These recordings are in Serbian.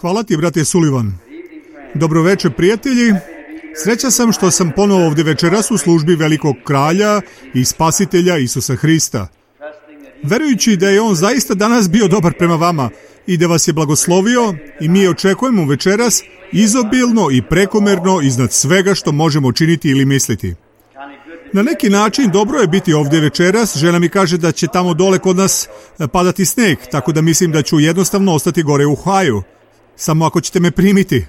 Hvala ti, brate Sullivan. Dobro večer, prijatelji. Srećan sam što sam ponovo ovdje večeras u službi velikog kralja i spasitelja Isusa Hrista. Verujući da je on zaista danas bio dobar prema vama i da vas je blagoslovio, i mi očekujemo večeras izobilno i prekomerno iznad svega što možemo činiti ili misliti. Na neki način dobro je biti ovdje večeras. Žena mi kaže da će tamo dole kod nas padati sneg, tako da mislim da ću jednostavno ostati gore u Ohaju. Samo ako ćete me primiti.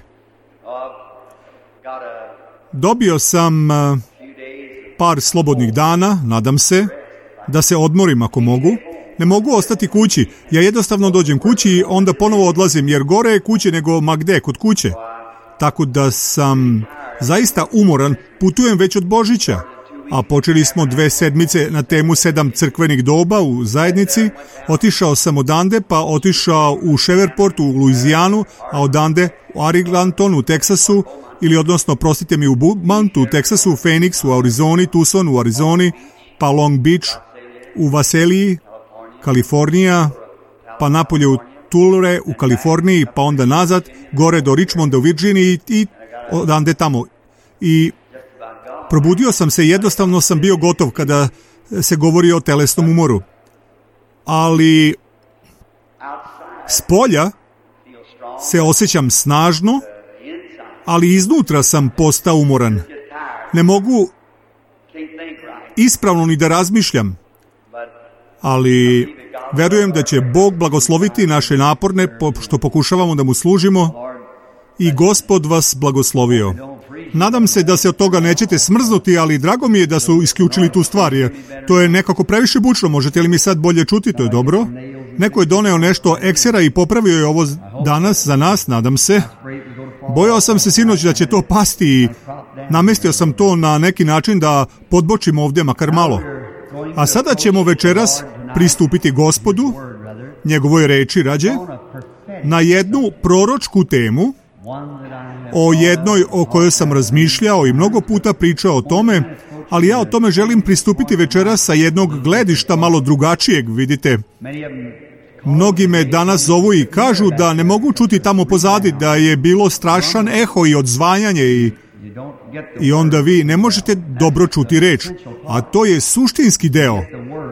Dobio sam par slobodnih dana, nadam se, da se odmorim ako mogu. Ne mogu ostati kući. Ja jednostavno dođem kući i onda ponovo odlazim, jer gore je kuće nego ma gde, kod kuće. Tako da sam zaista umoran, putujem već od Božića. A počeli smo 2 sedmice na temu 7 crkvenih doba u zajednici. Otišao sam odande, pa otišao u Shreveport u Luizijanu, a odande u Arlington u Teksasu, ili odnosno, prostite mi, u Beaumont u Teksasu, Phoenix u Arizoni, Tucson u Arizoni, pa Long Beach u Vaseliji, Kalifornija, pa napolje u Tulare u Kaliforniji, pa onda nazad, gore do Richmonda u Virginiji i odande tamo. I probudio sam se, jednostavno sam bio gotov kada se govori o telesnom umoru. Ali spolja se osjećam snažno, ali iznutra sam postao umoran. Ne mogu ispravno ni da razmišljam. Ali verujem da će Bog blagosloviti naše naporne što pokušavamo da mu služimo i Gospod vas blagoslovio. Nadam se da se od toga nećete smrznuti, ali drago mi je da su isključili tu stvar, jer to je nekako previše bučno. Možete li mi sad bolje čuti? To je dobro. Neko je doneo nešto eksera i popravio je ovo danas za nas, nadam se. Bojao sam se sinoć da će to pasti i namestio sam to na neki način da podbočimo ovdje makar malo. A sada ćemo večeras pristupiti Gospodu, njegovoj reči rađe, na jednu proročku temu, o jednoj o kojoj sam razmišljao i mnogo puta pričao o tome, ali ja o tome želim pristupiti večeras sa jednog gledišta malo drugačijeg, vidite. Mnogi me danas zovu i kažu da ne mogu čuti tamo pozadi, da je bilo strašan eho i odzvanjanje i onda vi ne možete dobro čuti reč. A to je suštinski deo,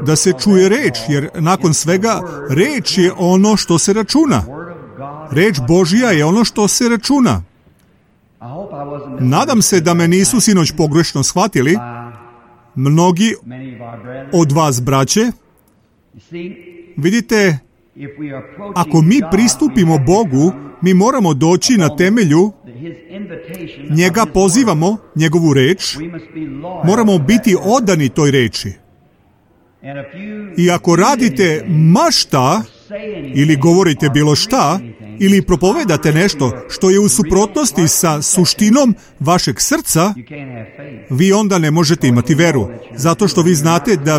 da se čuje reč, jer nakon svega reč je ono što se računa. Reč Božja je ono što se računa. Nadam se da me nisu sinoć pogrešno shvatili. Mnogi od vas, braće, vidite, ako mi pristupimo Bogu, mi moramo doći na temelju, njega pozivamo, njegovu reč, moramo biti odani toj reči. I ako radite ma šta, ili govorite bilo šta, ili propovedate nešto što je u suprotnosti sa suštinom vašeg srca, vi onda ne možete imati veru. Zato što vi znate da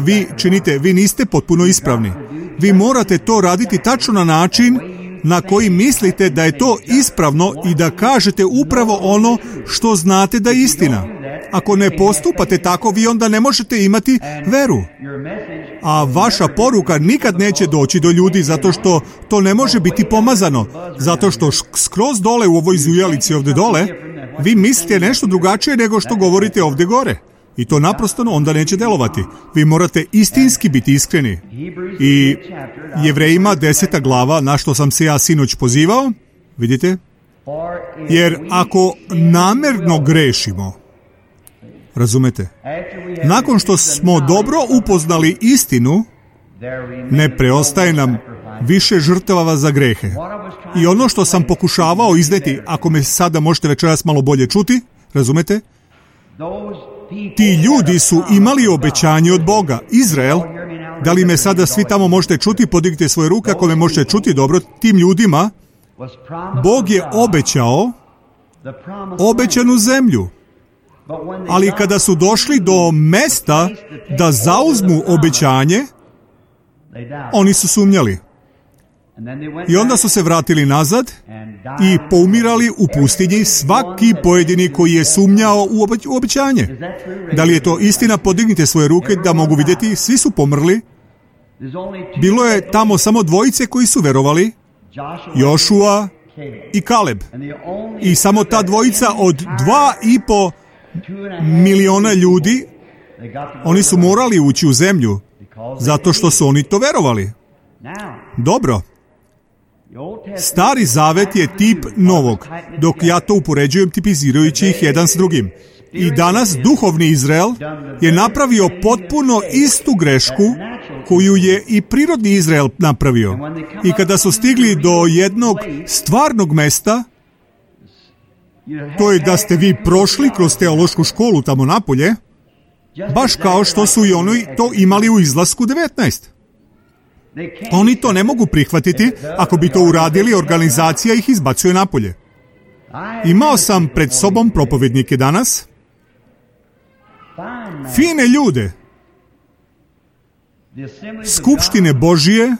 vi niste potpuno ispravni. Vi morate to raditi tačno na način na koji mislite da je to ispravno i da kažete upravo ono što znate da je istina. Ako ne postupate tako, vi onda ne možete imati veru. A vaša poruka nikad neće doći do ljudi zato što to ne može biti pomazano. Zato što skroz dole u ovoj zujalici ovdje dole, vi mislite nešto drugačije nego što govorite ovdje gore. I to naprosto onda neće delovati. Vi morate istinski biti iskreni. I Jevrejima 10. glava, na što sam se ja sinoć pozivao, vidite? Jer ako namerno grešimo, razumete? Nakon što smo dobro upoznali istinu, ne preostaje nam više žrtava za grehe. I ono što sam pokušavao izneti, ako me sada možete večeras malo bolje čuti, razumete? Ti ljudi su imali obećanje od Boga. Izrael, da li me sada svi tamo možete čuti, podignite svoje ruke ako me možete čuti dobro, tim ljudima Bog je obećao obećanu zemlju. Ali kada su došli do mesta da zauzmu obećanje, oni su sumnjali. I onda su se vratili nazad i poumirali u pustinji, svaki pojedini koji je sumnjao u obećanje. Da li je to istina? Podignite svoje ruke da mogu vidjeti. Svi su pomrli. Bilo je tamo samo 2 koji su verovali. Jošua i Kaleb. I samo ta dvojica od 2,5 miliona ljudi, oni su morali ući u zemlju, zato što su oni to verovali. Dobro. Stari zavet je tip novog, dok ja to upoređujem tipizirajući ih jedan s drugim. I danas duhovni Izrael je napravio potpuno istu grešku koju je i prirodni Izrael napravio. I kada su stigli do jednog stvarnog mesta, to je da ste vi prošli kroz teološku školu tamo napolje, baš kao što su i oni to imali u izlasku 19. Oni to ne mogu prihvatiti, ako bi to uradili, organizacija ih izbacuje napolje. Imao sam pred sobom propovednike danas, fine ljude. Skupštine Božije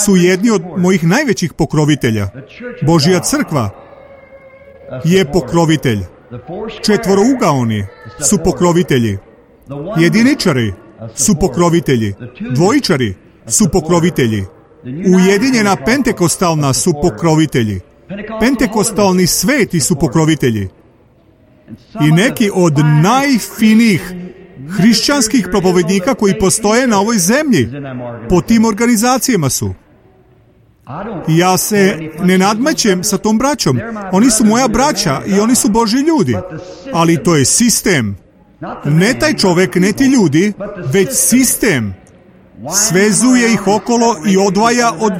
su jedni od mojih najvećih pokrovitelja. Božja crkva je pokrovitelj. Četvorougaoni su pokrovitelji. Jediničari su pokrovitelji. Dvojičari su pokrovitelji. Ujedinjena pentekostalna su pokrovitelji. Pentekostalni sveti su pokrovitelji. I neki od najfinijih hrišćanskih propovednika koji postoje na ovoj zemlji po tim organizacijama su. Ja se ne nadmećem sa tom braćom. Oni su moja braća i oni su Božji ljudi. Ali to je sistem. Ne taj čovek, ne ti ljudi, već sistem. Svezuje ih okolo i odvaja od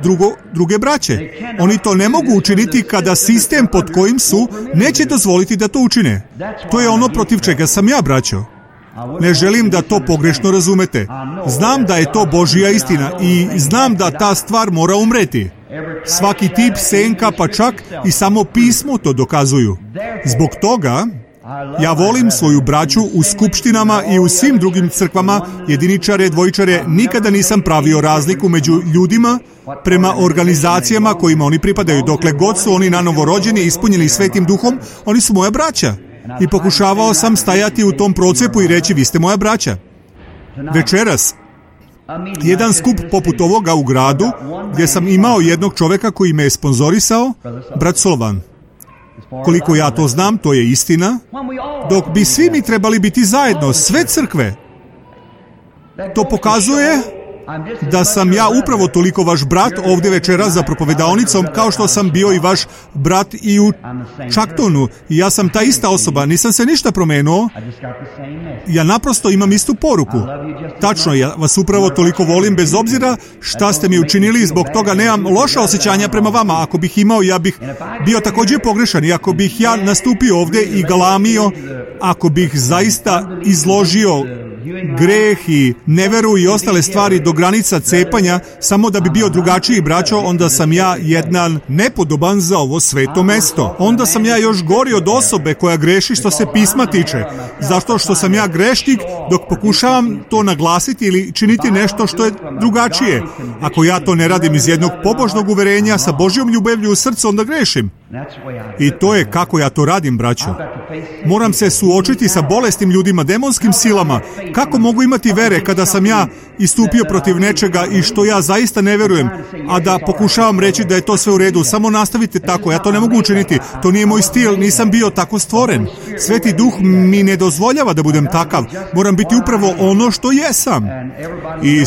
druge braće. Oni to ne mogu učiniti kada sistem pod kojim su neće dozvoliti da to učine. To je ono protiv čega sam ja, braćo. Ne želim da to pogrešno razumete. Znam da je to Božja istina i znam da ta stvar mora umreti. Svaki tip senka, pa čak i samo pismo to dokazuju. Zbog toga ja volim svoju braću u skupštinama i u svim drugim crkvama, jediničare, dvojičare. Nikada nisam pravio razliku među ljudima prema organizacijama kojima oni pripadaju. Dokle god su oni nanovo rođeni i ispunjeni Svetim Duhom, oni su moja braća. I pokušavao sam stajati u tom procepu i reći, vi ste moja braća. Večeras, jedan skup poput ovoga u gradu, gdje sam imao jednog čoveka koji me je sponzorisao, brat Slovan. Koliko ja to znam, to je istina, dok bi svi mi trebali biti zajedno, sve crkve. To pokazuje da sam ja upravo toliko vaš brat ovdje večeras za propovedaonicom, kao što sam bio i vaš brat i u Čaktonu. I ja sam ta ista osoba, nisam se ništa promenuo. Ja naprosto imam istu poruku. Tačno, ja vas upravo toliko volim, bez obzira šta ste mi učinili, zbog toga nemam loša osjećanja prema vama. Ako bih imao, ja bih bio također pogrešan. I ako bih ja nastupio ovdje i galamio, ako bih zaista izložio greh i neveru i ostale stvari do granica cepanja, samo da bi bio drugačiji, braćo, onda sam ja jedan nepodoban za ovo sveto mesto. Onda sam ja još gori od osobe koja greši što se pisma tiče. Zašto što sam ja grešnik dok pokušavam to naglasiti ili činiti nešto što je drugačije. Ako ja to ne radim iz jednog pobožnog uverenja sa Božjom ljubavlju u srcu, onda grešim. I to je kako ja to radim, braćo. Moram se suočiti sa bolesnim ljudima, demonskim silama. Kako mogu imati vere kada sam ja istupio protiv nečega i što ja zaista ne verujem, a da pokušavam reći da je to sve u redu? Samo nastavite tako, ja to ne mogu učiniti. To nije moj stil, nisam bio tako stvoren. Sveti Duh mi ne dozvoljava da budem takav. Moram biti upravo ono što jesam. I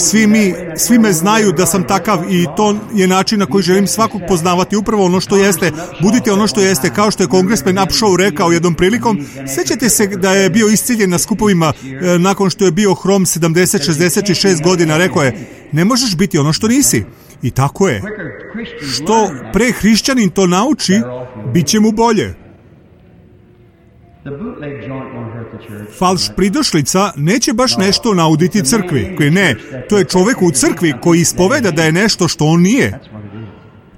svi me znaju da sam takav i to je način na koji želim svakog poznavati, upravo ono što jeste. Budite ono što jeste, kao što je kongresmen Upshaw rekao jednom prilikom. Sjećate se da je bio iscijeljen na skupovima nakon što je bio hrom 66 godina, rekao je, ne možeš biti ono što nisi. I tako je. Što pre hrišćanin to nauči, bit će mu bolje. Falš pridošlica neće baš nešto nauditi crkvi. Ne, to je čovjek u crkvi koji ispoveda da je nešto što on nije.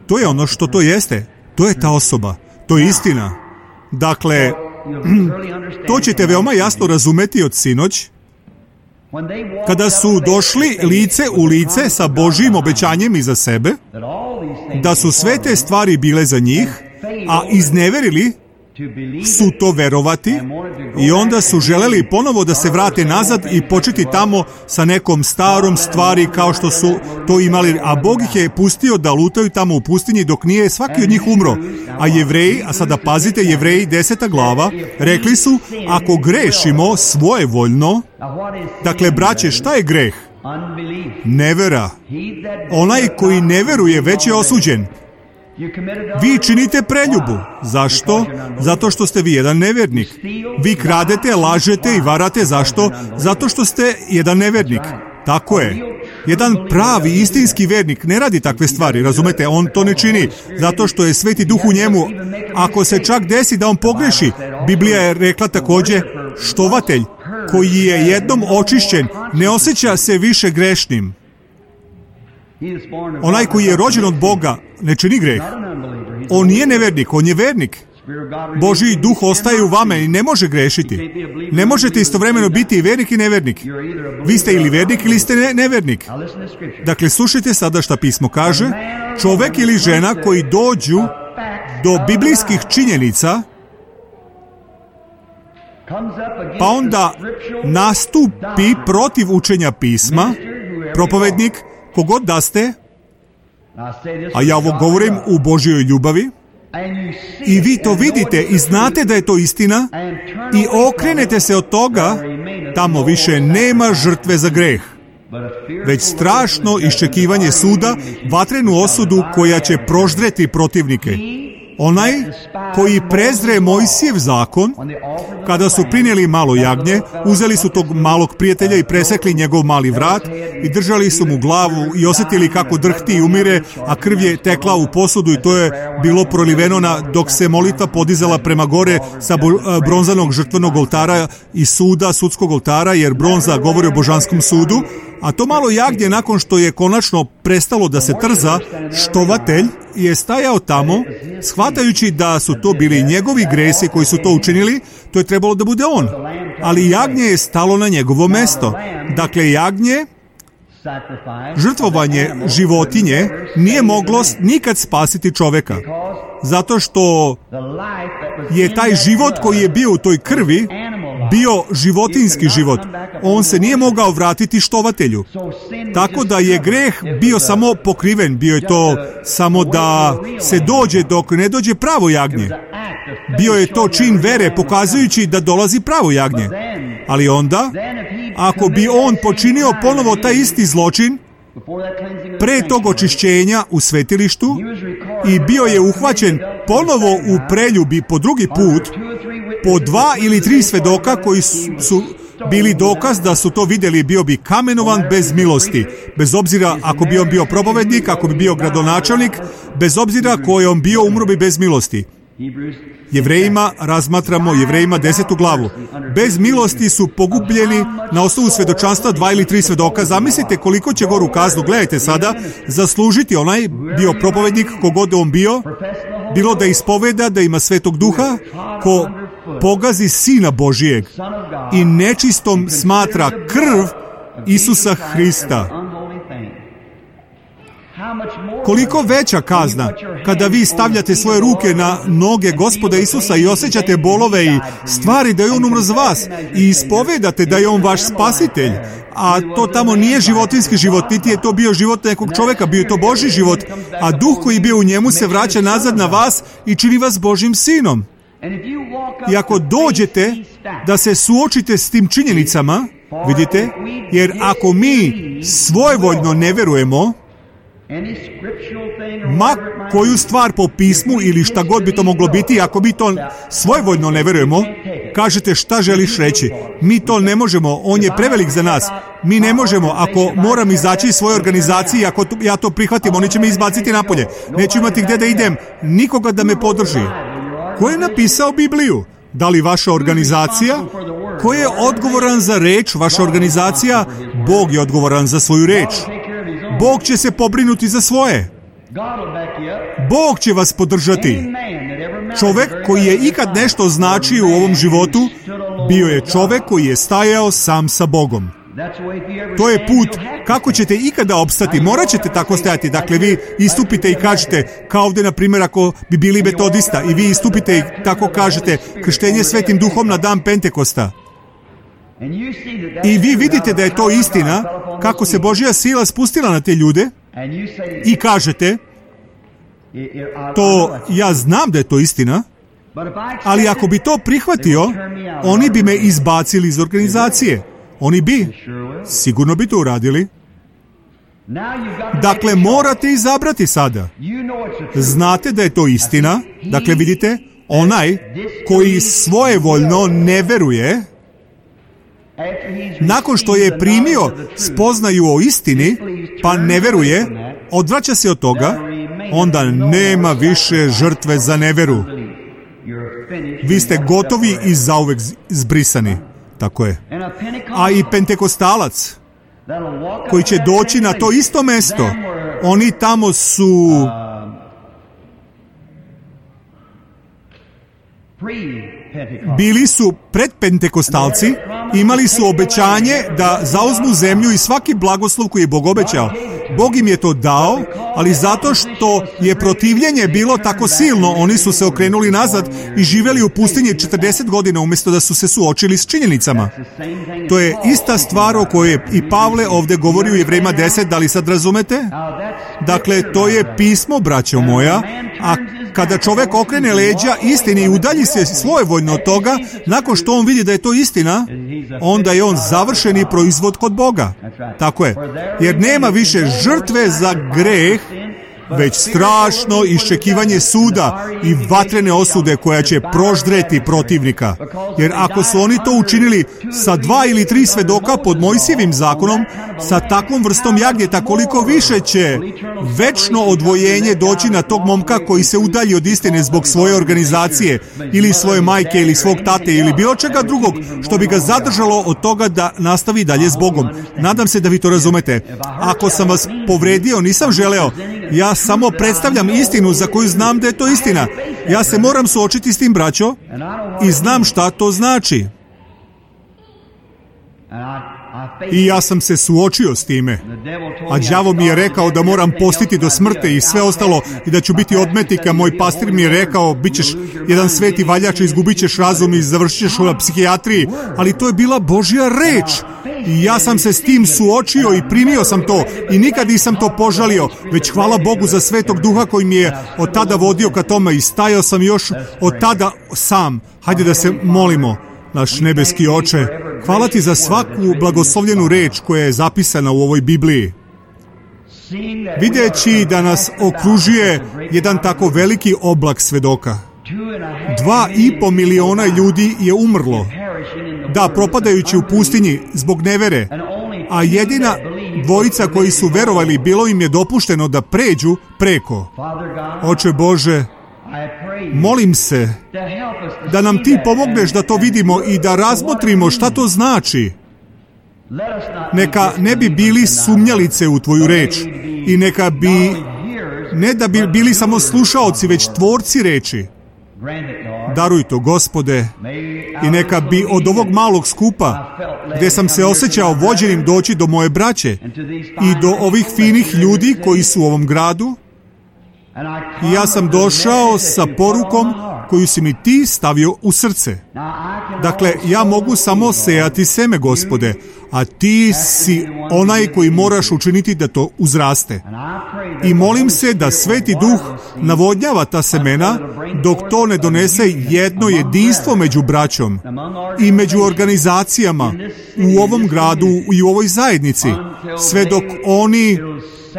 To je ono što to jeste. To je ta osoba. To je istina. Dakle, to ćete veoma jasno razumeti od sinoć, kada su došli lice u lice sa Božjim obećanjem iza sebe, da su sve te stvari bile za njih, a izneverili su to verovati i onda su želeli ponovo da se vrate nazad i početi tamo sa nekom starom stvari kao što su to imali, a Bog ih je pustio da lutaju tamo u pustinji dok nije svaki od njih umro. A Jevreji, a sada pazite, Jevreji 10. glava, rekli su, ako grešimo svojevoljno, dakle, braće, šta je greh? Nevera. Onaj koji ne veruje već je osuđen. Vi činite preljubu. Zašto? Zato što ste vi jedan nevernik. Vi kradete, lažete i varate. Zašto? Zato što ste jedan nevernik. Tako je. Jedan pravi, istinski vernik ne radi takve stvari, razumete? On to ne čini zato što je Sveti Duh u njemu. Ako se čak desi da on pogreši, Biblija je rekla također, štovatelj koji je jednom očišćen ne osjeća se više grešnim. Onaj koji je rođen od Boga ne čini greh. On nije nevernik, on je vernik. Božji duh ostaje u vama i ne može grešiti. Ne možete istovremeno biti i vernik i nevernik. Vi ste ili vernik ili ste nevernik. Dakle, slušajte sada šta pismo kaže. Čovek ili žena koji dođu do biblijskih činjenica, pa onda nastupi protiv učenja pisma, propovednik, kogod da ste, a ja ovo govorim u Božjoj ljubavi, i vi to vidite i znate da je to istina i okrenete se od toga, tamo više nema žrtve za greh, već strašno iščekivanje suda, vatrenu osudu koja će proždreti protivnike. Onaj koji prezre Mojsijev zakon, kada su prinijeli malo jagnje, uzeli su tog malog prijatelja i presekli njegov mali vrat i držali su mu glavu i osjetili kako drhti i umire, a krv je tekla u posudu i to je bilo proliveno dok se molitva podizala prema gore sa bronzanog žrtvenog oltara i suda, sudskog oltara, jer bronza govori o božanskom sudu. A to malo jagnje, nakon što je konačno prestalo da se trza, štovatelj je stajao tamo, shvatajući da su to bili njegovi gresi koji su to učinili, to je trebalo da bude on. Ali jagnje je stalo na njegovo mesto. Dakle, jagnje, žrtvovanje životinje, nije moglo nikad spasiti čoveka. Zato što je taj život koji je bio u toj krvi bio životinski život. On se nije mogao vratiti štovatelju. Tako da je greh bio samo pokriven. Bio je to samo da se dođe dok ne dođe pravo jagnje. Bio je to čin vere pokazujući da dolazi pravo jagnje. Ali onda, ako bi on počinio ponovo taj isti zločin, pre tog očišćenja u svetilištu i bio je uhvaćen ponovo u preljubi po drugi put, po 2 ili 3 svedoka koji su bili dokaz da su to vidjeli, bio bi kamenovan bez milosti. Bez obzira ako bi on bio propovednik, ako bi bio gradonačelnik, bez obzira ko je on bio, umro bi bez milosti. Jevrejima razmatramo Jevrejima 10. glavu. Bez milosti su pogubljeni na osnovu svedočanstva 2 ili 3 svedoka. Zamislite koliko će goru kaznu, gledajte sada, zaslužiti onaj bio propovednik, kogod on bio, bilo da ispoveda, da ima Svetog Duha, ko pogazi Sina Božijeg i nečistom smatra krv Isusa Hrista. Koliko veća kazna kada vi stavljate svoje ruke na noge Gospoda Isusa i osjećate bolove i stvari da je on umro za vas i ispovedate da je on vaš spasitelj, a to tamo nije životinski život, niti je to bio život nekog čovjeka, bio je to Božji život, a duh koji je bio u njemu se vraća nazad na vas i čini vas Božjim sinom. I ako dođete da se suočite s tim činjenicama, vidite, jer ako mi svojevoljno ne verujemo, ma koju stvar po pismu ili šta god bi to moglo biti, ako mi to svojevoljno ne verujemo, kažete šta želiš reći? Mi to ne možemo, on je prevelik za nas. Mi ne možemo, ako moram izaći iz svoje organizacije, ako ja to prihvatim, oni će me izbaciti napolje. Neću imati gdje da idem, nikoga da me podrži. Ko je napisao Bibliju? Da li vaša organizacija? Ko je odgovoran za reč? Vaša organizacija? Bog je odgovoran za svoju reč. Bog će se pobrinuti za svoje. Bog će vas podržati. Čovek koji je ikad nešto značio u ovom životu, bio je čovek koji je stajao sam sa Bogom. To je put kako ćete ikada opstati. Morat ćete tako stajati. Dakle, vi istupite i kažete, kao ovdje, na primjer, ako bi bili metodista, i vi istupite i tako kažete, krštenje Svetim Duhom na dan Pentekosta. I vi vidite da je to istina, kako se Božja sila spustila na te ljude, i kažete, to ja znam da je to istina, ali ako bi to prihvatio, oni bi me izbacili iz organizacije. Oni bi, sigurno bi to uradili. Dakle, morate izabrati sada. Znate da je to istina. Dakle, vidite, onaj koji svojevoljno ne veruje, nakon što je primio spoznaju o istini, pa ne veruje, odvraća se od toga, onda nema više žrtve za neveru. Vi ste gotovi i zauvek zbrisani. Tako je. A i Pentekostalac, koji će doći na to isto mesto, oni tamo su bili su predpentekostalci, imali su obećanje da zauzmu zemlju i svaki blagoslov koji je Bog obećao. Bog im je to dao, ali zato što je protivljenje bilo tako silno, oni su se okrenuli nazad i živjeli u pustinji 40 godina umjesto da su se suočili s činjenicama. To je ista stvar o kojoj je i Pavle ovdje govori u Jevrejima 10, da li sad razumete? Dakle, to je pismo, braćo moja, a kada čovjek okrene leđa istini i udalji se svojevoljno od toga, nakon što on vidi da je to istina, onda je on završeni proizvod kod Boga. Tako je. Jer nema više žrtve za greh, već strašno iščekivanje suda i vatrene osude koja će proždreti protivnika. Jer ako su oni to učinili sa 2 ili 3 svedoka pod Mojsijevim zakonom, sa takvom vrstom jagnjeta, koliko više će večno odvojenje doći na tog momka koji se udalji od istine zbog svoje organizacije ili svoje majke ili svog tate ili bilo čega drugog što bi ga zadržalo od toga da nastavi dalje s Bogom. Nadam se da vi to razumete. Ako sam vas povredio, nisam želeo. Ja samo predstavljam istinu za koju znam da je to istina. Ja se moram suočiti s tim, braćo, i znam šta to znači. I ja sam se suočio s time. A đavo mi je rekao da moram postiti do smrti i sve ostalo i da ću biti odmetnika. Moj pastir mi je rekao, bit ćeš jedan sveti valjač, izgubit ćeš razum i završit ćeš na psihijatriji. Ali to je bila Božja reč. I ja sam se s tim suočio i primio sam to i nikad nisam to požalio, već hvala Bogu za Svetog Duha koji mi je od tada vodio ka tome i stajao sam još od tada sam. Hajde da se molimo. Naš nebeski Oče, hvala ti za svaku blagoslovljenu reč koja je zapisana u ovoj Bibliji. Videći da nas okružuje jedan tako veliki oblak svedoka. 2,5 miliona ljudi je umrlo. Da, propadajući u pustinji zbog nevere. A jedina dvojica koji su verovali, bilo im je dopušteno da pređu preko. Oče Bože, molim se da nam ti pomogneš da to vidimo i da razmotrimo šta to znači. Neka ne bi bili sumnjalice u tvoju reč i neka bi, ne da bi bili samo slušaoci, već tvorci reči. Daruj to, Gospode, i neka bi od ovog malog skupa, gdje sam se osjećao vođenim, doći do moje braće i do ovih finih ljudi koji su u ovom gradu. I ja sam došao sa porukom koju si mi ti stavio u srce. Dakle, ja mogu samo sejati seme, Gospode, a ti si onaj koji moraš učiniti da to uzraste. I molim se da Sveti Duh navodnjava ta semena dok to ne donese jedno jedinstvo među braćom i među organizacijama u ovom gradu i u ovoj zajednici, sve dok oni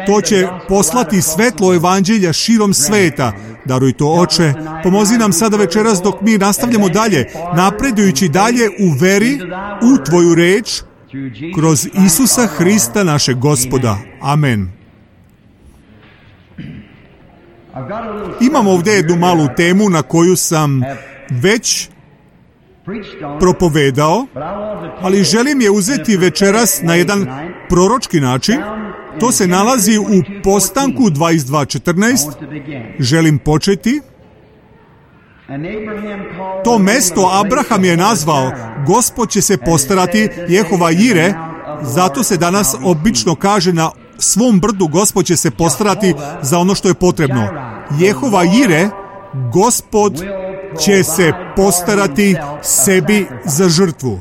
to će poslati svetlo evanđelja širom sveta. Daruj to, Oče. Pomozi nam sada večeras dok mi nastavljamo dalje, napredujući dalje u veri, u tvoju reč, kroz Isusa Hrista našeg Gospoda. Amen. Imam ovdje jednu malu temu na koju sam već propovedao, ali želim je uzeti večeras na jedan proročki način. To se nalazi u Postanku 22:14. Želim početi. To mesto Abraham je nazvao, Gospod će se postarati, Jehova Jire, Zato se danas obično kaže na svom brdu Gospod će se postarati za ono što je potrebno. Jehova Jire, Gospod će se postarati sebi za žrtvu.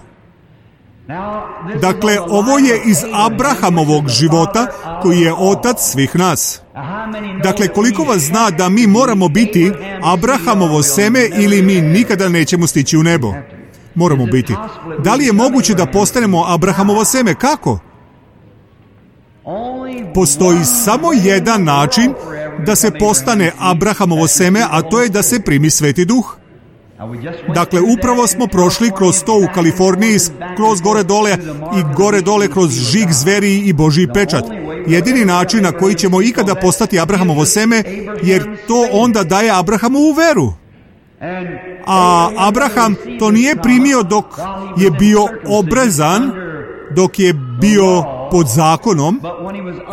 Dakle, ovo je iz Abrahamovog života, koji je otac svih nas. Dakle, koliko vas zna da mi moramo biti Abrahamovo seme ili mi nikada nećemo stići u nebo? Moramo biti. Da li je moguće da postanemo Abrahamovo seme? Kako? Postoji samo jedan način da se postane Abrahamovo seme, a to je da se primi Sveti Duh. Dakle, upravo smo prošli kroz to u Kaliforniji, kroz gore dole i gore dole kroz žig zveri i Božji pečat. Jedini način na koji ćemo ikada postati Abrahamovo seme, jer to onda daje Abrahamovu veru. A Abraham to nije primio dok je bio obrezan, dok je bio pod zakonom,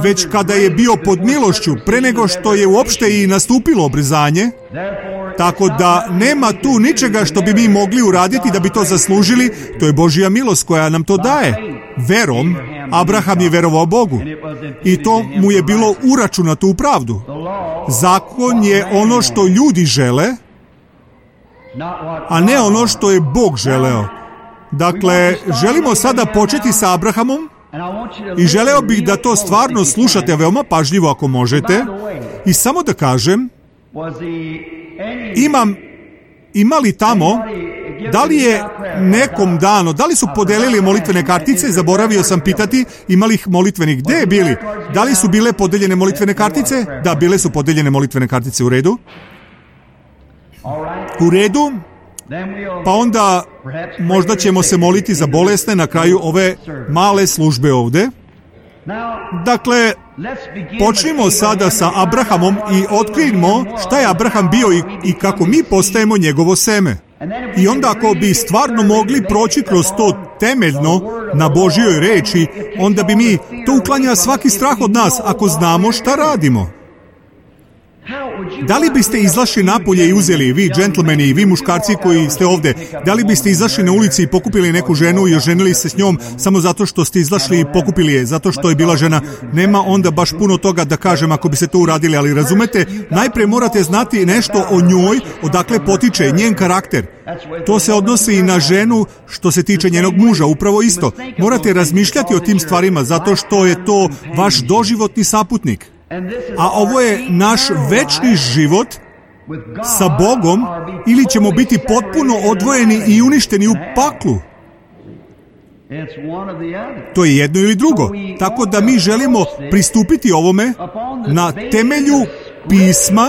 već kada je bio pod milošću, pre nego što je uopšte i nastupilo obrezanje. Tako da nema tu ničega što bi mi mogli uraditi da bi to zaslužili, to je Božja milost koja nam to daje. Verom, Abraham je verovao Bogu i to mu je bilo uračunato u pravdu. Zakon je ono što ljudi žele, a ne ono što je Bog želeo. Dakle, želimo sada početi sa Abrahamom i želeo bih da to stvarno slušate veoma pažljivo ako možete. I samo da kažem, ima li tamo, da li je nekom dano, da li su podelili molitvene kartice, zaboravio sam pitati, ima li ih molitvenih, gde je bili? Da li su bile podeljene molitvene kartice? Da, bile su podeljene molitvene kartice, u redu. U redu, pa onda možda ćemo se moliti za bolesne na kraju ove male službe ovde. Dakle, počnimo sada sa Abrahamom i otkrijmo šta je Abraham bio i kako mi postajemo njegovo seme. I onda ako bi stvarno mogli proći kroz to temeljno na Božjoj reči, onda bi mi, to uklanja svaki strah od nas ako znamo šta radimo. Da li biste izašli napolje i uzeli, vi džentlmeni i vi muškarci koji ste ovde, da li biste izašli na ulici i pokupili neku ženu i oženili se s njom samo zato što ste izašli i pokupili je, zato što je bila žena? Nema onda baš puno toga da kažem ako biste to uradili, ali razumete, najpre morate znati nešto o njoj, odakle potiče njen karakter. To se odnosi i na ženu što se tiče njenog muža, upravo isto. Morate razmišljati o tim stvarima zato što je to vaš doživotni saputnik. A ovo je naš večni život sa Bogom, ili ćemo biti potpuno odvojeni i uništeni u paklu. To je jedno ili drugo. Tako da mi želimo pristupiti ovome na temelju pisma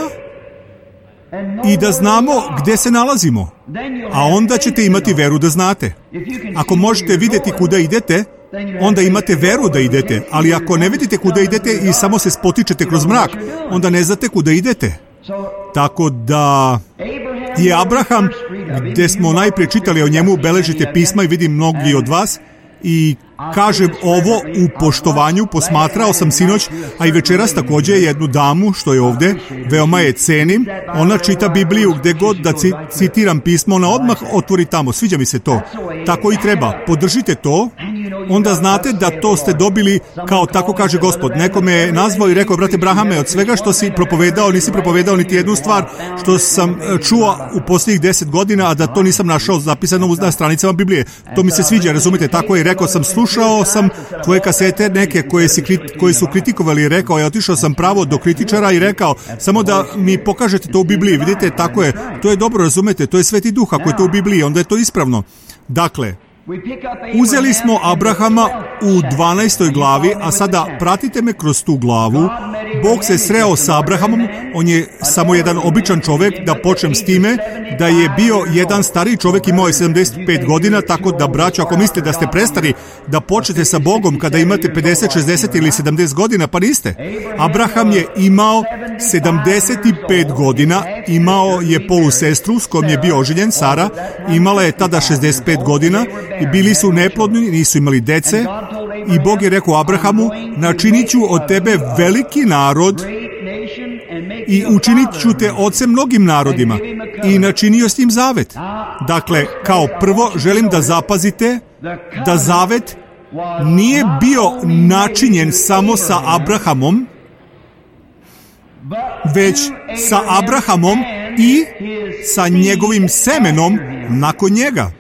i da znamo gde se nalazimo. A onda ćete imati veru da znate. Ako možete vidjeti kuda idete, onda imate veru da idete, ali ako ne vidite kuda idete i samo se spotičete kroz mrak, onda ne znate kuda idete. Tako da je Abraham, gde smo najprije čitali o njemu, beležite pisma i vidim mnogi od vas, i kažem ovo u poštovanju, posmatrao sam sinoć, a i večeras također jednu damu što je ovde, veoma je cenim, ona čita Bibliju gde god da citiram pismo, ona odmah otvori tamo, sviđa mi se to. Tako i treba, podržite to, onda znate da to ste dobili kao tako kaže Gospod. Neko me je nazvao i rekao, brate Brahame, od svega što si propovedao, nisi propovedao niti jednu stvar što sam čuo u posljednjih 10 godina, a da to nisam našao zapisano na stranicama Biblije. To mi se sviđa, razumite, tako je. Rekao sam, slušao sam tvoje kasete neke koje su kritikovali i rekao, ja otišao sam pravo do kritičara i rekao, samo da mi pokažete to u Bibliji, vidite, tako je, to je dobro, razumete, to je Sveti Duh, ako je to u Bibliji, onda je to ispravno. Dakle, uzeli smo Abrahama u 12. glavi, a sada pratite me kroz tu glavu. Bog se sreo sa Abrahamom, on je samo jedan običan čovjek, da počnem s time, da je bio jedan stariji čovjek, imao je 75 godina, tako da, braćo, ako mislite da ste prestari da počnete sa Bogom kada imate 50, 60 ili 70 godina, pa niste. Abraham je imao 75 godina, imao je polusestru s kojom je bio oženjen, Sara, imala je tada 65 godina, i bili su neplodni, nisu imali dece, i Bog je rekao Abrahamu, načinit ću od tebe veliki narod i učinit ću te ocem mnogim narodima, i načinio s njim zavet. Dakle, kao prvo želim da zapazite da zavet nije bio načinjen samo sa Abrahamom, već sa Abrahamom i sa njegovim semenom nakon njega.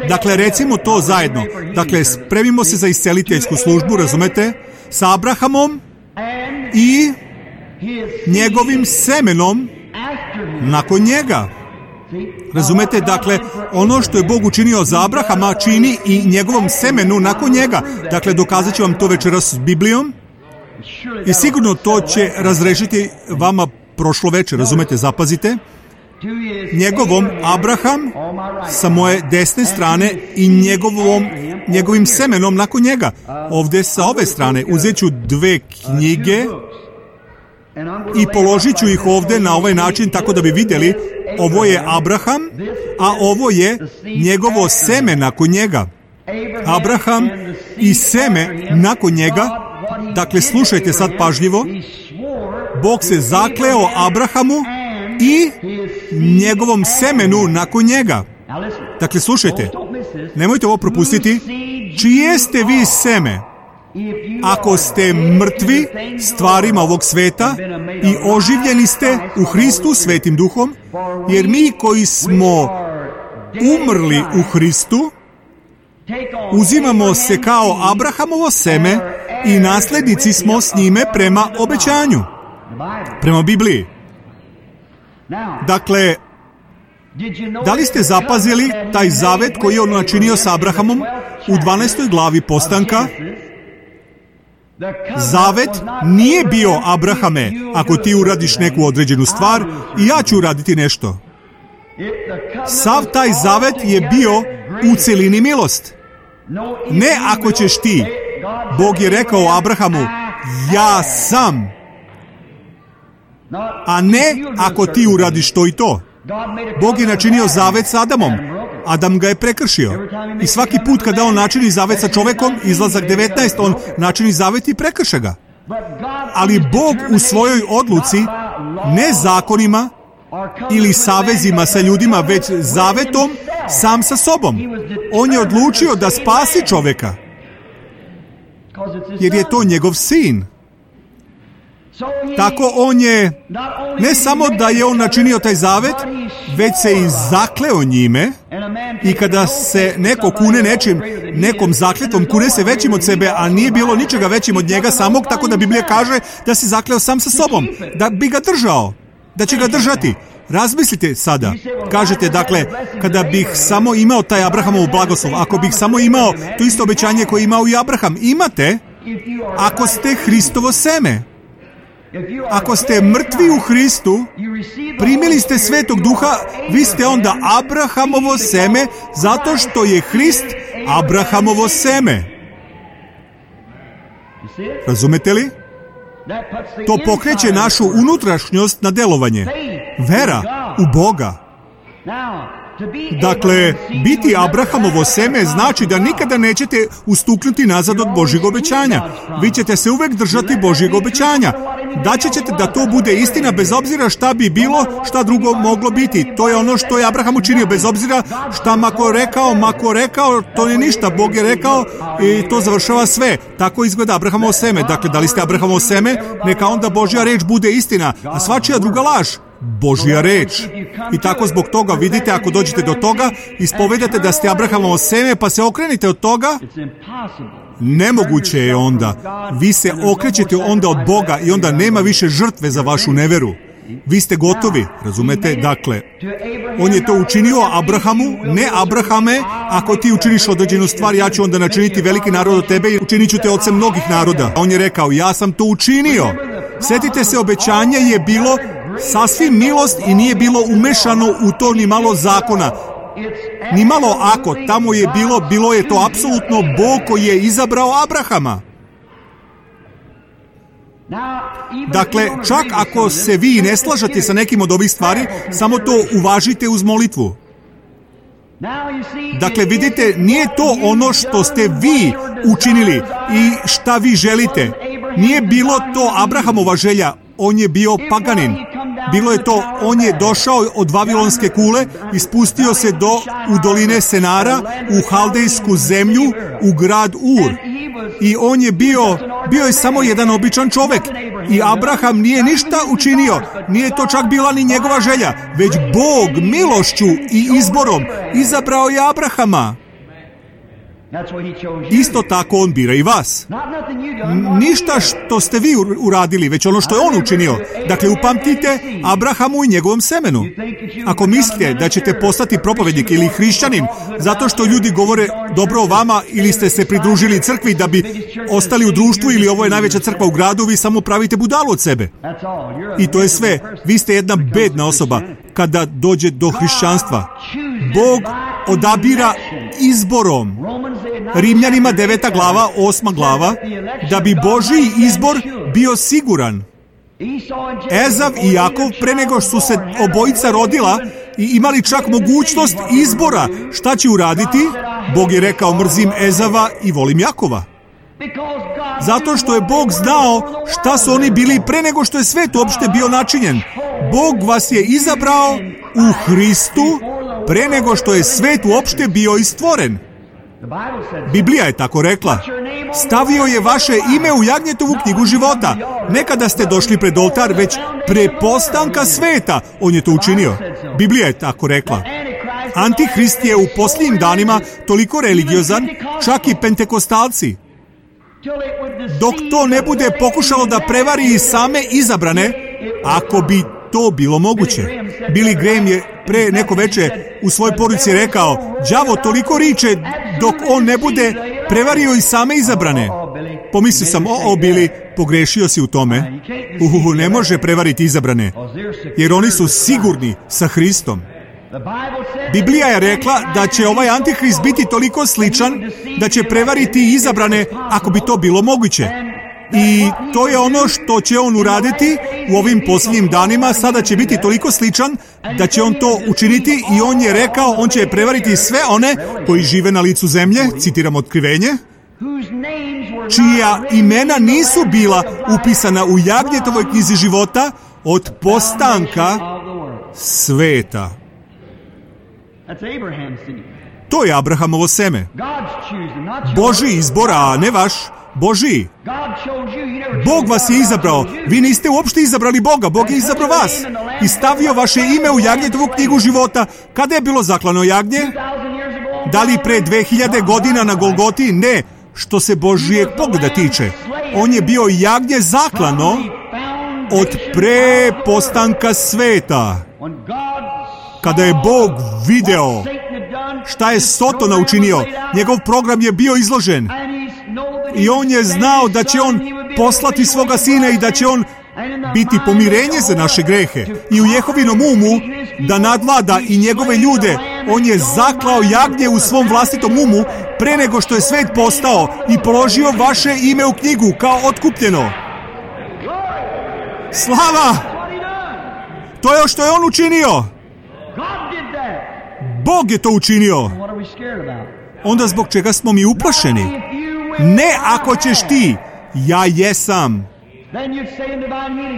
Dakle, recimo to zajedno. Dakle, spremimo se za isceliteljsku službu, razumete? Sa Abrahamom i njegovim semenom nakon njega. Razumete? Dakle, ono što je Bog učinio za Abrahama čini i njegovom semenu nakon njega. Dakle, dokazat ću vam to večeras s Biblijom i sigurno to će razrešiti vama prošlo večer. Razumete? Zapazite. Njegovom Abraham sa moje desne strane i njegovim semenom nakon njega. Ovdje sa ove strane uzet ću 2 knjige i položit ću ih ovdje na ovaj način tako da bi vidjeli ovo je Abraham, a ovo je njegovo seme nakon njega. Abraham i seme nakon njega. Dakle, slušajte sad pažljivo. Bog se zakleo Abrahamu i njegovom semenu nakon njega. Dakle, slušajte, nemojte ovo propustiti. Čije ste vi seme? Ako ste mrtvi stvarima ovog sveta i oživljeni ste u Hristu Svetim Duhom, jer mi koji smo umrli u Hristu, uzimamo se kao Abrahamovo seme i naslednici smo s njime prema obećanju, prema Bibliji. Dakle, da li ste zapazili taj zavet koji je on načinio sa Abrahamom u 12. glavi Postanka? Zavet nije bio Abrahame, ako ti uradiš neku određenu stvar i ja ću uraditi nešto. Sav taj zavet je bio u celini milost. Ne ako ćeš ti. Bog je rekao Abrahamu, ja sam. A ne ako ti uradiš to i to. Bog je načinio zavet s Adamom. Adam ga je prekršio. I svaki put kada on načini zavet sa čovekom, izlazak 19, on načini zavet i prekrše ga. Ali Bog u svojoj odluci, ne zakonima ili savezima sa ljudima, već zavetom sam sa sobom. On je odlučio da spasi čoveka, jer je to njegov sin. Tako on je, ne samo da je on načinio taj zavet, već se i zakleo njime, i kada se neko kune nekom zakletom, kune se većim od sebe, a nije bilo ničega većim od njega samog, tako da Biblija kaže da se zakleo sam sa sobom, da bi ga držao, da će ga držati. Razmislite sada, kažete, dakle, kada bih samo imao taj Abrahamov blagoslov, ako bih samo imao to isto obećanje koje je imao i Abraham, imate, ako ste Hristovo seme. Ako ste mrtvi u Hristu, primili ste Svetog Duha, vi ste onda Abrahamovo seme, zato što je Hrist Abrahamovo seme. Razumete li? To pokreće našu unutrašnjost na delovanje. Vera u Boga. Dakle, biti Abrahamovo seme znači da nikada nećete ustuknuti nazad od Božjeg obećanja. Vi ćete se uvek držati Božjeg obećanja. Daće ćete da to bude istina bez obzira šta bi bilo, šta drugo moglo biti. To je ono što je Abraham učinio, bez obzira šta mako rekao, to nije ništa. Bog je rekao i to završava sve. Tako izgleda Abrahamovo seme. Dakle, da li ste Abrahamovo seme, neka onda Božja reč bude istina, a svačija druga laž. Božja reč. I tako zbog toga vidite, ako dođete do toga, ispovedate da ste Abrahamovo seme, pa se okrenite od toga, nemoguće je onda. Vi se okrećete onda od Boga i onda nema više žrtve za vašu neveru. Vi ste gotovi, razumete? Dakle, on je to učinio Abrahamu, ne Abrahame, ako ti učiniš određenu stvar, ja ću onda načiniti veliki narod od tebe i učinit ću te ocem mnogih naroda. On je rekao, ja sam to učinio. Sjetite se, obećanje je bilo sasvim milost i nije bilo umešano u to ni malo zakona. Ni malo ako, tamo je bilo je to apsolutno Bog koji je izabrao Abrahama. Dakle, čak ako se vi ne slažete sa nekim od ovih stvari, samo to uvažite uz molitvu. Dakle, vidite, nije to ono što ste vi učinili i šta vi želite. Nije bilo to Abrahamova želja, on je bio paganin. Bilo je to, on je došao od Vavilonske kule i spustio se u doline Senara, u Haldejsku zemlju, u grad Ur. I on je bio je samo jedan običan čovek. I Abraham nije ništa učinio. Nije to čak bila ni njegova želja, već Bog milošću i izborom izabrao je Abrahama. Isto tako on bira i vas. Ništa što ste vi uradili, već ono što je on učinio. Dakle, upamtite Abrahamu i njegovom semenu. Ako mislite da ćete postati propovednik ili hrišćanin zato što ljudi govore dobro o vama ili ste se pridružili crkvi da bi ostali u društvu ili ovo je najveća crkva u gradu, vi samo pravite budalu od sebe. I to je sve. Vi ste jedna bedna osoba kada dođe do hrišćanstva. Bog odabira izborom. Rimljanima 9. glava, 8. glava, da bi Božji izbor bio siguran. Ezav i Jakov, pre nego su se obojica rodila i imali čak mogućnost izbora šta će uraditi, Bog je rekao mrzim Ezava i volim Jakova. Zato što je Bog znao šta su oni bili pre nego što je svet uopšte bio načinjen. Bog vas je izabrao u Hristu pre nego što je svet uopšte bio i stvoren. Biblija je tako rekla. Stavio je vaše ime u Jagnjetovu knjigu života. Ne kada ste došli pred oltar, već pre postanka sveta. On je to učinio. Biblija je tako rekla. Antihrist je u posljednjim danima toliko religiozan, čak i pentekostalci. Dok to ne bude pokušalo da prevari i same izabrane, ako bi to bilo moguće. Billy Graham je pre neko veče u svojoj poruci rekao, đavo toliko riče dok on ne bude prevario i same izabrane. Pomislio sam, Billy, pogrešio si u tome. Ne može prevariti izabrane, jer oni su sigurni sa Hristom. Biblija je rekla da će ovaj Antihrist biti toliko sličan da će prevariti izabrane ako bi to bilo moguće. I to je ono što će on uraditi u ovim posljednjim danima. Sada će biti toliko sličan da će on to učiniti i on je rekao, on će prevariti sve one koji žive na licu zemlje, citiram Otkrivenje, čija imena nisu bila upisana u Jagnjetovoj knjizi života od postanka sveta. To je Abrahamovo seme. Božji izbor, a ne vaš. Božji. Bog vas je izabrao. Vi niste uopšte izabrali Boga. Bog je izabrao vas. I stavio vaše ime u Jagnjetovu knjigu života. Kada je bilo zaklano jagnje? Da li pre 2000 godina na Golgoti? Ne. Što se Božijeg pogleda tiče. On je bio jagnje zaklano od pre postanka sveta. Kada je Bog video šta je Sotona učinio, njegov program je bio izložen. I on je znao da će on poslati svoga sina i da će on biti pomirenje za naše grehe. I u Jehovinom umu da nadvlada i njegove ljude, on je zaklao jagnje u svom vlastitom umu pre nego što je svet postao i položio vaše ime u knjigu kao otkupljeno. Slava! To je što je on učinio. Bog je to učinio. Onda zbog čega smo mi uplašeni? Ne ako ćeš ti, ja jesam.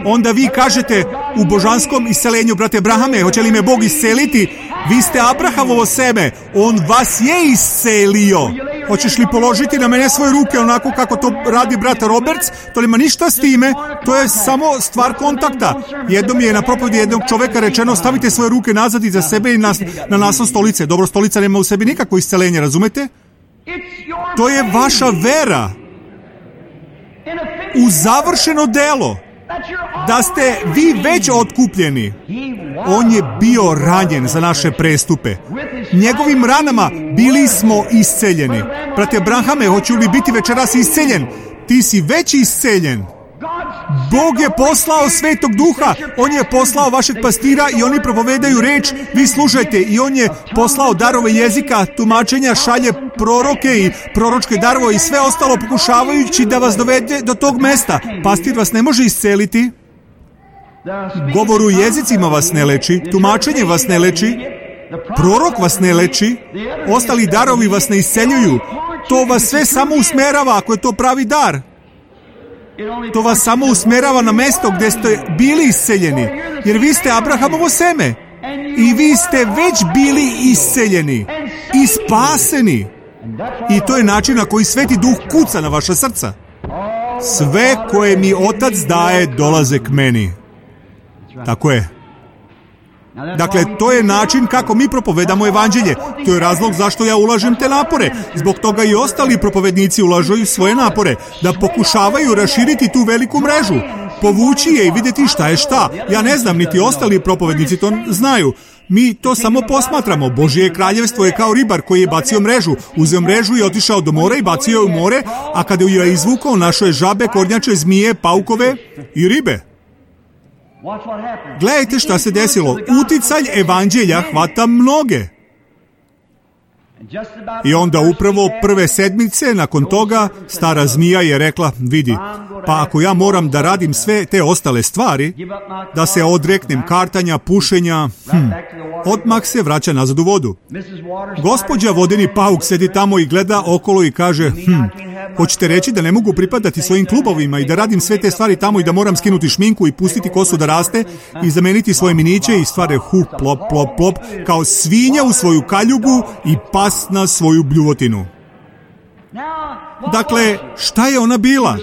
Onda vi kažete u božanskom iscelenju, brate Abrahame, hoće li me Bog isceliti? Vi ste Abrahamovo seme, on vas je iscelio. Hoćeš li položiti na mene svoje ruke onako kako to radi brat Roberts? To nema ništa s time, to je samo stvar kontakta. Jednom je na propovedi jednog čoveka rečeno, stavite svoje ruke nazad iza sebe i na naslov stolice. Dobro, stolica nema u sebi nikakvo iscelenje, razumete? To je vaša vera u završeno delo, da ste vi već otkupljeni. On je bio ranjen za naše prestupe. Njegovim ranama bili smo isceljeni. Brate Abrahame, hoću li biti večeras isceljen? Ti si već isceljen. Bog je poslao Svetog Duha, on je poslao vašeg pastira i oni propovedaju reč, vi slušajte, i on je poslao darove jezika, tumačenja, šalje proroke i proročke darove i sve ostalo pokušavajući da vas dovede do tog mesta. Pastir vas ne može isceliti, govor u jezicima vas ne leči, tumačenje vas ne leči, prorok vas ne leči, ostali darovi vas ne isceljuju. To vas sve samo usmerava ako je to pravi dar. To vas samo usmjerava na mesto gdje ste bili isceljeni, jer vi ste Abrahamovo seme i vi ste već bili isceljeni i spaseni. I to je način na koji Sveti Duh kuca na vaša srca. Sve koje mi Otac daje dolaze k meni. Tako je. Dakle, to je način kako mi propovedamo evanđelje. To je razlog zašto ja ulažem te napore. Zbog toga i ostali propovednici ulažu svoje napore, da pokušavaju raširiti tu veliku mrežu, povući je i vidjeti šta je šta. Ja ne znam, niti ostali propovednici to znaju. Mi to samo posmatramo. Božje kraljevstvo je kao ribar koji je bacio mrežu. Uzeo mrežu i otišao do mora i bacio je u more, a kada ju je izvukao, našao je žabe, kornjače, zmije, paukove i ribe. Gledajte šta se desilo. Uticaj evanđelja hvata mnoge. I onda upravo prve sedmice nakon toga stara zmija je rekla, vidi, pa ako ja moram da radim sve te ostale stvari, da se odreknem kartanja, pušenja, odmah se vraća nazad u vodu. Gospođa vodeni pauk sedi tamo i gleda okolo i kaže, hoćete reći da ne mogu pripadati svojim klubovima i da radim sve te stvari tamo i da moram skinuti šminku i pustiti kosu da raste i zameniti svoje miniće i stvari plop, plop, plop, kao svinja u svoju kaljugu i pas na svoju bljuvotinu. Dakle, šta je ona bila?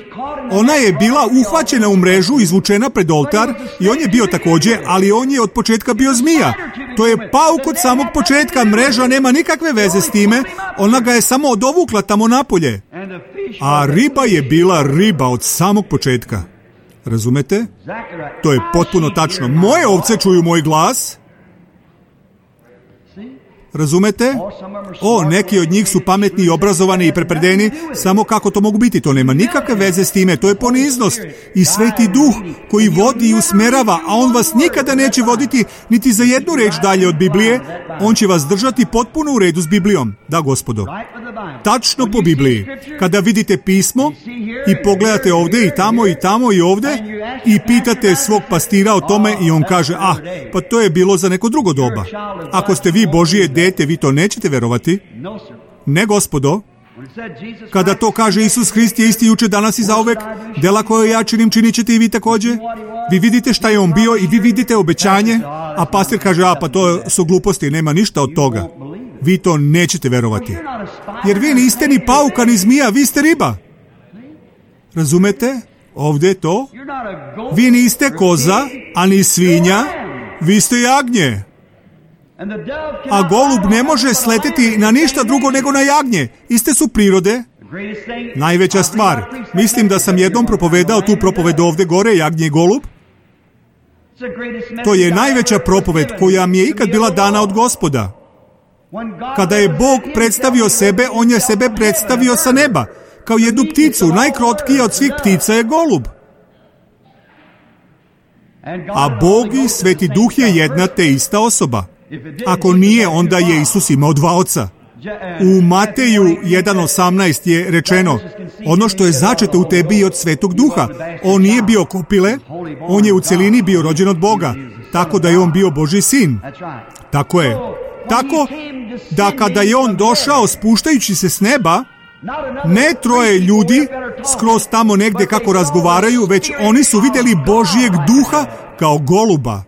Ona je bila uhvaćena u mrežu, izvučena pred oltar i on je bio također, ali on je od početka bio zmija. To je pauk od samog početka, mreža nema nikakve veze s time, ona ga je samo odovukla tamo napolje. A riba je bila riba od samog početka. Razumete? To je potpuno tačno. Moje ovce čuju moj glas. Razumete? Neki od njih su pametni i obrazovani i prepredeni, samo kako to mogu biti, to nema nikakve veze s time, to je poniznost i Sveti Duh koji vodi i usmerava, a on vas nikada neće voditi niti za jednu reč dalje od Biblije, on će vas držati potpuno u redu s Biblijom. Da, Gospodo. Tačno po Bibliji. Kada vidite pismo i pogledate ovdje i tamo i ovdje i pitate svog pastira o tome i on kaže, pa to je bilo za neko drugo doba. Ako ste vi Božije dete, vi to nećete verovati. Ne, Gospodo. Kada to kaže Isus Hrist je isti jučer, danas i zauvek, dela koje ja činim, činit ćete i vi također. Vi vidite šta je on bio i vi vidite obećanje, a pastir kaže, pa to su gluposti, nema ništa od toga. Vi to nećete verovati. Jer vi niste ni pauka, ni zmija, vi ste riba. Razumete? Ovdje je to. Vi niste koza, a ni svinja, vi ste jagnje. A golub ne može sleteti na ništa drugo nego na jagnje. Iste su prirode. Najveća stvar. Mislim da sam jednom propovedao tu propoved ovdje gore, jagnje i golub. To je najveća propoved koja mi je ikad bila dana od Gospoda. Kada je Bog predstavio sebe, on je sebe predstavio sa neba. Kao jednu pticu, najkrotkija od svih ptica je golub. A Bog i Sveti Duh je jedna te ista osoba. Ako nije, onda je Isus imao dva oca. U Mateju 1.18 je rečeno, ono što je začeto u tebi je od Svetog Duha. On nije bio kopile, on je u celini bio rođen od Boga, tako da je on bio Božji sin. Tako je. Tako da kada je on došao spuštajući se s neba, ne troje ljudi skroz tamo negdje kako razgovaraju, već oni su vidjeli Božjeg Duha kao goluba.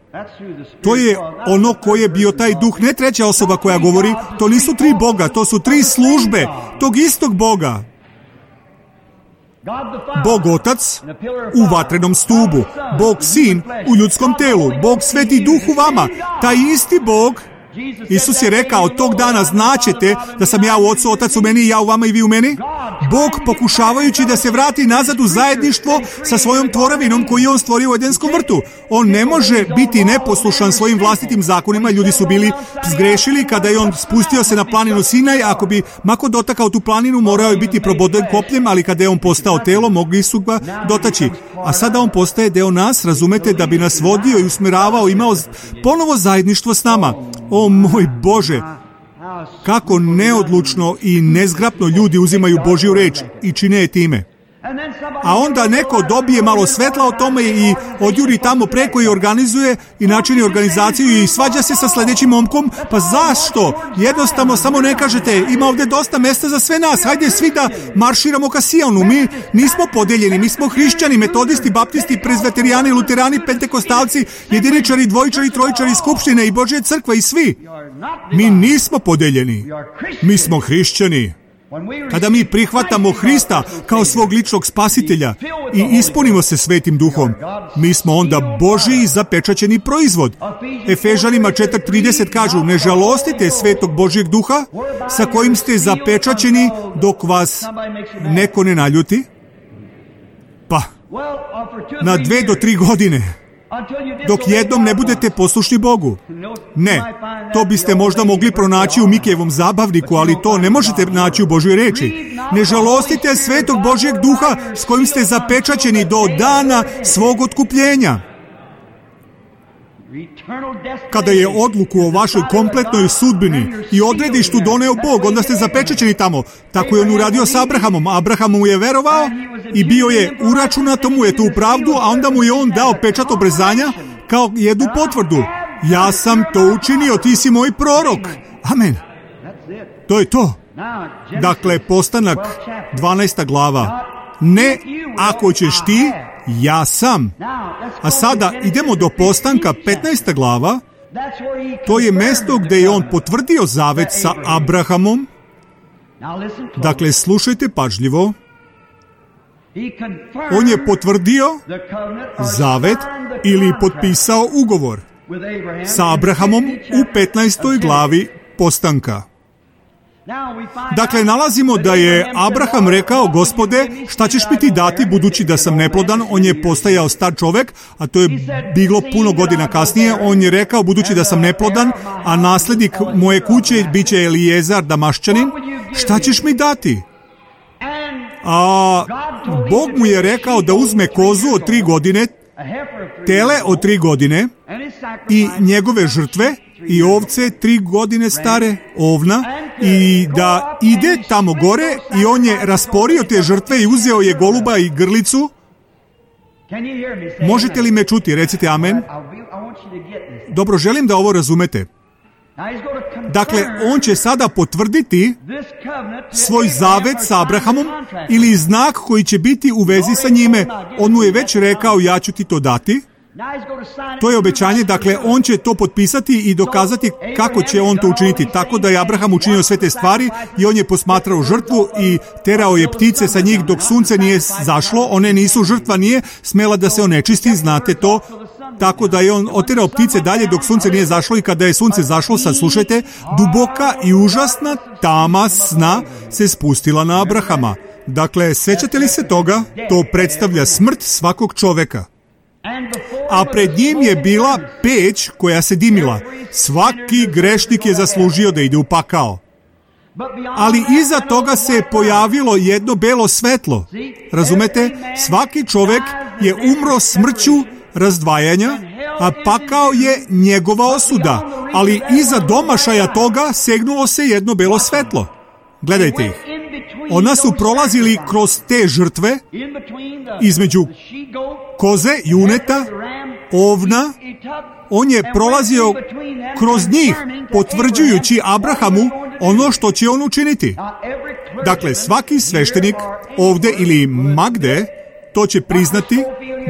To je ono koji je bio taj duh, ne treća osoba koja govori, to nisu tri Boga, to su tri službe tog istog Boga. Bog Otac u vatrenom stubu, Bog Sin u ljudskom telu, Bog Sveti Duh u vama, taj isti Bog. Isus je rekao, tog dana znaćete da sam ja u Ocu, Otac u meni i ja u vama i vi u meni. Bog pokušavajući da se vrati nazad u zajedništvo sa svojom tvorevinom koju je on stvorio u Edenskom vrtu. On ne može biti neposlušan svojim vlastitim zakonima. Ljudi su bili zgrešili kada je on spustio se na planinu Sinaj. Ako bi mako dotakao tu planinu, morao je biti proboden kopljem, ali kada je on postao telo, mogli su ga dotaći. A sada on postaje deo nas, razumete, da bi nas vodio i usmjeravao, imao ponovo zajedništvo s nama. O moj Bože, kako neodlučno i nezgrapno ljudi uzimaju Božju reč i čine je time. A onda neko dobije malo svetla o tome i odjuri tamo preko i organizuje i načini organizaciju i svađa se sa sljedećim momkom. Pa zašto? Jednostavno samo ne kažete, ima ovdje dosta mjesta za sve nas, hajde svi da marširamo ka Sionu. Mi nismo podeljeni, mi smo hrišćani, metodisti, baptisti, prezveterijani, luterani, pentekostalci, jediničari, dvojičari, trojičari, skupštine i Božje crkve i svi. Mi nismo podeljeni, mi smo hrišćani. Kada mi prihvatamo Hrista kao svog ličnog spasitelja i ispunimo se Svetim Duhom, mi smo onda Božji zapečaćeni proizvod. Efežanima 4:30 kažu, ne žalostite Svetog Božjeg Duha sa kojim ste zapečaćeni dok vas neko ne naljuti. Pa, na 2 do 3 godine. Dok jednom ne budete poslušni Bogu. Ne, to biste možda mogli pronaći u Mikejevom zabavniku, ali to ne možete naći u Božjoj reči. Ne žalostite Svetog Božjeg Duha s kojim ste zapečaćeni do dana svog otkupljenja. Kada je odluku o vašoj kompletnoj sudbini i odredištu doneo Bog, onda ste zapečaćeni tamo. Tako je on uradio sa Abrahamom. Abraham mu je verovao i bio je uračunato mu je tu pravdu, a onda mu je on dao pečat obrezanja kao jednu potvrdu. Ja sam to učinio, ti si moj prorok. Amen. To je to. Dakle, Postanak 12. glava. Ne, ako ćeš ti, ja sam. A sada idemo do Postanka 15. glava. To je mjesto gdje je on potvrdio zavet sa Abrahamom. Dakle, slušajte pažljivo. On je potvrdio zavet ili potpisao ugovor sa Abrahamom u 15. glavi Postanka. Dakle, nalazimo da je Abraham rekao, Gospode, šta ćeš mi ti dati budući da sam neplodan? On je postajao star čovjek, a to je bilo puno godina kasnije. On je rekao, budući da sam neplodan, a nasljednik moje kuće bit će Eliezar Damaščanin, šta ćeš mi dati? A Bog mu je rekao da uzme kozu od 3 godine, tele od 3 godine i njegove žrtve i ovce 3 godine stare, ovna, i da ide tamo gore i on je rasporio te žrtve i uzeo je goluba i grlicu. Možete li me čuti? Recite amen. Dobro, želim da ovo razumete. Dakle, on će sada potvrditi svoj zavet sa Abrahamom ili znak koji će biti u vezi sa njime. On mu je već rekao, ja ću ti to dati. To je obećanje, dakle, on će to potpisati i dokazati kako će on to učiniti. Tako da je Abraham učinio sve te stvari i on je posmatrao žrtvu i terao je ptice sa njih dok sunce nije zašlo. One nisu, žrtva nije smela da se onečisti, znate to. Tako da je on oterao ptice dalje dok sunce nije zašlo i kada je sunce zašlo, sad slušajte, duboka i užasna tama sna se spustila na Abrahama. Dakle, sećate li se toga? To predstavlja smrt svakog čoveka. A pred njim je bila peć koja se dimila. Svaki grešnik je zaslužio da ide u pakao. Ali iza toga se pojavilo jedno belo svetlo. Razumete? Svaki čovjek je umro smrću razdvajanja, a pakao je njegova osuda. Ali iza domašaja toga segnulo se jedno belo svetlo. Gledajte ih. Ona su prolazili kroz te žrtve između koze, juneta, ovna. On je prolazio kroz njih, potvrđujući Abrahamu ono što će on učiniti. Dakle, svaki sveštenik ovdje ili magde to će priznati.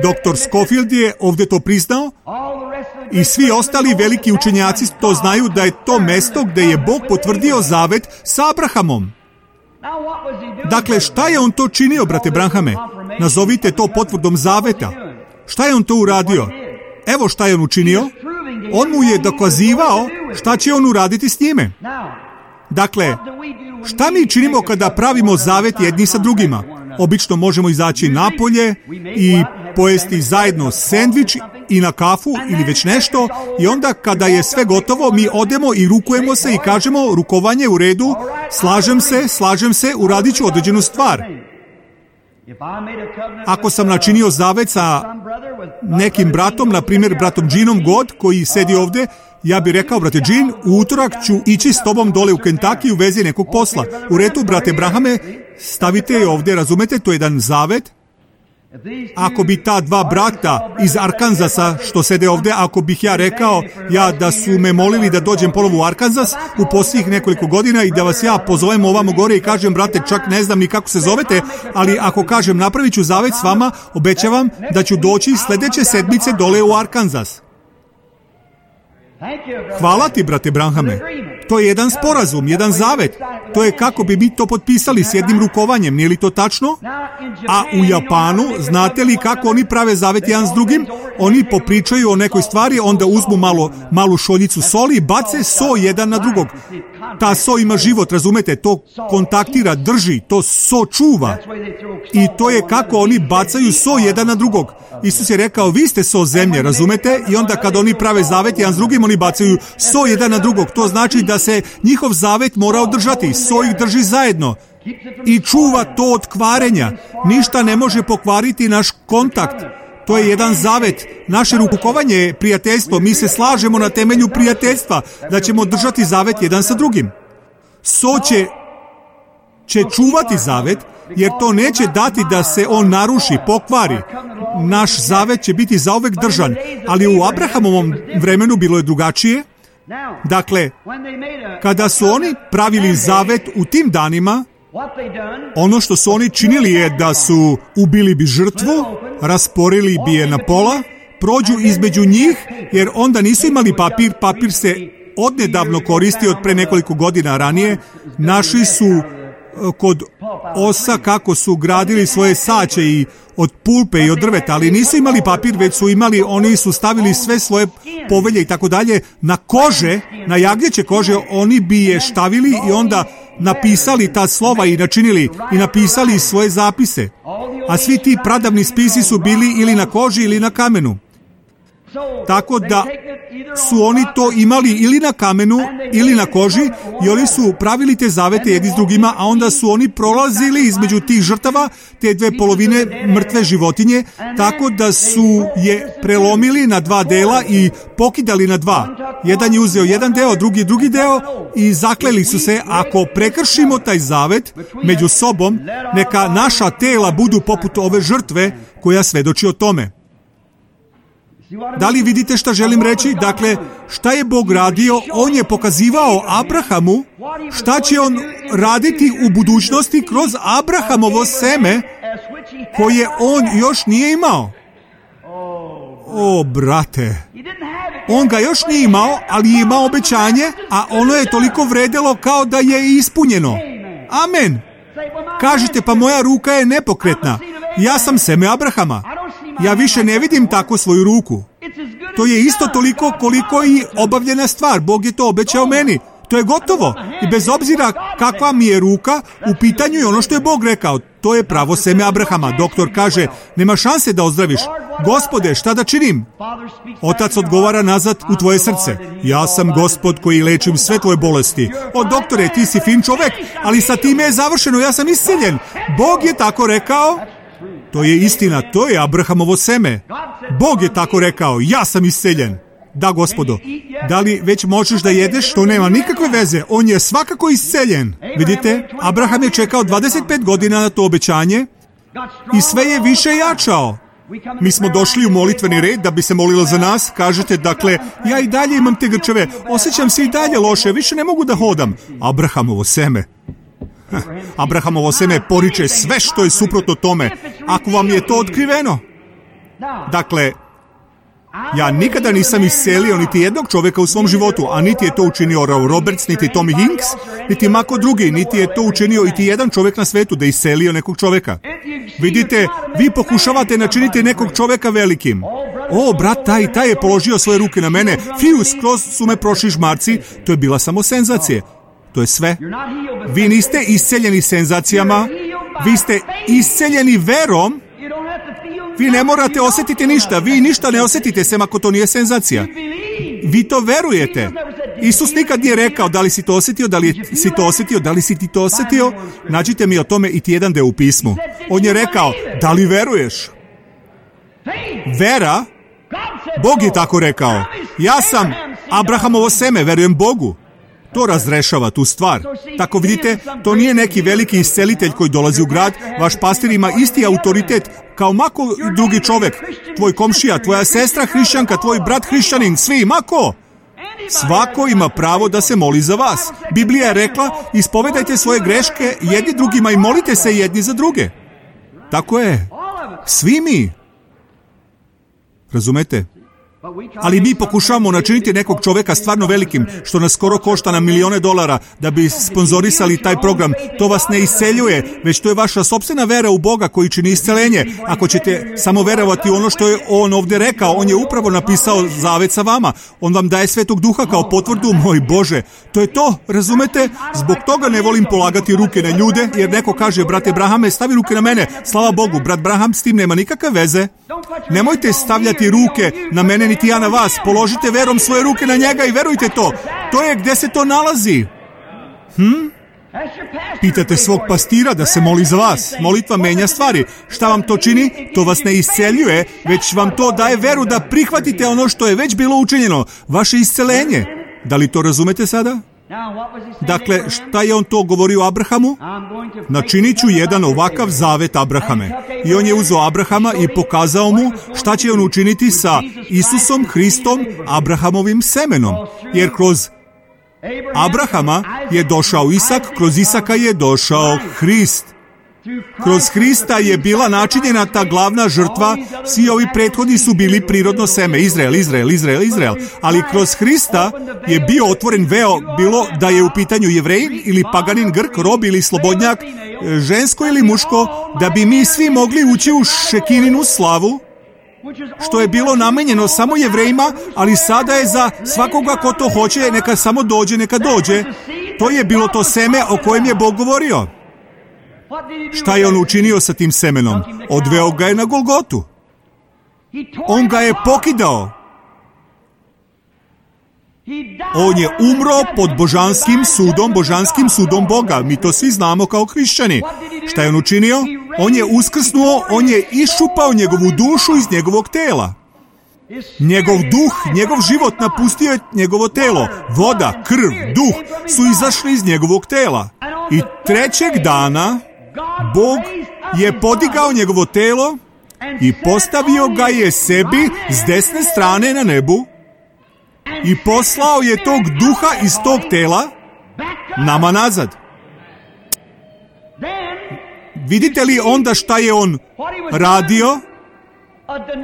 Dr. Scofield je ovdje to priznao i svi ostali veliki učenjaci to znaju da je to mjesto gdje je Bog potvrdio zavet sa Abrahamom. Dakle, šta je on to činio, brate Branhame? Nazovite to potvrdom zaveta. Šta je on to uradio? Evo šta je on učinio. On mu je dokazivao šta će on uraditi s njime. Dakle, šta mi činimo kada pravimo zavet jedni sa drugima? Obično možemo izaći napolje i pojesti zajedno sendvič i na kafu ili već nešto i onda kada je sve gotovo mi odemo i rukujemo se i kažemo rukovanje u redu, slažem se, uradit ću određenu stvar. Ako sam načinio zavet sa nekim bratom, na primjer bratom Jeanom God koji sedi ovdje, ja bih rekao, brate Jean, u utorak ću ići s tobom dole u Kentucky u vezi nekog posla. U redu, brate Brahame, stavite je ovdje, razumete, to je jedan zavet. Ako bi ta dva brata iz Arkanzasa što sede ovdje, ako bih ja rekao da su me molili da dođem ponovo u Arkanzas u posljednjih nekoliko godina i da vas ja pozovem ovamo gore i kažem, brate, čak ne znam ni kako se zovete, ali ako kažem napravit ću zavet s vama, obećavam da ću doći sljedeće sedmice dole u Arkanzas. Hvala ti, brate Branhame. To je jedan sporazum, jedan zavet. To je kako bi mi to potpisali s jednim rukovanjem, nije li to tačno? A u Japanu, znate li kako oni prave zavet jedan s drugim? Oni popričaju o nekoj stvari, onda uzmu malu šoljicu soli i bace so jedan na drugog. Ta so ima život, razumete, to kontaktira, drži, to so čuva. I to je kako oni bacaju so jedan na drugog. Isus je rekao, vi ste so zemlje, razumete? I onda kad oni prave zavet jedan s drugim, oni bacaju so jedan na drugog. To znači da se njihov zavet mora održati. So ih drži zajedno. I čuva to od kvarenja. Ništa ne može pokvariti naš kontakt. To je jedan zavet. Naše rukovanje je prijateljstvo. Mi se slažemo na temelju prijateljstva da ćemo držati zavet jedan sa drugim. So će čuvati zavet, jer to neće dati da se on naruši, pokvari. Naš zavet će biti zauvek držan. Ali u Abrahamovom vremenu bilo je drugačije. Dakle, kada su oni pravili zavet u tim danima, ono što su oni činili je da su ubili bi žrtvu, rasporili bi je na pola, prođu između njih, jer onda nisu imali papir. Papir se odnedavno koristio od pre nekoliko godina ranije. Našli su kod osa kako su gradili svoje saće i od pulpe i od drveta, ali nisu imali papir, već su imali, oni su stavili sve svoje povelje i tako dalje na kože, na jagnjeće kože, oni bi je štavili i onda napisali ta slova i načinili i napisali svoje zapise. A svi ti pradavni spisi su bili ili na koži ili na kamenu. Tako da su oni to imali ili na kamenu ili na koži i oni su pravili te zavete jedni s drugima, a onda su oni prolazili između tih žrtava, te dve polovine mrtve životinje, tako da su je prelomili na dva dela i pokidali na dva. Jedan je uzeo jedan deo, drugi deo i zakleli su se, ako prekršimo taj zavet među sobom, neka naša tela budu poput ove žrtve koja svedoči o tome. Da li vidite šta želim reći? Dakle, šta je Bog radio? On je pokazivao Abrahamu šta će on raditi u budućnosti kroz Abrahamovo seme koje on još nije imao. O, brate, on ga još nije imao, ali je imao obećanje, a ono je toliko vredelo kao da je ispunjeno. Amen. Kažete, pa moja ruka je nepokretna. Ja sam seme Abrahama. Ja više ne vidim tako svoju ruku. To je isto toliko koliko i obavljena stvar. Bog je to obećao meni. To je gotovo. I bez obzira kakva mi je ruka, u pitanju je ono što je Bog rekao. To je pravo seme Abrahama. Doktor kaže, nema šanse da ozdraviš. Gospode, šta da činim? Otac odgovara nazad u tvoje srce. Ja sam Gospod koji lečim sve tvoje bolesti. O, doktore, ti si fin čovek, ali sa time je završeno, ja sam isceljen. Bog je tako rekao. To je istina, to je Abrahamovo seme. Bog je tako rekao, ja sam isceljen. Da, Gospodo. Da li već možeš da jedeš? To nema nikakve veze. On je svakako isceljen. Vidite, Abraham je čekao 25 godina na to obećanje i sve je više jačao. Mi smo došli u molitveni red da bi se molilo za nas. Kažete, dakle, ja i dalje imam te grčeve. Osjećam se i dalje loše, više ne mogu da hodam. Abrahamovo seme. Abrahamovo seme poriče sve što je suprotno tome. Ako vam je to otkriveno. Dakle, ja nikada nisam iscelio niti jednog čovjeka u svom životu, a niti je to učinio Oral Roberts, niti Tommy Hinks, niti mako drugi, niti je to učinio iti jedan čovjek na svetu da iscelio nekog čovjeka. Vidite, vi pokušavate načiniti nekog čovjeka velikim. O, brat, taj je položio svoje ruke na mene, skroz su me prošli žmarci, to je bila samo senzacija. To je sve. Vi niste isceljeni senzacijama, vi ste isceljeni verom. Vi ne morate osjetiti ništa, vi ništa ne osjetite, sem ako to nije senzacija. Vi to verujete. Isus nikad nije rekao da li si to osjetio, da li si to osjetio, da li si ti to osjetio. Nađite mi o tome iti jedan deo u pismu. On je rekao, da li veruješ? Vera, Bog je tako rekao. Ja sam Abrahamovo seme, verujem Bogu. To razrešava tu stvar. Tako vidite, to nije neki veliki iscelitelj koji dolazi u grad. Vaš pastir ima isti autoritet kao mako drugi čovek. Tvoj komšija, tvoja sestra hrišćanka, tvoj brat hrišćanin, svi, mako. Svako ima pravo da se moli za vas. Biblija je rekla, ispovedajte svoje greške jedni drugima i molite se jedni za druge. Tako je. Svi mi. Razumete? Ali mi pokušavamo načiniti nekog čoveka stvarno velikim, što nas skoro košta na $1.000.000 da bi sponzorisali taj program. To vas ne isceljuje, već to je vaša sopstvena vera u Boga koji čini isceljenje. Ako ćete samo verovati ono što je On ovdje rekao, On je upravo napisao zavet sa vama. On vam daje Svetog Duha kao potvrdu, moj Bože. To je to, razumete? Zbog toga ne volim polagati ruke na ljude, jer neko kaže, brate Brahame, stavi ruke na mene. Slava Bogu, brat Braham s tim nema nikakve veze. Nemojte stavljati ruke na mene niti ja na vas. Položite verom svoje ruke na njega i verujte to. To je gdje se to nalazi. Pitate svog pastira da se moli za vas. Molitva menja stvari. Šta vam to čini? To vas ne isceljuje, već vam to daje veru da prihvatite ono što je već bilo učinjeno. Vaše isceljenje. Da li to razumete sada? Dakle, šta je on to govorio Abrahamu? Načinit ću jedan ovakav zavet Abrahame. I on je uzeo Abrahama i pokazao mu šta će on učiniti sa Isusom Hristom, Abrahamovim semenom. Jer kroz Abrahama je došao Isak, kroz Isaka je došao Hrist. Kroz Hrista je bila načinjena ta glavna žrtva, svi ovi prethodni su bili prirodno seme, Izrael, ali kroz Hrista je bio otvoren veo, bilo da je u pitanju Jevrej ili paganin, Grk, rob ili slobodnjak, žensko ili muško, da bi mi svi mogli ući u šekininu slavu, što je bilo namenjeno samo Jevrejima, ali sada je za svakoga ko to hoće, neka samo dođe, neka dođe. To je bilo to seme o kojem je Bog govorio. Šta je on učinio sa tim semenom? Odveo ga je na Golgotu. On ga je pokidao. On je umro pod božanskim sudom Boga. Mi to svi znamo kao hrišćani. Šta je on učinio? On je uskrsnuo, on je iščupao njegovu dušu iz njegovog tela. Njegov duh, njegov život napustio je njegovo telo. Voda, krv, duh su izašli iz njegovog tela. I trećeg dana Bog je podigao njegovo telo i postavio ga je sebi s desne strane na nebu i poslao je tog duha iz tog tela nama nazad. Vidite li onda šta je on radio?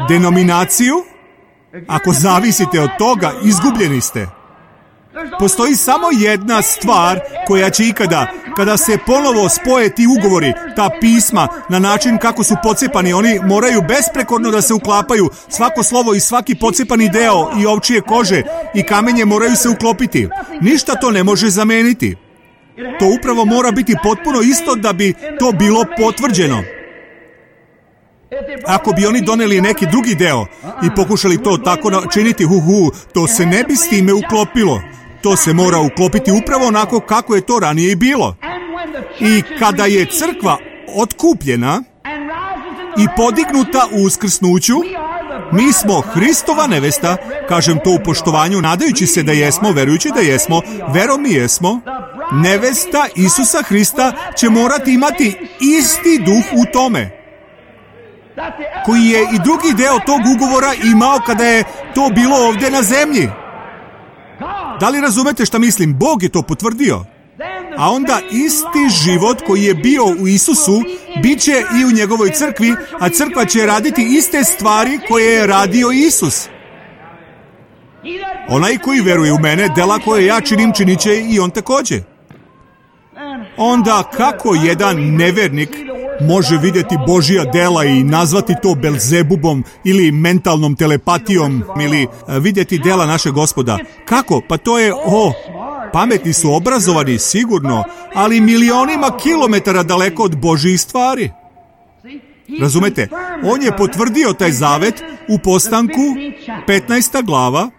Denominaciju? Ako zavisite od toga, izgubljeni ste. Postoji samo jedna stvar koja će ikada, kada se ponovo spoje ti ugovori, ta pisma, na način kako su pocepani, oni moraju besprekorno da se uklapaju, svako slovo i svaki pocepani deo i ovčije kože i kamenje moraju se uklopiti. Ništa to ne može zameniti. To upravo mora biti potpuno isto da bi to bilo potvrđeno. Ako bi oni doneli neki drugi deo i pokušali to tako činiti, to se ne bi s time uklopilo. To se mora uklopiti upravo onako kako je to ranije i bilo. I kada je crkva otkupljena i podignuta u uskrsnuću, mi smo Hristova nevesta, kažem to u poštovanju, nadajući se da jesmo, verujući da jesmo, verom mi jesmo, nevesta Isusa Hrista će morati imati isti duh u tome, koji je i drugi deo tog ugovora imao kada je to bilo ovdje na zemlji. Da li razumete šta mislim? Bog je to potvrdio. A onda isti život koji je bio u Isusu bit će i u njegovoj crkvi, a crkva će raditi iste stvari koje je radio Isus. Onaj koji veruje u mene, dela koje ja činim, činit će i on također. Onda kako jedan nevernik može vidjeti Božja dela i nazvati to Belzebubom ili mentalnom telepatijom ili vidjeti dela našeg Gospoda? Kako? Pa to je, pametni su, obrazovani, sigurno, ali milionima kilometara daleko od Božjih stvari. Razumete? On je potvrdio taj zavet u Postanku, 15. glava.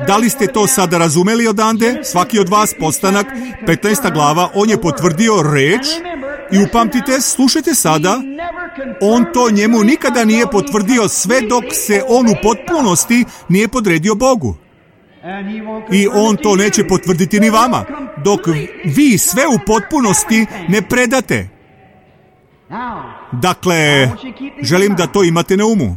Da li ste to sada razumeli odande? Svaki od vas, Postanak, 15. glava, on je potvrdio reč i upamtite, slušajte sada, on to njemu nikada nije potvrdio sve dok se on u potpunosti nije podredio Bogu. I on to neće potvrditi ni vama, dok vi sve u potpunosti ne predate. Dakle, želim da to imate na umu.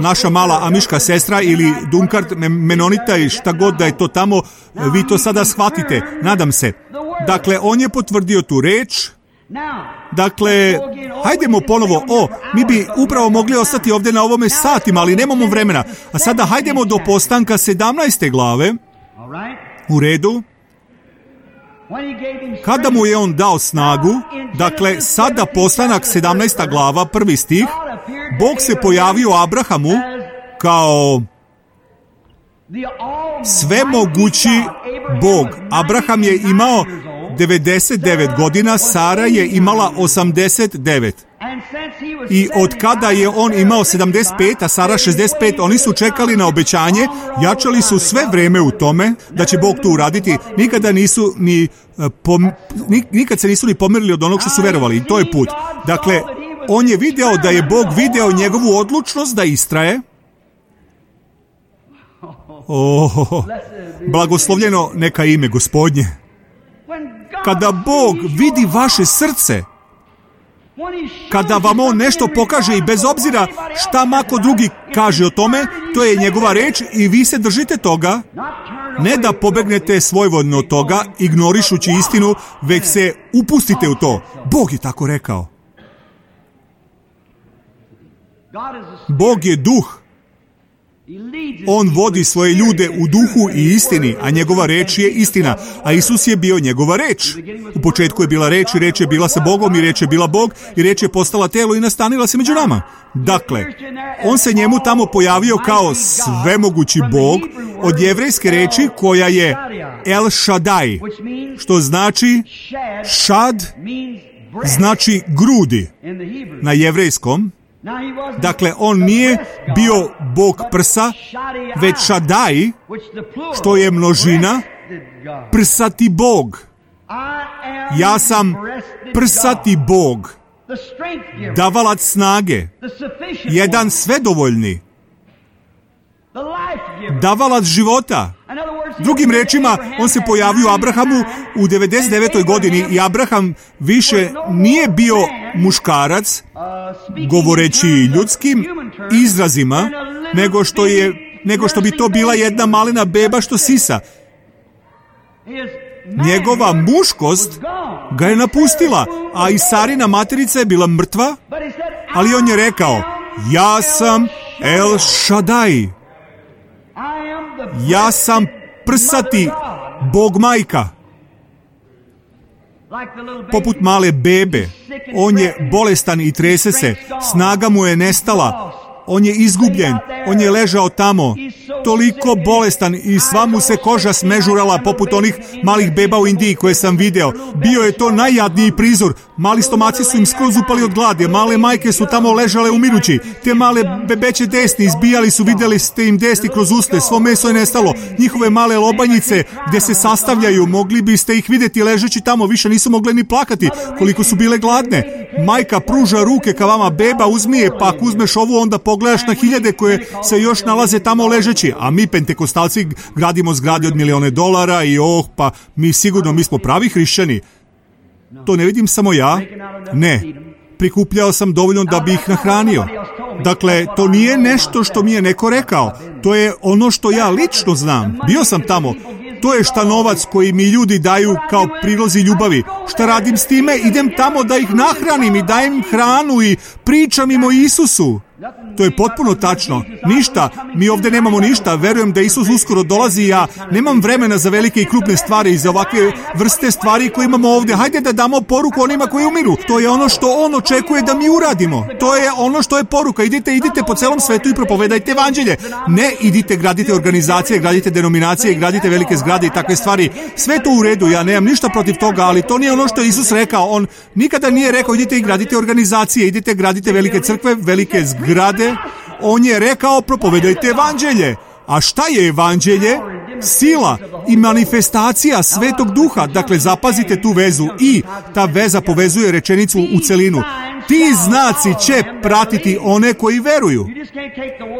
Naša mala amiška sestra ili Dunkard Menonita i šta god da je to tamo, vi to sada shvatite, nadam se. Dakle, on je potvrdio tu reč. Dakle, hajdemo ponovo, mi bi upravo mogli ostati ovdje na ovome satima, ali nemamo vremena. A sada hajdemo do Postanka 17. glave. U redu. Kada mu je on dao snagu, dakle, sada Postanak 17. glava, 1. stih, Bog se pojavio Abrahamu kao svemogući Bog. Abraham je imao 99 godina, Sara je imala 89. I od kada je on imao 75, a Sara 65, oni su čekali na obećanje, jačali su sve vreme u tome da će Bog to uraditi. Nikad se nisu ni pomerili od onog što su verovali. I to je put. Dakle, on je video da je Bog video njegovu odlučnost da istraje. Blagoslovljeno neka ime Gospodnje. Kada Bog vidi vaše srce, kada vam on nešto pokaže i bez obzira šta mako drugi kaže o tome, to je njegova reč i vi se držite toga, ne da pobegnete svojvoljno od toga, ignorišući istinu, već se upustite u to. Bog je tako rekao. Bog je duh. On vodi svoje ljude u duhu i istini, a njegova reč je istina. A Isus je bio njegova reč. U početku je bila reč i reč je bila sa Bogom i reč je bila Bog i reč je postala telo i nastanila se među nama. Dakle, on se njemu tamo pojavio kao svemogući Bog od jevrejske reči koja je El Shaddai, što znači šad, znači grudi na jevrejskom. Dakle, on nije bio Bog prsa, već Shaddai, što je množina, prsati Bog. Ja sam prsati Bog, davalac snage, jedan svedovoljni, davalac života. Drugim rečima, on se pojavio Abrahamu u 99. godini i Abraham više nije bio muškarac, govoreći ljudskim izrazima, nego što bi to bila jedna malena beba što sisa. Njegova muškost ga je napustila, a i Sarina materica je bila mrtva, ali on je rekao, ja sam El Shaddai. Ja sam prsati Bog majka. Poput male bebe. On je bolestan i trese se. Snaga mu je nestala. On je izgubljen. On je ležao tamo. Toliko bolestan i sva mu se koža smežurala poput onih malih beba u Indiji koje sam video. Bio je to najjadniji prizor. Mali stomaci su im skroz upali od glade. Male majke su tamo ležale umirući. Te male bebeće desni izbijali su, vidjeli ste im desni kroz usne. Svo meso je nestalo. Njihove male lobanjice gdje se sastavljaju, mogli biste ih vidjeti ležeći tamo. Više nisu mogle ni plakati koliko su bile gladne. Majka pruža ruke ka vama, beba uzmi je, pa ako uzmeš ovu onda pogledaš na hiljade koje se još nalaze tamo ležeći. A mi pentekostalci gradimo zgrade od $1.000.000 i pa mi smo pravi hrišćani. To ne vidim samo ja. Ne. Prikupljao sam dovoljno da bi ih nahranio. Dakle, to nije nešto što mi je neko rekao. To je ono što ja lično znam. Bio sam tamo. To je šta novac koji mi ljudi daju kao prilozi ljubavi. Šta radim s time? Idem tamo da ih nahranim i dajem im hranu i pričam im o Isusu. To je potpuno tačno. Ništa. Mi ovdje nemamo ništa. Verujem da Isus uskoro dolazi i ja nemam vremena za velike i krupne stvari i za ovakve vrste stvari koje imamo ovdje. Hajde da damo poruku onima koji umiru. To je ono što on očekuje da mi uradimo. To je ono što je poruka. Idite po celom svetu i propovedajte evanđelje. Ne idite, gradite organizacije, gradite denominacije, gradite velike zgrade i takve stvari. Sve to u redu. Ja nemam ništa protiv toga, ali to nije ono što je Isus rekao. On nikada nije rekao idite i gradite organizacije, idite gradite velike crkve, velike zgrade. On je rekao propovedajte evanđelje. A šta je evanđelje? Sila i manifestacija Svetog Duha. Dakle, zapazite tu vezu i ta veza povezuje rečenicu u celinu. Ti znaci će pratiti one koji veruju.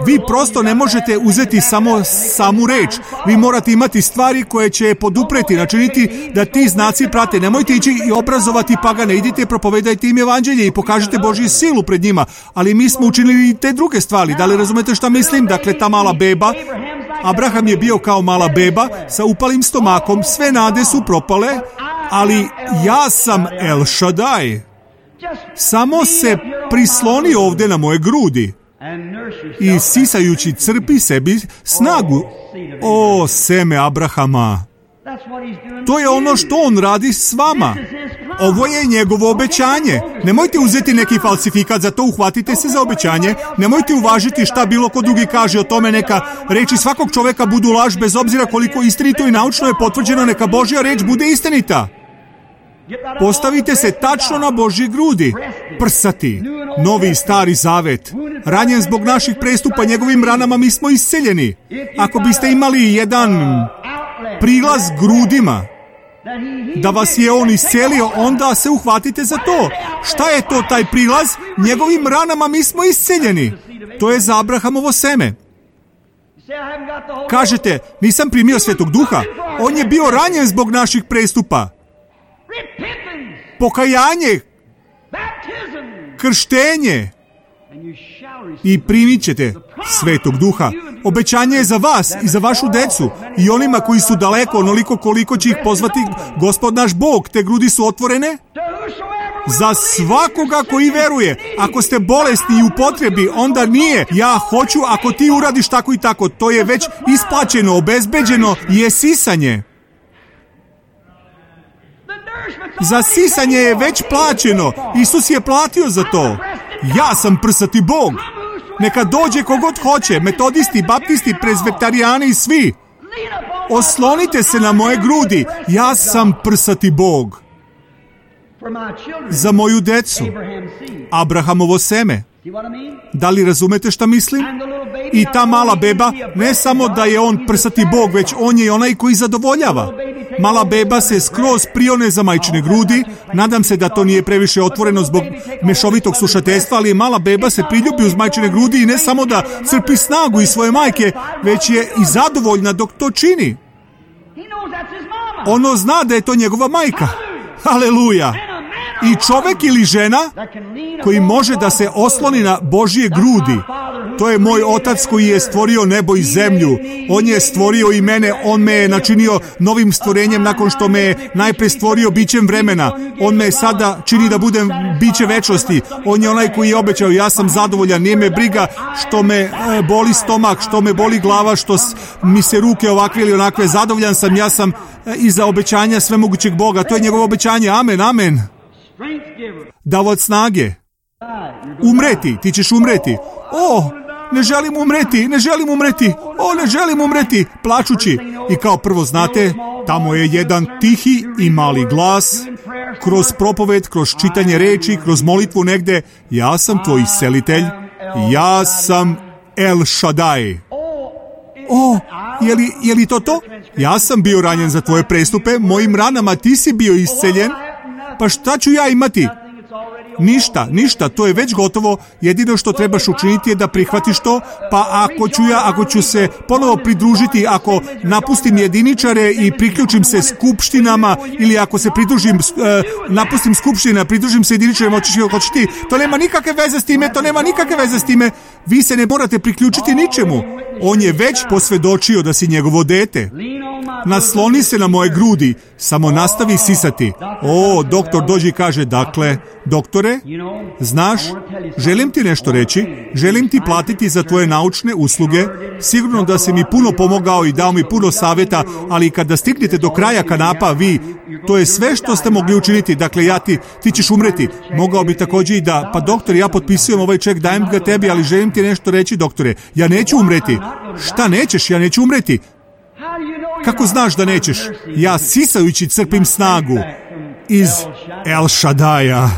Vi prosto ne možete uzeti samo samu reč. Vi morate imati stvari koje će podupreti, načiniti da ti znaci prate. Nemojte ići i obrazovati pagane. Idite, propovedajte im evanđelje i pokažite Božju silu pred njima. Ali mi smo učinili i te druge stvari. Da li razumete šta mislim? Dakle, ta mala beba, Abraham je bio kao mala beba sa upalim stomakom. Sve nade su propale, ali ja sam El Shaddai. Samo se prisloni ovdje na moje grudi i sisajući crpi sebi snagu. O, seme Abrahama! To je ono što on radi s vama. Ovo je njegovo obećanje. Nemojte uzeti neki falsifikat, za to uhvatite se za obećanje. Nemojte uvažiti šta bilo ko drugi kaže o tome. Neka reči svakog čoveka budu laž, bez obzira koliko istinito i naučno je potvrđeno. Neka Božja reč bude istinita. Postavite se tačno na Božji grudi. Prsati, novi i stari zavet. Ranjen zbog naših prestupa, njegovim ranama mi smo isceljeni. Ako biste imali jedan prilaz grudima, da vas je on iscelio, onda se uhvatite za to. Šta je to taj prilaz? Njegovim ranama mi smo isceljeni. To je za Abrahamovo seme. Kažete, nisam primio Svetog Duha. On je bio ranjen zbog naših prestupa. Pokajanje, krštenje i primit ćete Svetog Duha. Obećanje je za vas i za vašu decu i onima koji su daleko, onoliko koliko će ih pozvati Gospod naš Bog. Te grudi su otvorene za svakoga koji veruje. Ako ste bolesni i u potrebi, onda nije ja hoću ako ti uradiš tako i tako. To je već isplaćeno, obezbeđeno je sisanje. Za sisanje je već plaćeno. Isus je platio za to. Ja sam prsati Bog. Neka dođe kogod hoće, metodisti, baptisti, prezvetarijani i svi. Oslonite se na moje grudi. Ja sam prsati Bog. Za moju decu. Abrahamovo seme. Da li razumete šta mislim? I ta mala beba, ne samo da je on prsati Bog, već on je onaj koji zadovoljava. Mala beba se skroz prione za majčine grudi. Nadam se da to nije previše otvoreno zbog mešovitog slušateljstva, ali mala beba se priljubi uz majčine grudi i ne samo da crpi snagu iz svoje majke, već je i zadovoljna dok to čini. Ono zna da je to njegova majka. Haleluja! I čovjek ili žena koji može da se osloni na Božje grudi. To je moj Otac koji je stvorio nebo i zemlju. On je stvorio i mene. On me je načinio novim stvorenjem nakon što me je najpre stvorio bićem vremena. On me sada čini da budem biće večnosti. On je onaj koji je obećao, ja sam zadovoljan, nije me briga što me boli stomak, što me boli glava, što mi se ruke ovakve ili onakve. Zadovoljan sam, ja sam iza obećanja svemogućeg Boga. To je njegovo obećanje. Amen, amen. Davac snage. Umreti, ti ćeš umreti. O, ne želim umreti, ne želim umreti. O, ne želim umreti, plačući. I kao prvo znate, tamo je jedan tihi i mali glas, kroz propoved, kroz čitanje reči, kroz molitvu negde. Ja sam tvoj iscelitelj. Ja sam El Shaddai. O, je li to? Ja sam bio ranjen za tvoje prestupe, mojim ranama ti si bio isceljen. Pa šta ću ja imati? Ništa, to je već gotovo. Jedino što trebaš učiniti je da prihvatiš to, pa ako ću se ponovo pridružiti, ako napustim jediničare i priključim se skupštinama, ili ako se napustim skupština, pridružim se jediničarima, hoćeš ti, to nema nikakve veze s time, vi se ne morate priključiti ničemu. On je već posvjedočio da si njegovo dete. Nasloni se na moje grudi, samo nastavi sisati. O, doktor dođe i kaže, dakle, doktore, znaš, želim ti nešto reći, želim ti platiti za tvoje naučne usluge, sigurno da si mi puno pomogao i dao mi puno savjeta, ali kada stignete do kraja kanapa, to je sve što ste mogli učiniti, dakle, ti ćeš umreti. Mogao bi također i da, pa doktor, ja potpisujem ovaj ček, dajem ga tebi, ali želim ti nešto reći, doktore, ja neću umreti. Šta nećeš? Ja neću umreti. Kako znaš da nećeš? Ja sisajući crpim snagu iz El Shaddai-a.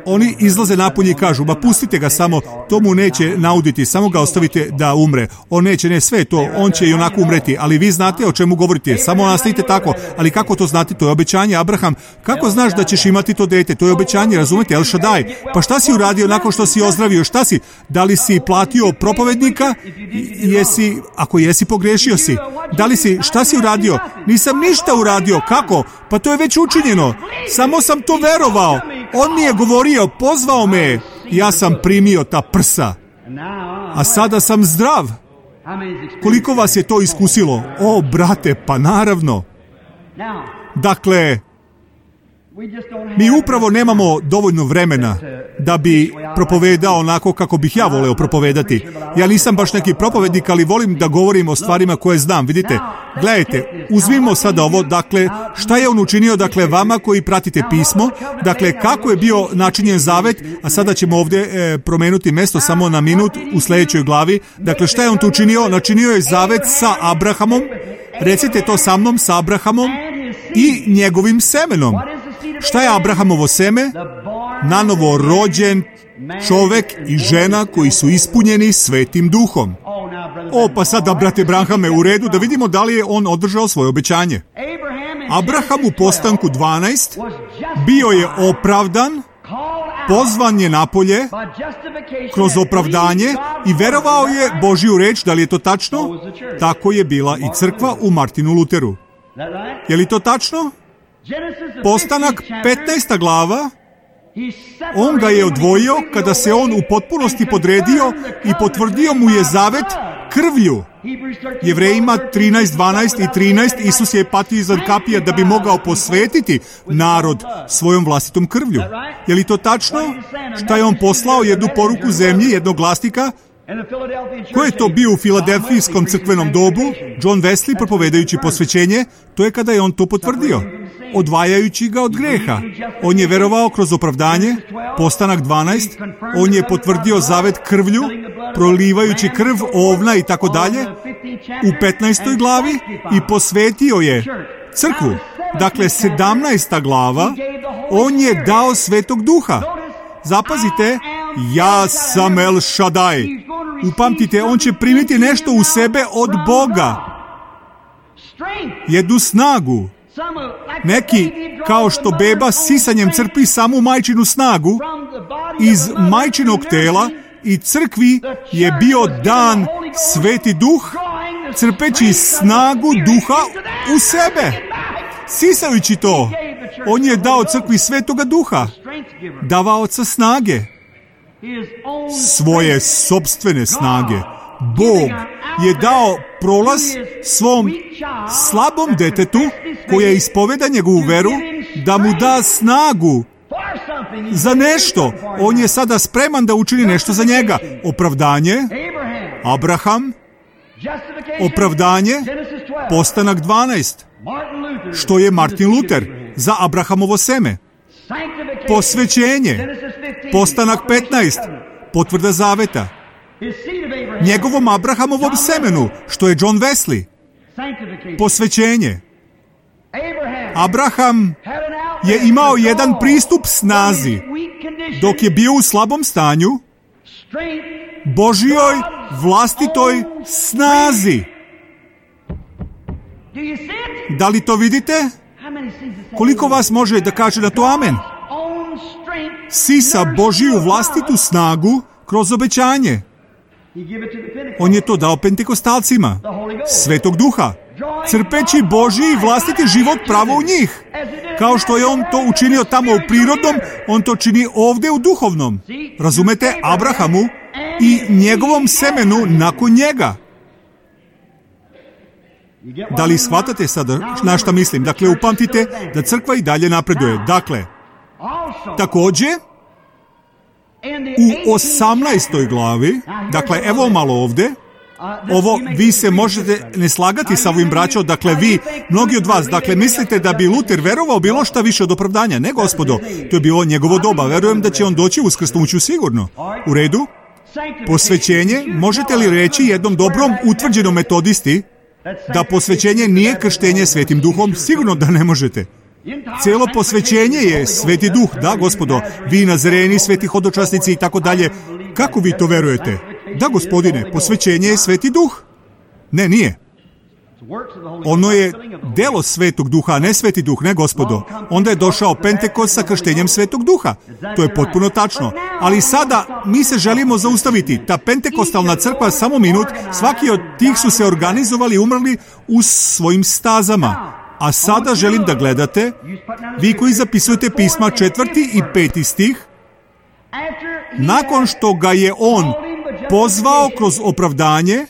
Oni izlaze napolje i kažu, ba pustite ga samo, to mu neće nauditi, samo ga ostavite da umre. On neće, ne sve to, on će i onako umreti, ali vi znate o čemu govorite, samo nastavite tako, ali kako to znate, to je obećanje, Abraham, kako znaš da ćeš imati to dete, to je obećanje, razumete, El Shaddai, pa šta si uradio nakon što si ozdravio, šta si, da li si platio propovednika, jesi, ako jesi, pogrešio si, da li si, šta si uradio, nisam ništa uradio, kako, pa to je već učinjeno, samo sam to verovao, on mi je govorio, pozvao me, ja sam primio ta prsa, a sada sam zdrav. Koliko vas je to iskusilo? O, brate, pa naravno. Dakle, mi upravo nemamo dovoljno vremena da bi propovedao onako kako bih ja voleo propovedati. Ja nisam baš neki propovednik, ali volim da govorim o stvarima koje znam. Vidite, gledajte, uzmimo sada ovo, dakle, šta je on učinio, dakle, vama koji pratite pismo, dakle, kako je bio načinjen zavet, a sada ćemo ovdje promenuti mjesto samo na minut u sljedećoj glavi. Dakle, šta je on tu učinio? Načinio je zavet sa Abrahamom, recite to sa mnom, sa Abrahamom i njegovim semenom. Šta je Abrahamovo seme? Nanovo rođen čovek i žena koji su ispunjeni Svetim Duhom. O, pa sada, brate Abrahame, u redu, da vidimo da li je on održao svoje obećanje. Abraham u Postanku 12 bio je opravdan, pozvan je napolje kroz opravdanje i verovao je Božju reč. Da li je to tačno? Tako je bila i crkva u Martinu Luteru. Je li to tačno? Postanak 15. glava, on ga je odvojio kada se on u potpunosti podredio i potvrdio mu je zavet krvlju. Jevrejima 13, 12 i 13, Isus je patio iznad kapija da bi mogao posvetiti narod svojom vlastitom krvlju. Je li to tačno? Šta je on poslao? Jednu poruku zemlji, jednog glasnika? Ko je to bio u Filadelfijskom crkvenom dobu? John Wesley, propovedajući posvećenje, to je kada je on to potvrdio, odvajajući ga od greha. On je verovao kroz opravdanje, Postanak 12, on je potvrdio zavet krvlju, prolivajući krv ovna i tako dalje, u 15. glavi i posvetio je crkvu. Dakle, 17. glava, on je dao Svetog Duha. Zapazite, ja sam El Shaddai. Upamtite, on će primiti nešto u sebe od Boga. Jednu snagu. Neki, kao što beba sisanjem crpi samu majčinu snagu, iz majčinog tela i crkvi je bio dan Sveti Duh, crpeći snagu Duha u sebe. Sisajući to, on je dao crkvi Svetoga Duha, davaoca snage, svoje sopstvene snage. Bog je dao prolaz svom slabom detetu koje ispoveda njegovu veru da mu da snagu za nešto. On je sada spreman da učini nešto za njega. Opravdanje, Abraham, opravdanje, Postanak 12. Što je Martin Luter za Abrahamovo seme? Posvećenje, Postanak 15. Potvrda zaveta. Njegovom Abrahamovom semenu, što je John Wesley. Posvećenje. Abraham je imao jedan pristup snazi dok je bio u slabom stanju, Božjoj vlastitoj snazi. Da li to vidite? Koliko vas može da kaže na to amen? Sisa Božju vlastitu snagu kroz obećanje. On je to dao pentekostalcima, Svetog Duha, crpeći Božji vlastiti život pravo u njih. Kao što je on to učinio tamo u prirodnom, on to čini ovdje u duhovnom. Razumete? Abrahamu i njegovom semenu nakon njega. Da li shvatate sada na šta mislim? Dakle, upamtite da crkva i dalje napreduje. Dakle, također, u 18. glavi, dakle, evo malo ovdje, ovo, vi se možete ne slagati sa ovim braćom, dakle, vi, mnogi od vas, dakle, mislite da bi Luter verovao bilo šta više od opravdanja. Ne, gospodo, to je bilo njegovo doba. Verujem da će on doći uskrsnuću sigurno. U redu? Posvećenje, možete li reći jednom dobrom utvrđenom metodisti da posvećenje nije krštenje Svetim Duhom? Sigurno da ne možete. Cijelo posvećenje je Sveti Duh, da gospodo, vi Nazareni, sveti hodočasnici i tako dalje. Kako vi to verujete? Da gospodine, posvećenje je Sveti Duh. Ne, nije. Ono je delo Svetog Duha, a ne Sveti Duh, ne gospodo. Onda je došao Pentekost sa krštenjem Svetog Duha. To je potpuno tačno. Ali sada mi se želimo zaustaviti. Ta pentekostalna crkva, samo minut, svaki od tih su se organizovali i umrli u svojim stazama. A sada želim da gledate, vi koji zapisujete pisma 4. i 5. stih, nakon što ga je on pozvao kroz opravdanje,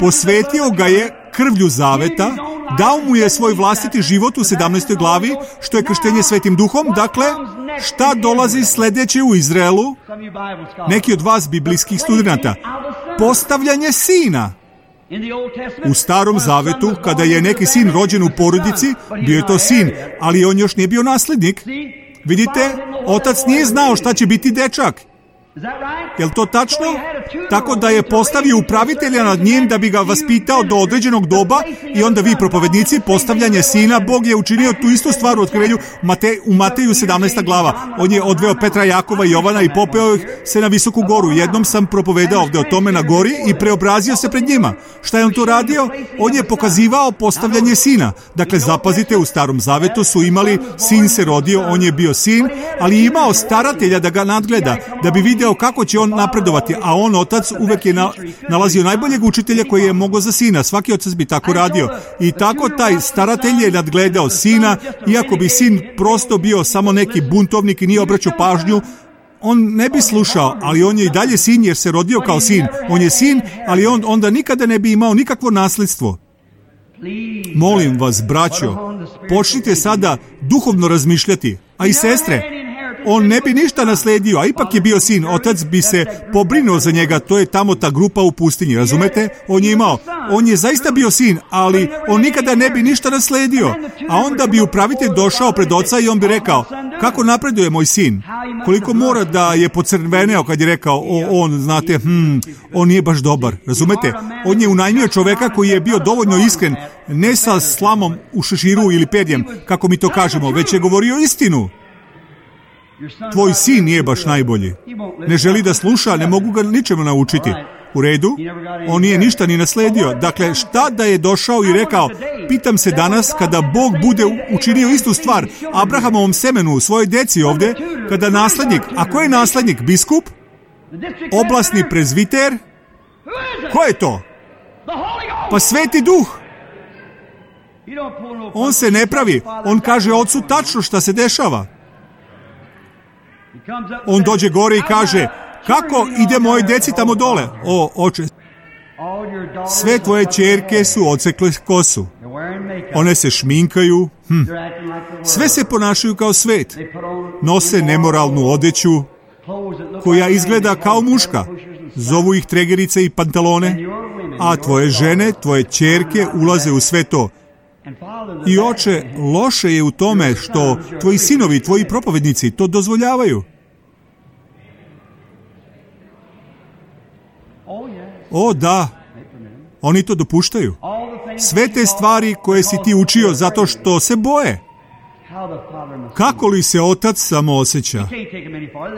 posvetio ga je krvlju zaveta, dao mu je svoj vlastiti život u 17. glavi, što je krštenje Svetim Duhom. Dakle, šta dolazi sljedeće u Izraelu? Neki od vas biblijskih studenata. Postavljanje sina. U Starom Zavetu, kada je neki sin rođen u porodici, bio je to sin, ali on još nije bio nasljednik. Vidite, otac nije znao šta će biti dečak. Je li to tačno? Tako da je postavio upravitelja nad njim da bi ga vaspitao do određenog doba i onda vi, propovednici, postavljanje sina. Bog je učinio tu istu stvar u Otkrivenju u Mateju 17. glava. On je odveo Petra, Jakova i Jovana i popeo ih se na visoku goru. Jednom sam propovedao ovdje o tome na gori i preobrazio se pred njima. Šta je on to radio? On je pokazivao postavljanje sina. Dakle, zapazite, u Starom Zavetu su imali, sin se rodio, on je bio sin, ali imao staratelja da ga nadgleda, da bi vidio kako će on napredovati, a on, otac, uvek je nalazio najboljeg učitelja koji je mogao za sina. Svaki otac bi tako radio. I tako taj staratelj je nadgledao sina, iako bi sin prosto bio samo neki buntovnik i nije obraćao pažnju, on ne bi slušao, ali on je i dalje sin jer se rodio kao sin. On je sin, ali on onda nikada ne bi imao nikakvo nasljedstvo. Molim vas, braćo, počnite sada duhovno razmišljati, a i sestre. On ne bi ništa nasledio, a ipak je bio sin. Otac bi se pobrinuo za njega. To je tamo ta grupa u pustinji, razumete? On je zaista bio sin, ali on nikada ne bi ništa nasledio. A onda bi upravitelj došao pred oca i on bi rekao, kako napreduje moj sin? Koliko mora da je pocrveneo kad je rekao, znate, on nije baš dobar, razumete? On je unajmio čoveka koji je bio dovoljno iskren, ne sa slamom u šeširu ili perjem, kako mi to kažemo, već je govorio istinu. Tvoj sin nije baš najbolji. Ne želi da sluša, ne mogu ga ničemu naučiti. U redu? On nije ništa ni nasledio. Dakle, šta da je došao i rekao, pitam se danas, kada Bog bude učinio istu stvar Abrahamovom semenu, svojoj deci ovdje, kada naslednik, a ko je naslednik? Biskup? Oblasni prezviter? Ko je to? Pa Sveti Duh. On se ne pravi. On kaže ocu tačno šta se dešava. On dođe gore i kaže, kako ide moje deci tamo dole? O, oče, sve tvoje ćerke su odsekle kosu. One se šminkaju, sve se ponašaju kao svet. Nose nemoralnu odeću koja izgleda kao muška. Zovu ih tregerice i pantalone, a tvoje žene, tvoje ćerke ulaze u sve to. I oče, loše je u tome što tvoji sinovi, tvoji propovednici to dozvoljavaju. O, da, oni to dopuštaju. Sve te stvari koje si ti učio zato što se boje. Kako li se otac samo osjeća?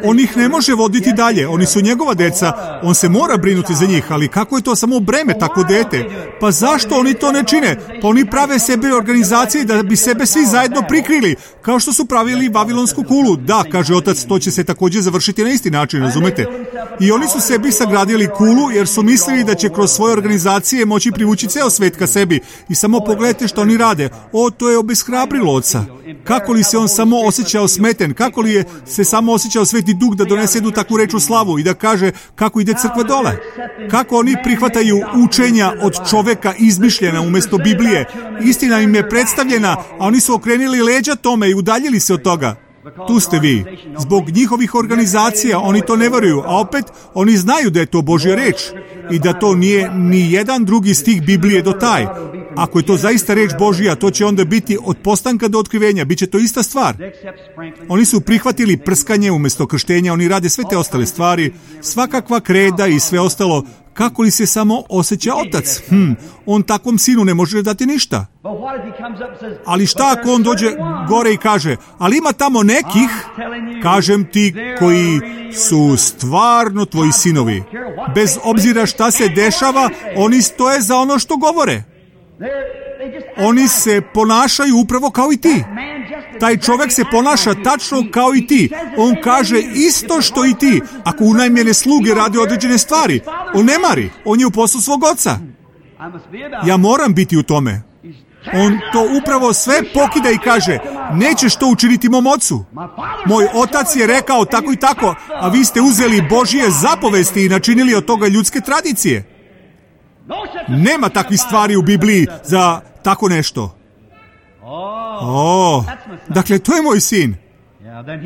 On ih ne može voditi dalje, oni su njegova deca, on se mora brinuti za njih, ali kako je to samo breme, tako dete? Pa zašto oni to ne čine? Pa oni prave sebe organizacije da bi sebe svi zajedno prikrili, kao što su pravili Vavilonsku kulu. Da, kaže otac, to će se također završiti na isti način, razumete? I oni su sebi sagradili kulu jer su mislili da će kroz svoje organizacije moći privući ceo svet ka sebi. I samo pogledajte što oni rade. O, to je obeshrabrilo oca. Kako li se on samo osjećao smeten, kako li je se samo osjećao Sveti Duh da donese jednu takvu reč u slavu i da kaže kako ide crkva dole. Kako oni prihvataju učenja od čoveka izmišljena umjesto Biblije. Istina im je predstavljena, a oni su okrenili leđa tome i udaljili se od toga. Tu ste vi. Zbog njihovih organizacija oni to ne veruju, a opet oni znaju da je to Božja reč i da to nije ni jedan drugi stih Biblije do taj. Ako je to zaista reč Božja, to će onda biti od postanka do otkrivenja, bit će to ista stvar. Oni su prihvatili prskanje umjesto krštenja, oni rade sve te ostale stvari, svakakva kreda i sve ostalo. Kako li se samo osjeća otac? On takvom sinu ne može dati ništa. Ali šta ako on dođe gore i kaže, ali ima tamo nekih, kažem ti, koji su stvarno tvoji sinovi. Bez obzira šta se dešava, oni stoje za ono što govore. Oni se ponašaju upravo kao i ti. Taj čovjek se ponaša tačno kao i ti. On kaže isto što i ti. Ako unajmljene sluge radi određene stvari, on ne mari. On je u poslu svog oca. Ja moram biti u tome. On to upravo sve pokida i kaže, nećeš to učiniti mom ocu. Moj otac je rekao tako i tako, a vi ste uzeli Božje zapovesti i načinili od toga ljudske tradicije. Nema takvih stvari u Bibliji za tako nešto. Dakle, to je moj sin.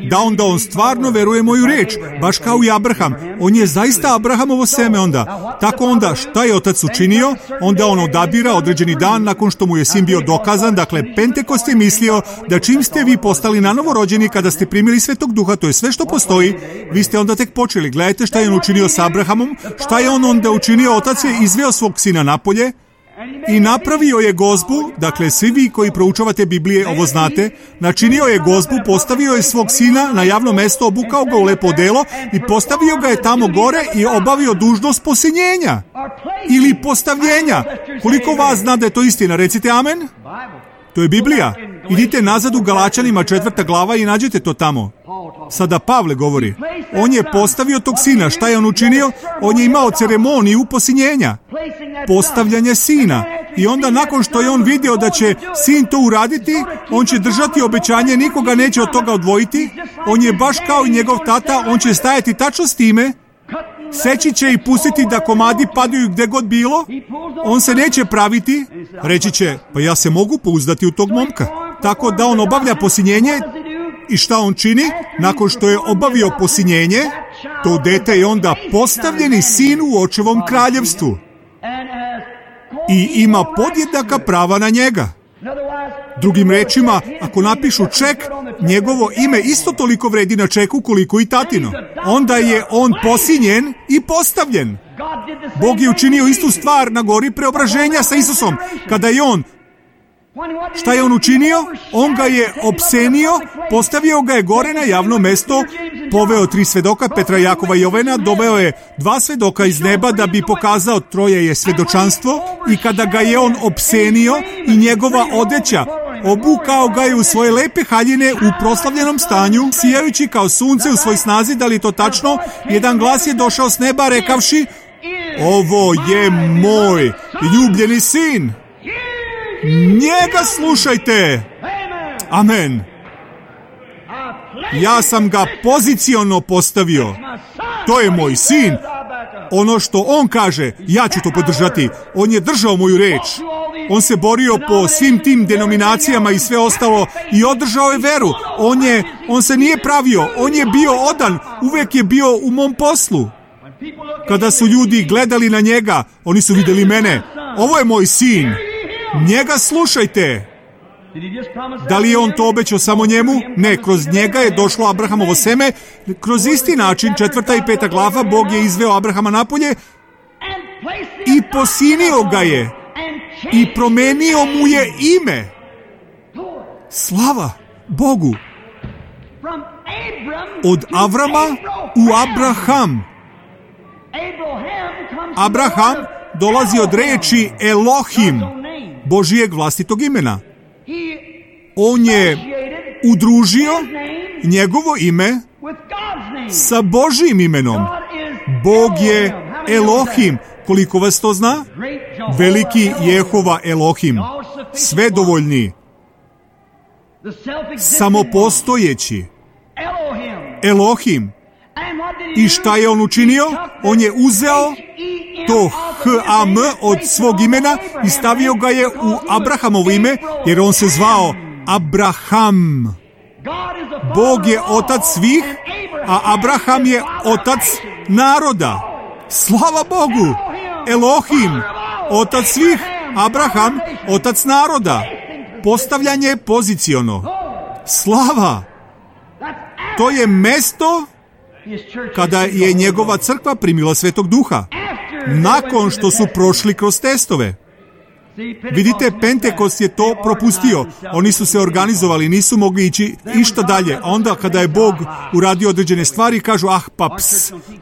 Da onda on stvarno veruje moju riječ, baš kao i Abraham. On je zaista Abrahamovo seme onda. Tako onda, šta je otac učinio? Onda on odabira određeni dan nakon što mu je sin bio dokazan. Dakle, Pentekost je mislio da čim ste vi postali nanovo rođeni, kada ste primili Svetog Duha, to je sve što postoji, vi ste onda tek počeli. Gledajte šta je on učinio sa Abrahamom, šta je on onda učinio. Otac je izveo svog sina napolje i napravio je gozbu. Dakle, svi vi koji proučavate Biblije ovo znate. Načinio je gozbu, postavio je svog sina na javno mesto, obukao ga u lepo odelo i postavio ga je tamo gore i obavio dužnost posinjenja ili postavljenja. Koliko vas zna da je to istina? Recite amen. To je Biblija. Idite nazad u Galačanima 4. glava i nađete to tamo. Sada Pavle govori. On je postavio tog sina. Šta je on učinio? On je imao ceremoniju posinjenja. Postavljanje sina. I onda nakon što je on vidio da će sin to uraditi, on će držati obećanje, nikoga neće od toga odvojiti. On je baš kao i njegov tata, on će stajati tačno s time. Seći će i pustiti da komadi padaju gdje god bilo. On se neće praviti. Reći će, pa ja se mogu pouzdati u tog momka. Tako da on obavlja posinjenje. I šta on čini? Nakon što je obavio posinjenje, to dete je onda postavljeni sin u očevom kraljevstvu. I ima podjednaka prava na njega. Drugim rečima, ako napišu ček, njegovo ime isto toliko vredi na čeku koliko i tatino. Onda je on posinjen i postavljen. Bog je učinio istu stvar na gori preobraženja sa Isusom. Kada je on, šta je on učinio? On ga je opsenio, postavio ga je gore na javno mesto, poveo 3 svedoka, Petra, Jakova i Jovana, doveo je 2 svedoka iz neba da bi pokazao troje je svedočanstvo, i kada ga je on opsenio i njegova odeća, obukao ga je u svoje lepe haljine u proslavljenom stanju, sijajući kao sunce u svoj snazi. Da li to tačno? Jedan glas je došao s neba rekavši, ovo je moj ljubljeni sin. Njega slušajte. Amen. Ja sam ga poziciono postavio. To je moj sin. Ono što on kaže, ja ću to podržati. On je držao moju reč. On se borio po svim tim denominacijama i sve ostalo i održao je veru. On se nije pravio. On je bio odan. Uvek je bio u mom poslu. Kada su ljudi gledali na njega, oni su vidjeli mene. Ovo je moj sin. Njega slušajte. Da li je on to obećao samo njemu? Ne, kroz njega je došlo Abrahamovo seme. Kroz isti način, 4. i 5. glava, Bog je izveo Abrahama napolje i posinio ga je i promenio mu je ime. Slava Bogu. Od Avrama u Abraham. Abraham dolazi od reči Elohim, Božijeg vlastitog imena. On je udružio njegovo ime sa Božijim imenom. Bog je Elohim. Koliko vas to zna? Veliki Jehova Elohim. Svedovoljni. Samopostojeći. Elohim. I šta je on učinio? On je uzeo to H-A-M od svog imena i stavio ga je u Abrahamovo ime, jer on se zvao Abraham. Bog je otac svih, a Abraham je otac naroda. Slava Bogu! Elohim, otac svih, Abraham, otac naroda. Postavljanje poziciono. Slava! To je mesto kada je njegova crkva primila Svetog Duha. nakon što su prošli kroz testove. Vidite, Pentekost je to propustio. Oni su se organizovali, nisu mogli ići išta dalje. A onda kada je Bog uradio određene stvari, kažu,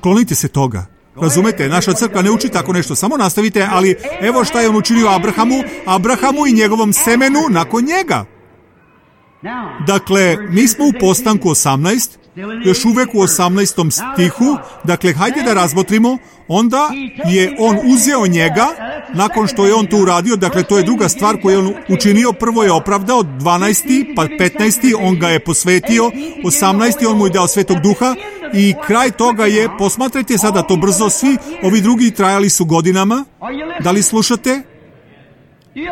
klonite se toga. Razumete, naša crkva ne uči tako nešto, samo nastavite, ali evo šta je on učinio Abrahamu i njegovom semenu nakon njega. Dakle, mi smo u Postanku 18, još uvek u 18. stihu, dakle, hajde da razmotrimo, onda je on uzeo njega, nakon što je on to uradio, dakle, to je druga stvar koju je on učinio, prvo je opravdao, 12. pa 15. on ga je posvetio, 18. on mu je dao Svetog Duha i kraj toga je, posmatrajte sada to brzo, svi ovi drugi trajali su godinama. Da li slušate?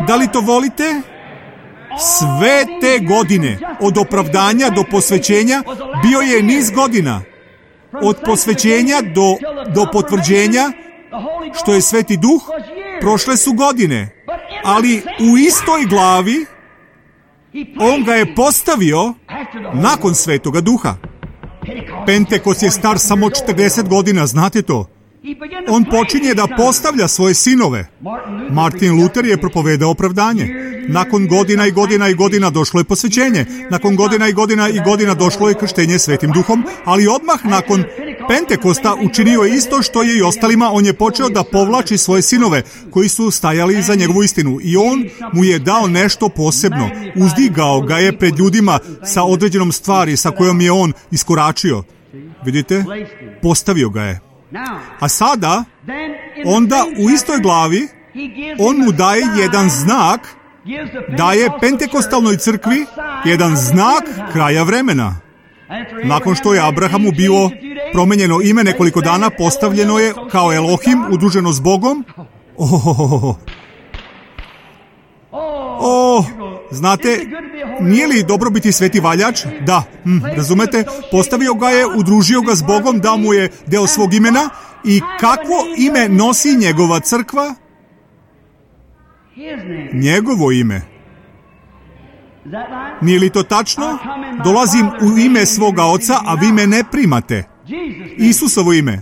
Da li to volite? Sve te godine, od opravdanja do posvećenja, bio je niz godina. Od posvećenja do potvrđenja, što je Sveti Duh, prošle su godine. Ali u istoj glavi, on ga je postavio nakon Svetoga Duha. Pentekost je star samo 40 godina, znate to? On počinje da postavlja svoje sinove. Martin Luther je propovedao opravdanje. Nakon godina i godina i godina došlo je posvećenje. Nakon godina i godina i godina došlo je krštenje Svetim Duhom, ali odmah nakon Pentekosta učinio je isto što je i ostalima. On je počeo da povlači svoje sinove koji su stajali za njegovu istinu i on mu je dao nešto posebno. Uzdigao ga je pred ljudima sa određenom stvari sa kojom je on iskoračio. Vidite? Postavio ga je. A sada, onda u istoj glavi, on mu daje jedan znak, daje Pentekostalnoj crkvi jedan znak kraja vremena. Nakon što je Abrahamu bilo promenjeno ime nekoliko dana, postavljeno je kao Elohim, udruženo s Bogom. Znate, nije li dobro biti sveti valjač? Da, razumete, postavio ga je, udružio ga s Bogom, dao mu je deo svog imena i kakvo ime nosi njegova crkva? Njegovo ime. Nije li to tačno? Dolazim u ime svoga oca, a vi me ne primate. Isusovo ime.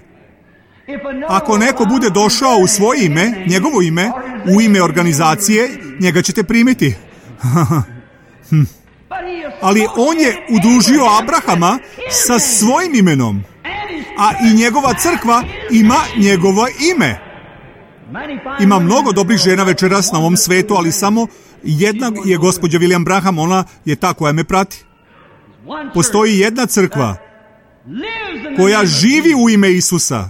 Ako neko bude došao u svoje ime, njegovo ime, u ime organizacije, njega ćete primiti. Ali on je udružio Abrahama sa svojim imenom, a i njegova crkva ima njegovo ime. Ima mnogo dobrih žena večeras na ovom svetu, ali samo jedna je gospođa William Branham, ona je ta koja me prati. Postoji jedna crkva koja živi u ime Isusa.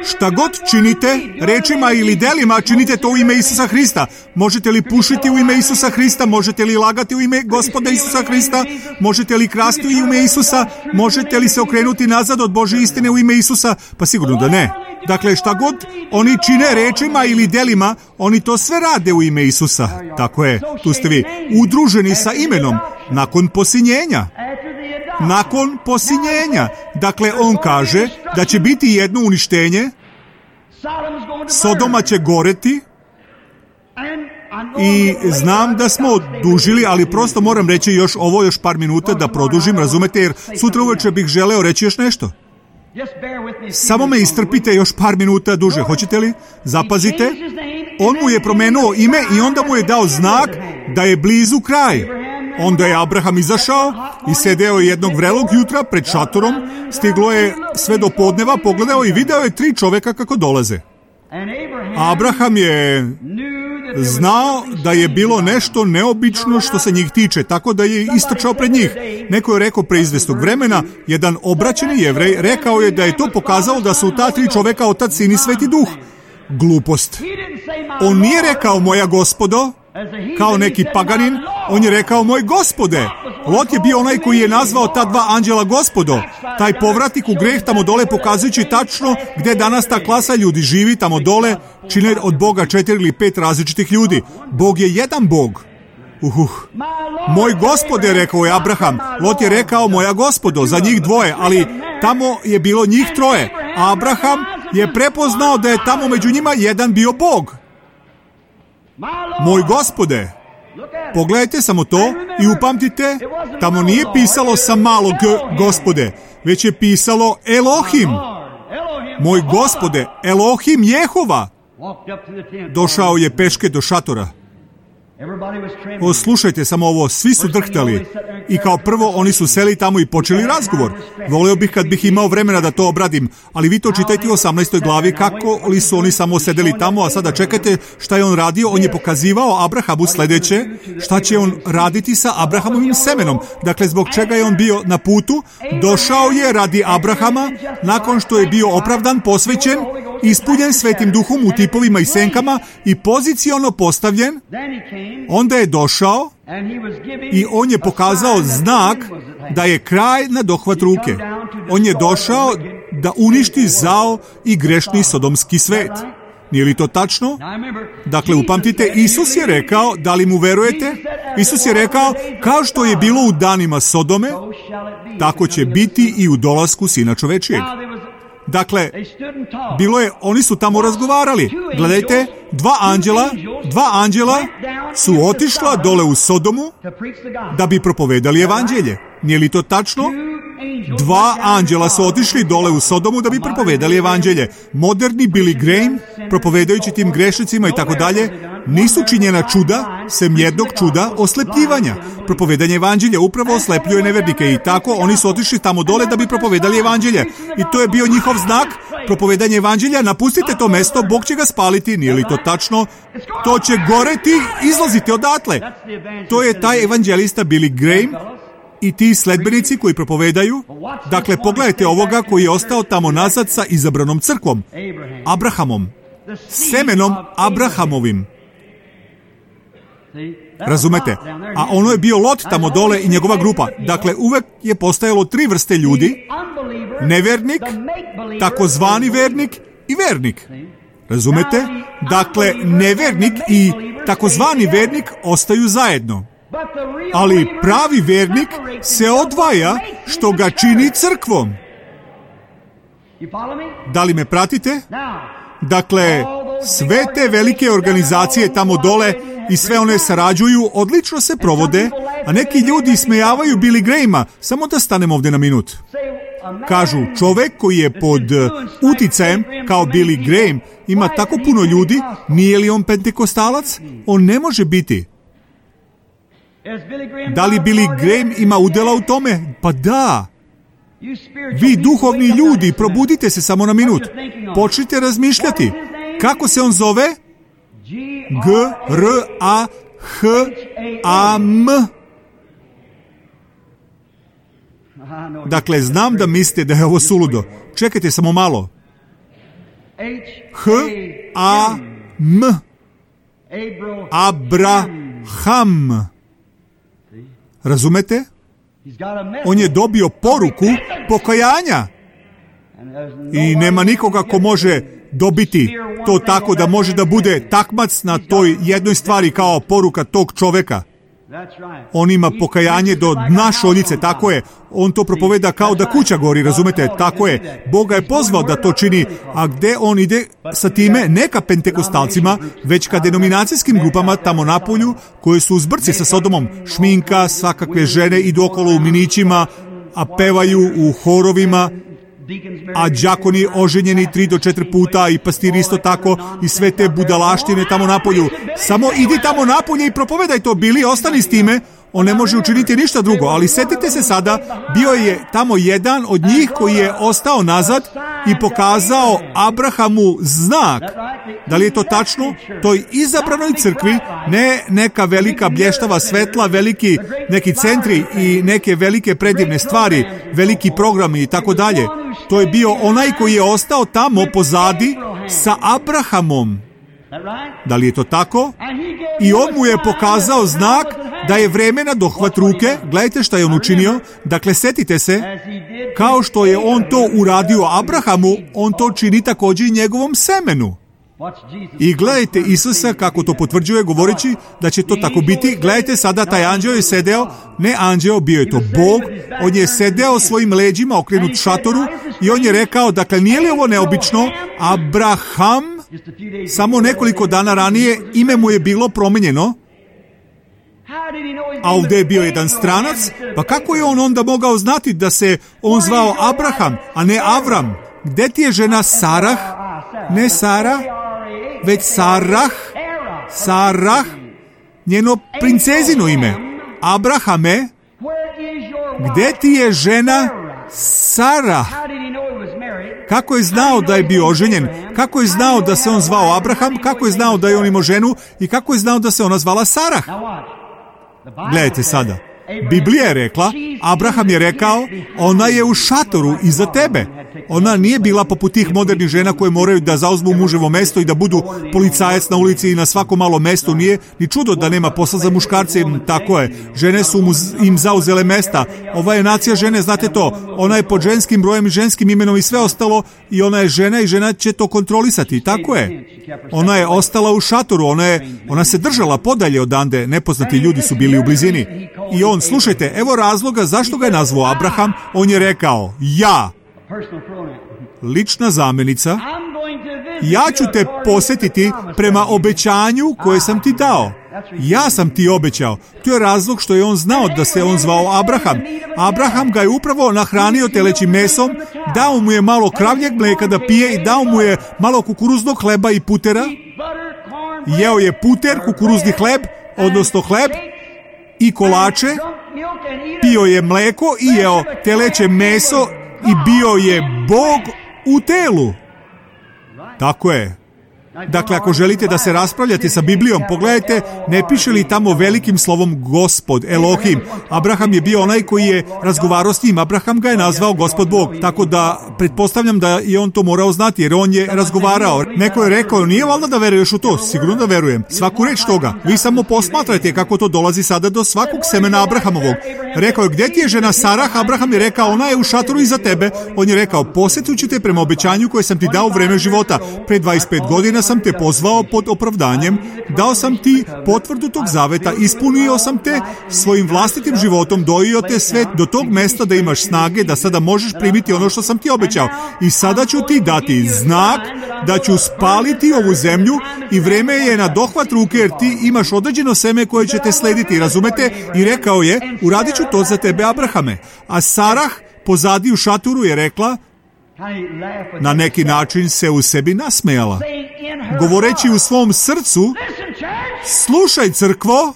Šta god činite, rečima ili delima, činite to u ime Isusa Hrista. Možete li pušiti u ime Isusa Hrista? Možete li lagati u ime Gospoda Isusa Hrista? Možete li krasti u ime Isusa? Možete li se okrenuti nazad od Božje istine u ime Isusa? Pa sigurno da ne. Dakle, šta god oni čine rečima ili delima, oni to sve rade u ime Isusa. Tako je, tu ste vi, udruženi sa imenom, nakon posinjenja. Nakon posinjenja. Dakle, on kaže da će biti jedno uništenje, Sodoma će goreti i znam da smo odužili, ali prosto moram reći još par minuta da produžim, razumete, jer sutra uveče bih želeo reći još nešto. Samo me istrpite još par minuta duže, hoćete li? Zapazite, on mu je promenuo ime i onda mu je dao znak da je blizu kraj. Onda je Abraham izašao i sedeo jednog vrelog jutra pred šatorom, stiglo je sve do podneva, pogledao i video je 3 čoveka kako dolaze. Abraham je znao da je bilo nešto neobično što se njih tiče, tako da je istrčao pred njih. Neko je rekao pre izvestog vremena, jedan obraćeni Jevrej rekao je da je to pokazalo da su ta 3 čoveka Otac, Sin i Sveti Duh. Glupost. On nije rekao moja gospodo, kao neki paganin, on je rekao moj gospode. Lot je bio onaj koji je nazvao ta 2 anđela gospodo. Taj povratnik u greh tamo dole pokazujući tačno gde danas ta klasa ljudi živi, tamo dole čine od Boga 4 ili 5 različitih ljudi. Bog je jedan Bog. Moj gospode, rekao je Abraham. Lot je rekao moja gospodo, za njih 2, ali tamo je bilo njih 3. Abraham je prepoznao da je tamo među njima jedan bio Bog. Moj gospode, pogledajte samo to i upamtite, tamo nije pisalo sa malo g, gospode, već je pisalo Elohim. moj Gospode, Elohim Jehova. Došao je peške do šatora. Slušajte samo ovo, svi su drhtali. I kao prvo oni su seli tamo i počeli razgovor. Voleo bih kad bih imao vremena da to obradim, ali vi to čitajte u 18. glavi kako li su oni samo sedeli tamo, a sada čekajte šta je on radio. On je pokazivao Abrahamu sledeće, šta će on raditi sa Abrahamovim semenom. Dakle, zbog čega je on bio na putu? Došao je radi Abrahama, nakon što je bio opravdan, posvećen, ispunjen Svetim Duhom u tipovima i senkama i poziciono postavljen. Onda je došao i on je pokazao znak da je kraj na dohvat ruke. On je došao da uništi zao i grešni sodomski svet. Nije li to tačno? Dakle, upamtite, Isus je rekao, da li mu verujete? Isus je rekao, kao što je bilo u danima Sodome, tako će biti i u dolasku Sina čovečijeg. Dakle, oni su tamo razgovarali. Gledajte, dva anđela su otišla dole u Sodomu da bi propovedali evanđelje. Nije li to tačno? Dva anđela su otišli dole u Sodomu da bi propovedali evanđelje. Moderni Billy Graham, propovedajući tim grešnicima i tako dalje, nisu činjena čuda, sem jednog čuda oslepljivanja. Propovedanje evanđelja upravo oslepljuje nevernike i tako oni su otišli tamo dole da bi propovedali evanđelje. I to je bio njihov znak, propovedanje evanđelja, napustite to mesto, Bog će ga spaliti, nije li to tačno? To će goreti, izlazite odatle. To je taj evanđelista Billy Graham i ti sledbenici koji propovedaju. Dakle, pogledajte ovoga koji je ostao tamo nazad sa izabranom crkvom, Abrahamom, semenom Abrahamovim. Razumete? A ono je bio Lot tamo dole i njegova grupa. Dakle, uvek je postajalo tri vrste ljudi: nevernik, takozvani vernik i vernik. Razumete? Dakle, nevernik i takozvani vernik ostaju zajedno. Ali pravi vernik se odvaja, što ga čini crkvom. Da li me pratite? Dakle, sve te velike organizacije tamo dole i sve one sarađuju, odlično se provode, a neki ljudi ismejavaju Billy Grahama. Samo da stanem ovdje na minut. Kažu, čovek koji je pod uticajem kao Billy Graham ima tako puno ljudi, nije li on pentekostalac? On ne može biti. Da li Billy Graham ima udjela u tome? Pa da. Vi duhovni ljudi, probudite se samo na minut. Počnite razmišljati. Kako se on zove? G-R-A-H-A-M. Dakle, znam da mislite da je ovo suludo. Čekajte samo malo. H-A-M. Abraham. Razumete? On je dobio poruku pokajanja. I nema nikoga ko može dobiti to tako da može da bude takmac na toj jednoj stvari kao poruka tog čoveka. On ima pokajanje do dna šoljice, tako je. On to propoveda kao da kuća gori, razumete? Tako je. Bog ga je pozvao da to čini, a gde on ide sa time? Ne ka pentekostalcima, već ka denominacijskim grupama tamo napolju, koje su u zbrci sa Sodomom. Šminka, svakakve žene idu okolo u minićima, a pevaju u horovima, a đakoni oženjeni 3 do 4 puta i pastiri isto tako i sve te budalaštine tamo napolju. Samo idi tamo napolje i propovedaj to, Bili, ostani s time. On ne može učiniti ništa drugo, ali setite se sada, bio je tamo jedan od njih koji je ostao nazad i pokazao Abrahamu znak. Da li je to tačno? Toj izabranoj crkvi, ne neka velika blještava svetla, veliki neki centri i neke velike predivne stvari, veliki programi i tako dalje. To je bio onaj koji je ostao tamo pozadi sa Abrahamom. Da li je to tako? I on mu je pokazao znak da je vreme na dohvat ruke. Gledajte šta je on učinio. Dakle, setite se, kao što je on to uradio Abrahamu, on to čini također i njegovom semenu. I gledajte Isusa kako to potvrđuje govoreći da će to tako biti. Gledajte sada, taj anđeo je sedeo, ne anđeo, bio je to Bog, on je sedeo svojim leđima okrenut šatoru i on je rekao, dakle, nije li ovo neobično? Abraham, samo nekoliko dana ranije ime mu je bilo promijenjeno, a ovdje je bio jedan stranac, pa kako je on onda mogao znati da se on zvao Abraham, a ne Avram? gdje ti je žena Sarah? Ne Sara, već Sarah. Sarah, njeno princezino ime. Abrahame, gdje ti je žena Sarah? Kako je znao da je bio oženjen? Kako je znao da se on zvao Abraham? Kako je znao da je on imao ženu? I kako je znao da se ona zvala Sarah? Gledajte sada. Biblija je rekla, Abraham je rekao, ona je u šatoru iza tebe. Ona nije bila poput tih modernih žena koje moraju da zauzmu muževo mesto i da budu policajac na ulici i na svako malo mesto. Nije ni čudo da nema posla za muškarce. Tako je. Žene su im zauzele mesta. Ova je nacija žene, znate to. Ona je pod ženskim brojem i ženskim imenom i sve ostalo i ona je žena i žena će to kontrolisati. Tako je. Ona je ostala u šatoru. Ona se držala podalje odande. Nepoznati ljudi su bili u blizini. I on, slušajte, evo razloga zašto ga je nazvao Abraham. On je rekao, ja, lična zamjenica, ja ću te posjetiti prema obećanju koje sam ti dao. Ja sam ti obećao. To je razlog što je on znao da se on zvao Abraham. Abraham ga je upravo nahranio telećim mesom, dao mu je malo kravljeg mlijeka da pije i dao mu je malo kukuruznog hleba i putera. Jeo je puter, kukuruzni hleb, odnosno hleb i kolače, pio je mlijeko i jeo teleće meso i bio je Bog u telu. Tako je. Dakle, ako želite da se raspravljate sa Biblijom, pogledajte, ne piše li tamo velikim slovom Gospod, Elohim. Abraham je bio onaj koji je razgovarao s njim. Abraham ga je nazvao Gospod Bog. Tako da, pretpostavljam da je on to morao znati, jer on je razgovarao. Neko je rekao, nije valjda da veruješ u to? Sigurno da verujem. Svaku reč toga. Vi samo posmatrajte kako to dolazi sada do svakog semena Abrahamovog. Rekao je, gdje ti je žena Sarah? Abraham je rekao, ona je u šatoru iza tebe. On je rekao, posjetit ću te prema obećanju koje sam ti dao u vreme života. Pre 25 godina sam te pozvao pod opravdanjem, dao sam ti potvrdu tog zaveta, ispunio sam te svojim vlastitim životom, dojio te sve do tog mesta da imaš snage, da sada možeš primiti ono što sam ti obećao. I sada ću ti dati znak da ću spaliti ovu zemlju i vreme je na dohvat ruke jer ti imaš određeno seme koje će te slediti, razumete? I rekao je, uradit ću to za tebe, Abrahame. A Sarah pozadi u šatoru je rekla, na neki način se u sebi nasmejala, govoreći u svom srcu, slušaj crkvo,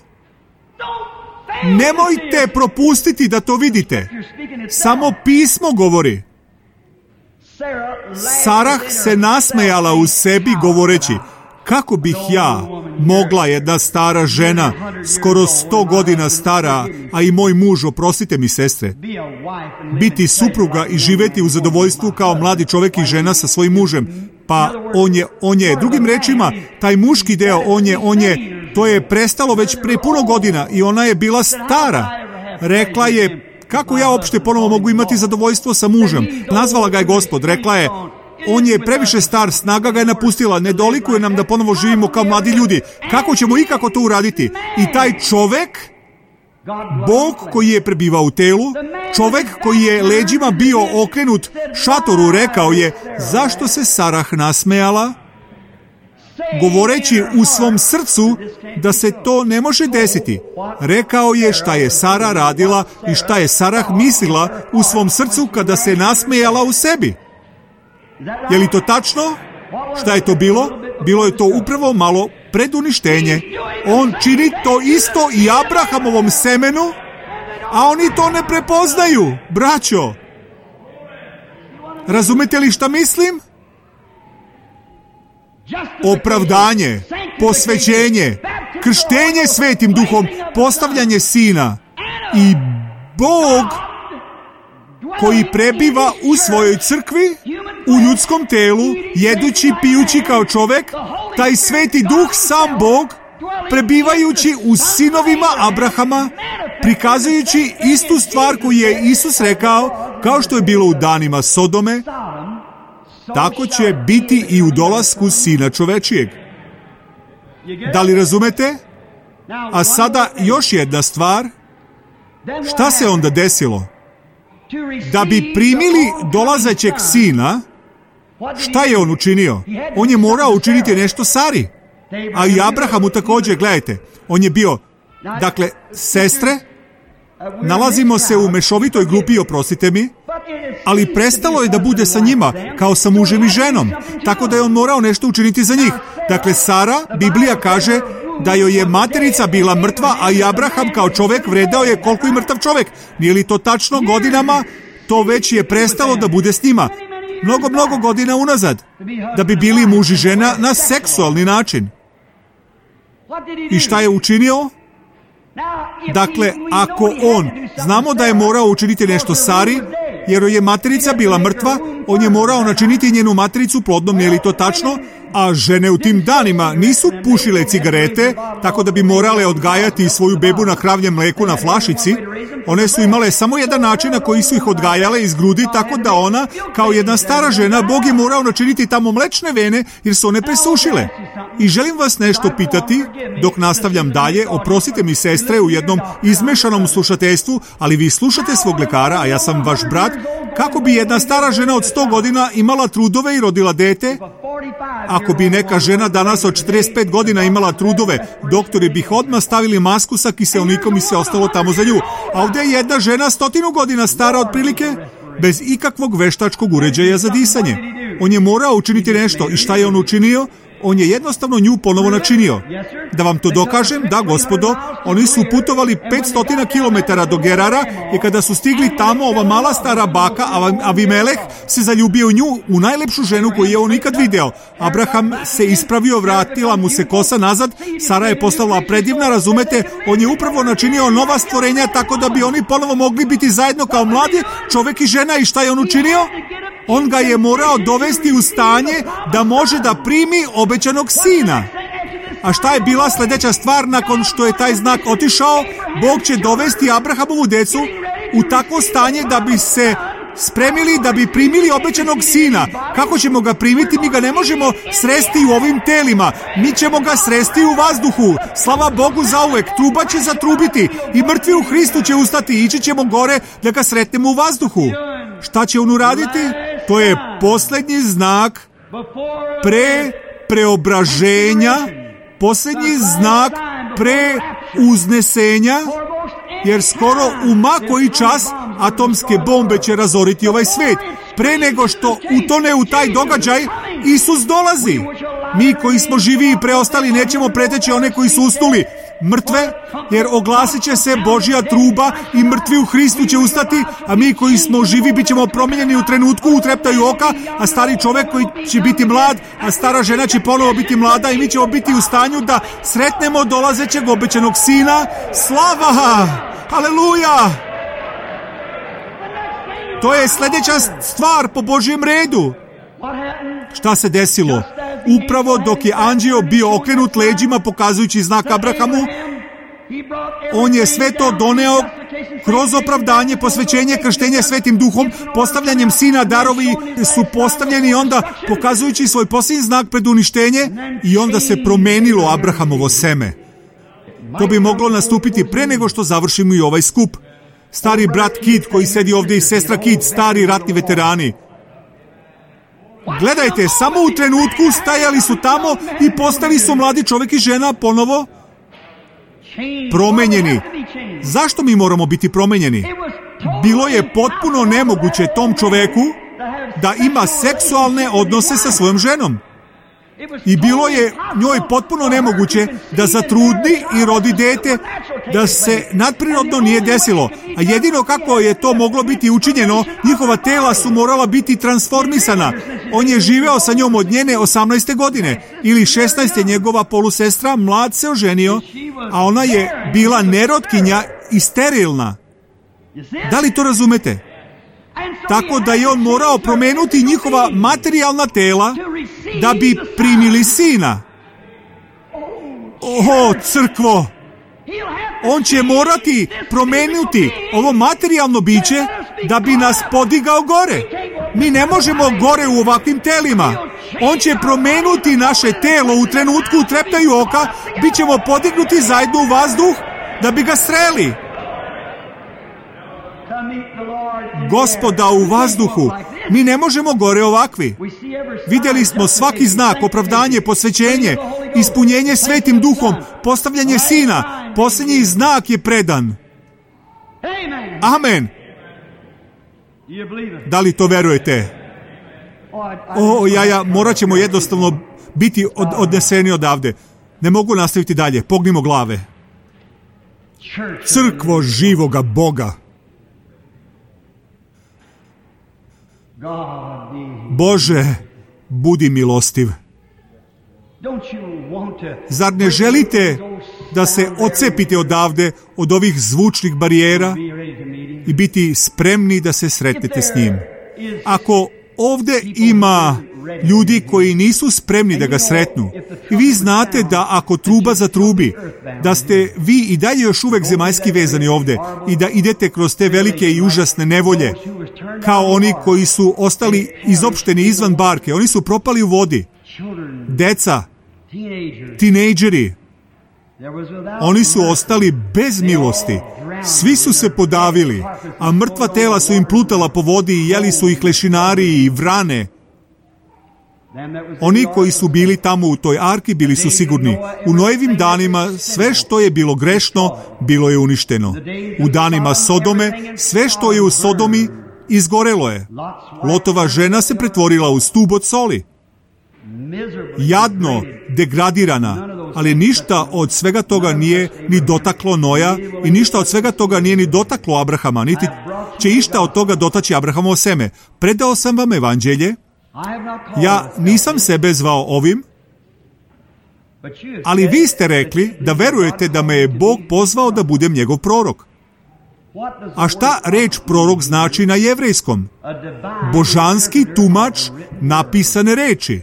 nemojte propustiti da to vidite. Samo pismo govori. Sarah se nasmejala u sebi govoreći, kako bih ja mogla, jedna stara žena, skoro 100 godina stara, a i moj muž, oprostite mi sestre, biti supruga i živjeti u zadovoljstvu kao mladi čovjek i žena sa svojim mužem. Pa on je, drugim rečima, taj muški deo, to je prestalo već pre puno godina i ona je bila stara. Rekla je, kako ja uopšte ponovo mogu imati zadovoljstvo sa mužem? Nazvala ga je Gospod, rekla je, on je previše star, snaga ga je napustila, ne dolikuje nam da ponovo živimo kao mladi ljudi. Kako ćemo ikako to uraditi? I taj čovek, Bog koji je prebivao u telu, čovek koji je leđima bio okrenut šatoru, rekao je, zašto se Sarah nasmejala? Govoreći u svom srcu da se to ne može desiti. Rekao je šta je Sara radila i šta je Sarah mislila u svom srcu kada se nasmejala u sebi. Je li to tačno? Šta je to bilo? Bilo je to upravo malo preduništenje. On čini to isto i Abrahamovom semenu, a oni to ne prepoznaju, braćo. Razumete li šta mislim? Opravdanje, posvećenje, krštenje Svetim Duhom, postavljanje sina i Bog koji prebiva u svojoj crkvi, u ljudskom telu, jedući, pijući kao čovek, taj Sveti Duh, sam Bog, prebivajući u sinovima Abrahama, prikazujući istu stvar koju je Isus rekao, kao što je bilo u danima Sodome, tako će biti i u dolasku Sina čovečijeg. Da li razumete? A sada još jedna stvar. Šta se onda desilo? Da bi primili dolazećeg Sina, šta je on učinio? On je morao učiniti nešto Sari. A i Abrahamu također, gledajte. On je bio, dakle, sestre, nalazimo se u mešovitoj grupi, oprostite mi, ali prestalo je da bude sa njima, kao sa mužem i ženom, tako da je on morao nešto učiniti za njih. Dakle, Sara, Biblija kaže da joj je materica bila mrtva, a i Abraham kao čovjek vredao je koliko i mrtav čovjek. Nije li to tačno? Godinama to već je prestalo da bude s njima. Mnogo godina unazad, da bi bili muž i žena na seksualni način. I šta je učinio? Dakle, ako on, znamo da je morao učiniti nešto Sari, jer joj je materica bila mrtva, on je morao načiniti njenu matericu plodnom, nije li to tačno? A žene u tim danima nisu pušile cigarete, tako da bi morale odgajati svoju bebu na kravljem mleku na flašici. One su imale samo jedan način na koji su ih odgajale iz grudi, tako da ona, kao jedna stara žena, Bog je morao načiniti tamo mlečne vene, jer su one presušile. I želim vas nešto pitati, dok nastavljam dalje, oprostite mi sestre u jednom izmešanom slušateljstvu, ali vi slušate svog lekara, a ja sam vaš brat, kako bi jedna stara žena od 100 godina imala trudove i rodila dete? Ako bi neka žena danas od 45 godina imala trudove, doktori bi odmah stavili masku sa kiseonikom i sve ostalo tamo za nju. A ovdje je jedna žena 100 godina stara otprilike, bez ikakvog veštačkog uređaja za disanje. On je morao učiniti nešto. I šta je on učinio? On je jednostavno nju ponovo načinio. Da vam to dokažem, da gospodo, oni su putovali 500 km do Gerara i kada su stigli tamo, ova mala stara baka, Avimeleh, se zaljubio u nju, u najlepšu ženu koju je on ikad video. Abraham se ispravio, vratila mu se kosa nazad, Sara je postala predivna, razumete, on je upravo načinio nova stvorenja tako da bi oni ponovo mogli biti zajedno kao mladi čovjek i žena. I šta je on učinio? On ga je morao dovesti u stanje da može da primi obećanog sina. A šta je bila sljedeća stvar nakon što je taj znak otišao? Bog će dovesti Abrahamovu decu u takvo stanje da bi se spremili da bi primili obećanog sina. Kako ćemo ga primiti? Mi ga ne možemo sresti u ovim telima. Mi ćemo ga sresti u vazduhu. Slava Bogu zauvek. Truba će zatrubiti i mrtvi u Hristu će ustati. Ići ćemo gore da ga sretnemo u vazduhu. Šta će on uraditi? To je posljednji znak pre preobraženja, posljednji znak pre uznesenja, jer skoro u ma koji čas atomske bombe će razoriti ovaj svijet. Pre nego što utone u taj događaj, Isus dolazi. Mi koji smo živi i preostali nećemo preteći one koji su usnuli mrtve, jer oglasit će se Božja truba i mrtvi u Hristu će ustati, a mi koji smo živi bit ćemo promijenjeni u trenutku, u treptaju oka, a stari čovjek koji će biti mlad, a stara žena će ponovo biti mlada i mi ćemo biti u stanju da sretnemo dolazećeg obećanog sina. Slava! Haleluja! To je sljedeća stvar po Božjem redu. Šta se desilo? Upravo dok je anđeo bio okrenut leđima pokazujući znak Abrahamu, on je sve to doneo kroz opravdanje, posvećenje, krštenje Svetim Duhom, postavljanjem sina, darovi su postavljeni onda pokazujući svoj posljednji znak pred uništenje i onda se promenilo Abrahamovo seme. To bi moglo nastupiti pre nego što završimo i ovaj skup. Stari brat Kid koji sedi ovdje i sestra Kid, stari ratni veterani. Gledajte, samo u trenutku stajali su tamo i postali su mladi čovjek i žena ponovo promenjeni. Zašto mi moramo biti promenjeni? Bilo je potpuno nemoguće tom čovjeku da ima seksualne odnose sa svojom ženom. I bilo je njoj potpuno nemoguće da zatrudni i rodi dete, da se nadprirodno nije desilo. A jedino kako je to moglo biti učinjeno, njihova tela su morala biti transformisana. On je živeo sa njom od njene 18. godine ili 16. njegova polusestra, mlad se oženio, a ona je bila nerotkinja i sterilna. Da li to razumete? Tako da je on morao promenuti njihova materijalna tela da bi primili sina. O, crkvo! On će morati promenuti ovo materijalno biće da bi nas podigao gore. Mi ne možemo gore u ovakvim telima. On će promenuti naše telo u trenutku treptaju oka, bit ćemo podignuti zajedno u vazduh da bi ga sreli. Gospoda u vazduhu. Mi ne možemo gore ovakvi. Vidjeli smo svaki znak, opravdanje, posvećenje, ispunjenje Svetim Duhom, postavljanje sina. Posljednji znak je predan. Amen. Da li to verujete? Morat ćemo jednostavno biti odneseni odavde. Ne mogu nastaviti dalje. Pognimo glave. Crkvo živoga Boga. Bože, budi milostiv. Zar ne želite da se odcepite odavde od ovih zvučnih barijera i biti spremni da se sretnete s njim? Ako ovdje ima ljudi koji nisu spremni da ga sretnu, i vi znate da ako truba zatrubi, da ste vi i dalje još uvek zemaljski vezani ovdje i da idete kroz te velike i užasne nevolje, kao oni koji su ostali izopšteni izvan barke, oni su propali u vodi. Deca, tinejdžeri, oni su ostali bez milosti. Svi su se podavili, a mrtva tela su im plutala po vodi i jeli su ih lešinari i vrane. Oni koji su bili tamo u toj arki bili su sigurni. U Noevim danima sve što je bilo grešno, bilo je uništeno. U danima Sodome, sve što je u Sodomi, izgorelo je. Lotova žena se pretvorila u stub od soli. Jadno, degradirana, ali ništa od svega toga nije ni dotaklo Noja i ništa od svega toga nije ni dotaklo Abrahama, niti će išta od toga dotaći Abrahamovo seme. Predao sam vam evanđelje. Ja nisam sebe zvao ovim, ali vi ste rekli da verujete da me je Bog pozvao da budem njegov prorok. A šta reč prorok znači na jevrejskom? Božanski tumač napisane reči.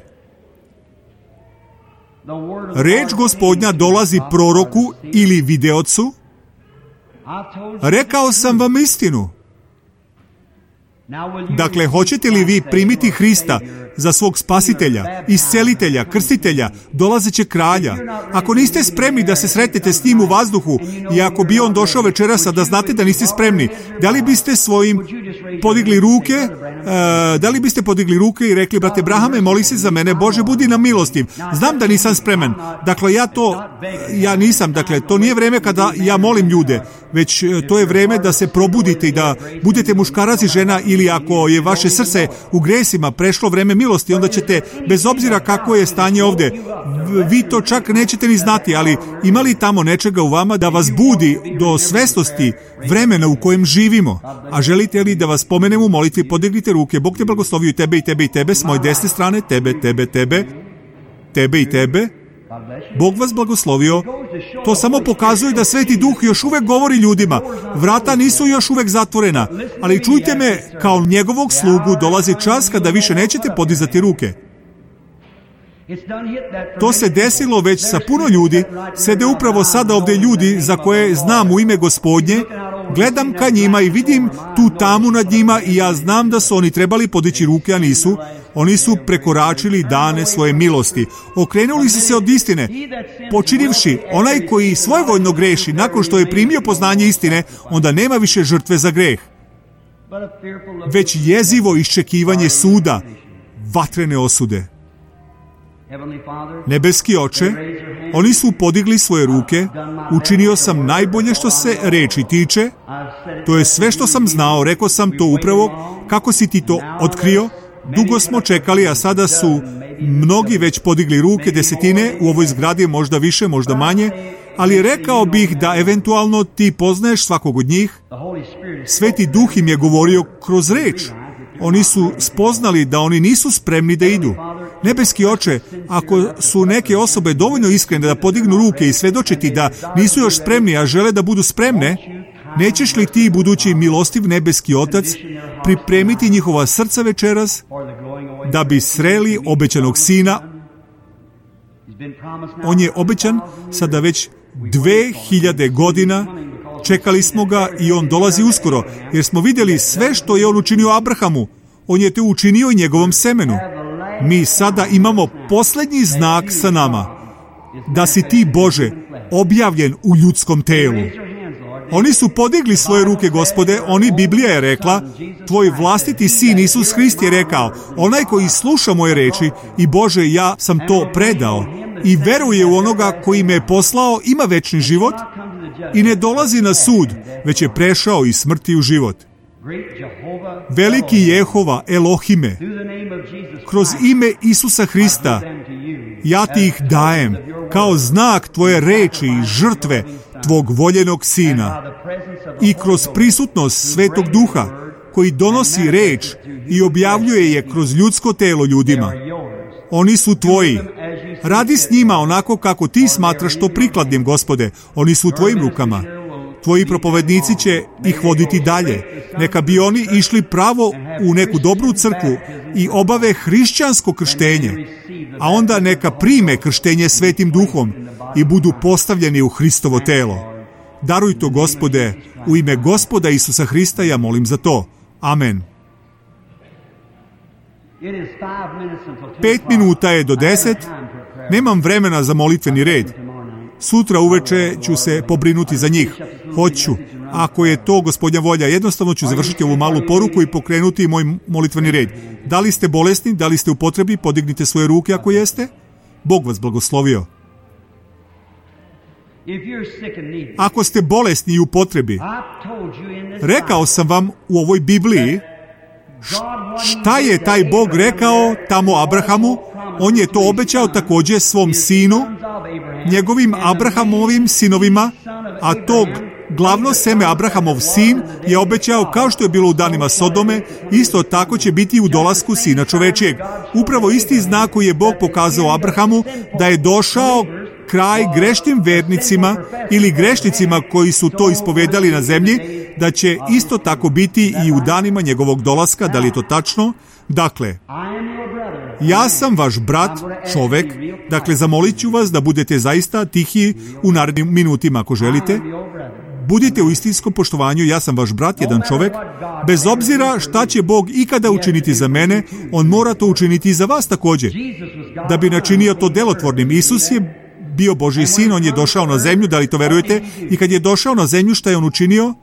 Reč Gospodnja dolazi proroku ili videocu. Rekao sam vam istinu. Dakle, hoćete li vi primiti Hrista za svog spasitelja, iscelitelja, krstitelja, dolazećeg kralja? Ako niste spremni da se sretnete s njim u vazduhu i ako bi on došao večeras, da znate da niste spremni, da li biste svojim podigli ruke, i rekli, brate Brahame, moli se za mene, Bože, budi nam milostiv. Znam da nisam spreman. Dakle, ja nisam. Dakle, to nije vreme kada ja molim ljude, već to je vreme da se probudite i da budete muškarac i žena, ili ako je vaše srce u gresima prešlo vreme milosti, onda ćete, bez obzira kako je stanje ovdje, vi to čak nećete ni znati, ali ima li tamo nečega u vama da vas budi do svesnosti vremena u kojem živimo? A želite li da vas pomenem u molitvi? Podignite ruke. Bog te blagoslovio, i tebe, s moje desne strane, tebe i tebe. Bog vas blagoslovio. To samo pokazuje da Sveti Duh još uvek govori ljudima. Vrata nisu još uvek zatvorena, ali čujte me, kao njegovog slugu dolazi čas kada više nećete podizati ruke. To se desilo već sa puno ljudi. Sede upravo sada ovdje ljudi za koje znam u ime Gospodnje. Gledam ka njima i vidim tu tamu nad njima i ja znam da su oni trebali podići ruke, a nisu. Oni su prekoračili dane svoje milosti. Okrenuli su se od istine. Počinivši, onaj koji svojevoljno greši nakon što je primio poznanje istine, onda nema više žrtve za greh, već jezivo iščekivanje suda, vatrene osude. Nebeski Oče, oni su podigli svoje ruke, učinio sam najbolje što se reči tiče, to je sve što sam znao, rekao sam to upravo kako si ti to otkrio, dugo smo čekali, a sada su mnogi već podigli ruke, desetine, u ovoj zgradi možda više, možda manje, ali rekao bih da eventualno ti poznaješ svakog od njih. Sveti Duh im je govorio kroz reč. Oni su spoznali da oni nisu spremni da idu. Nebeski Oče, ako su neke osobe dovoljno iskrene da podignu ruke i svedočiti da nisu još spremni, a žele da budu spremne, nećeš li ti, budući milostiv nebeski Otac, pripremiti njihova srca večeras da bi sreli obećanog Sina? On je obećan sada već 2000 godina. Čekali smo ga i on dolazi uskoro, jer smo vidjeli sve što je on učinio Abrahamu. On je to učinio i njegovom semenu. Mi sada imamo posljednji znak sa nama, da si ti, Bože, objavljen u ljudskom telu. Oni su podigli svoje ruke, Gospode, Biblija je rekla, tvoj vlastiti sin Isus Hrist je rekao, onaj koji sluša moje reči, i Bože, ja sam to predao, i veruje u onoga koji me je poslao, ima večni život i ne dolazi na sud, već je prešao iz smrti u život. veliki Jehova, Elohime, kroz ime Isusa Hrista, ja ti ih dajem kao znak tvoje reči i žrtve tvog voljenog Sina i kroz prisutnost Svetog Duha koji donosi reč i objavljuje je kroz ljudsko telo ljudima. Oni su tvoji. Radi s njima onako kako ti smatraš to prikladnim, Gospode. Oni su u tvojim rukama. Tvoji propovednici će ih voditi dalje. Neka bi oni išli pravo u neku dobru crkvu i obave hrišćansko krštenje, a onda neka prime krštenje Svetim Duhom i budu postavljeni u Hristovo telo. Daruj to, Gospode, u ime Gospoda Isusa Hrista ja molim za to. Amen. 5 minuta je do 10. Nemam vremena za molitveni red. Sutra uveče ću se pobrinuti za njih. Hoću. Ako je to Gospodnja volja, jednostavno ću završiti ovu malu poruku i pokrenuti moj molitveni red. Da li ste bolesni? Da li ste u potrebi? Podignite svoje ruke ako jeste. Bog vas blagoslovio. Ako ste bolesni i u potrebi, rekao sam vam u ovoj Bibliji šta je taj Bog rekao tamo Abrahamu. On je to obećao također svom sinu, njegovim Abrahamovim sinovima, a tog glavno seme Abrahamov sin je obećao, kao što je bilo u danima Sodome, isto tako će biti u dolasku Sina čovečijeg. Upravo isti znak koji je Bog pokazao Abrahamu, da je došao kraj grešnim vernicima ili grešnicima koji su to ispovedali na zemlji, da će isto tako biti i u danima njegovog dolaska. Da li je to tačno? Dakle, ja sam vaš brat, čovek. Dakle, zamolit ću vas da budete zaista tihi u narednim minutima ako želite. Budite u istinskom poštovanju, ja sam vaš brat, jedan čovek. Bez obzira šta će Bog ikada učiniti za mene, On mora to učiniti i za vas također. Da bi načinio to delotvornim. Isus je bio Božji sin, On je došao na zemlju, da li to verujete? I kad je došao na zemlju, šta je On učinio?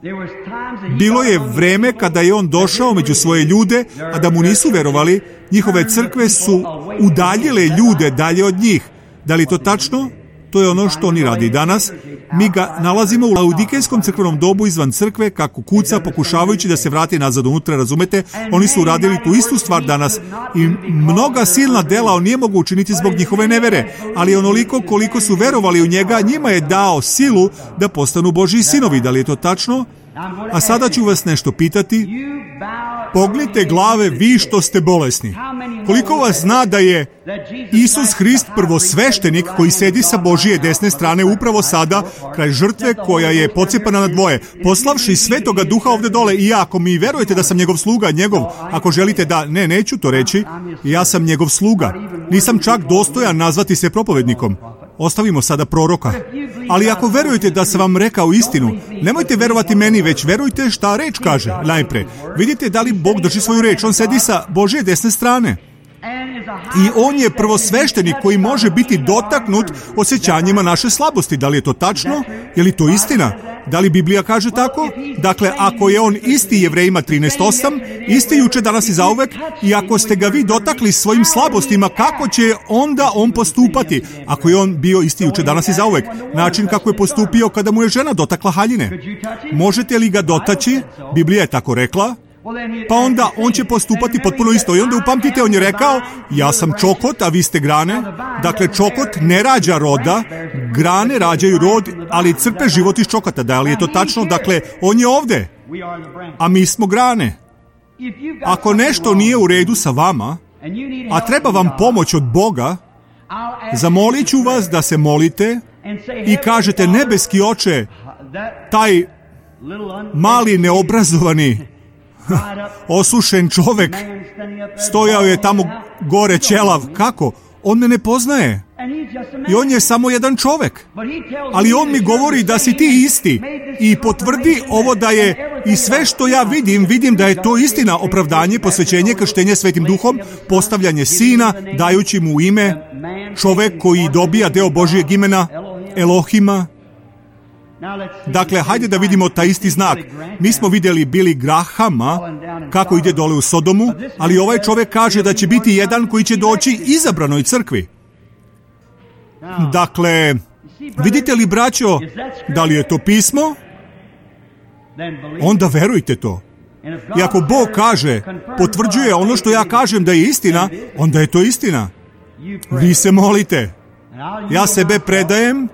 Bilo je vreme kada je On došao među svoje ljude, a da mu nisu verovali. Njihove crkve su udaljile ljude dalje od njih. Da li to tačno? To je ono što oni radi danas. Mi ga nalazimo u laudikejskom crkvenom dobu izvan crkve, kako kuca, pokušavajući da se vrati nazad unutra, razumete? Oni su uradili tu istu stvar danas i mnoga silna dela On nije mogu učiniti zbog njihove nevere, ali onoliko koliko su verovali u njega, njima je dao silu da postanu Božji sinovi. Da li je to tačno? A sada ću vas nešto pitati. Pognite glave vi što ste bolesni. Koliko vas zna da je Isus Hrist prvosveštenik koji sedi sa Božije desne strane upravo sada kraj žrtve koja je pocepana na dvoje, poslavši Svetoga Duha ovde dole? I ako mi verujete da sam njegov sluga, ako želite da... Ne, neću to reći. Ja sam njegov sluga. Nisam čak dostojan nazvati se propovednikom. Ostavimo sada proroka. Ali ako verujete da sam vam rekao istinu, nemojte verovati meni, već verujte šta reč kaže. Najpre, vidite da li Bog drži svoju reč. On sedi sa Božje desne strane. I On je prvosveštenik koji može biti dotaknut osjećanjima naše slabosti. Da li je to tačno? Je li to istina? Da li Biblija kaže tako? Dakle, ako je On isti Jevrejima 13:8, isti juče, danas i zauvek, i ako ste ga vi dotakli svojim slabostima, kako će onda On postupati? Ako je On bio isti juče, danas i zauvek, način kako je postupio kada mu je žena dotakla haljine. Možete li ga dotaći? Biblija je tako rekla. Pa onda On će postupati potpuno isto. I onda upamtite, On je rekao, ja sam čokot, a vi ste grane. Dakle, čokot ne rađa roda, grane rađaju rod, ali crpe život iz čokota. Da li je to tačno? Dakle, On je ovde, a mi smo grane. Ako nešto nije u redu sa vama, a treba vam pomoć od Boga, zamolit ću vas da se molite i kažete, nebeski Oče, taj mali neobrazovani osušen čovek stojao je tamo gore ćelav. Kako? On me ne poznaje. I on je samo jedan čovek. Ali on mi govori da si ti isti. I potvrdi ovo da je i sve što ja vidim da je to istina. Opravdanje, posvećenje, krštenje Svetim Duhom, postavljanje Sina, dajući mu ime, čovek koji dobija deo Božijeg imena, Elohima. Dakle, hajde da vidimo taj isti znak. Mi smo vidjeli Billy Grahama kako ide dole u Sodomu, ali ovaj čovjek kaže da će biti jedan koji će doći izabranoj crkvi. Dakle, vidite li, braćo, da li je to pismo? Onda verujte to. I ako Bog kaže, potvrđuje ono što ja kažem da je istina, onda je to istina. Vi se molite. Ja sebe predajem,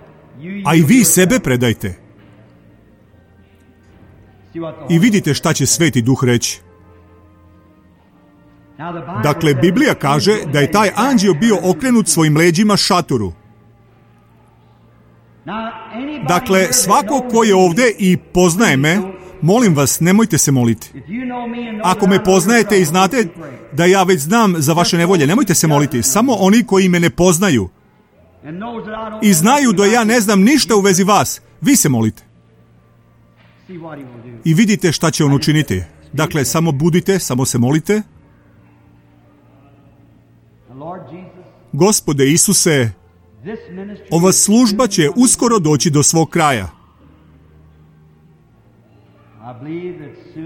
a i vi sebe predajte. I vidite šta će Sveti Duh reći. Dakle, Biblija kaže da je taj anđeo bio okrenut svojim leđima šatoru. Dakle, svako ko je ovdje i poznaje me, molim vas, nemojte se moliti. Ako me poznajete i znate da ja već znam za vaše nevolje, nemojte se moliti. Samo oni koji me ne poznaju i znaju da ja ne znam ništa u vezi vas, vi se molite. I vidite šta će on učiniti. Dakle, samo budite, samo se molite. Gospode Isuse, ova služba će uskoro doći do svog kraja.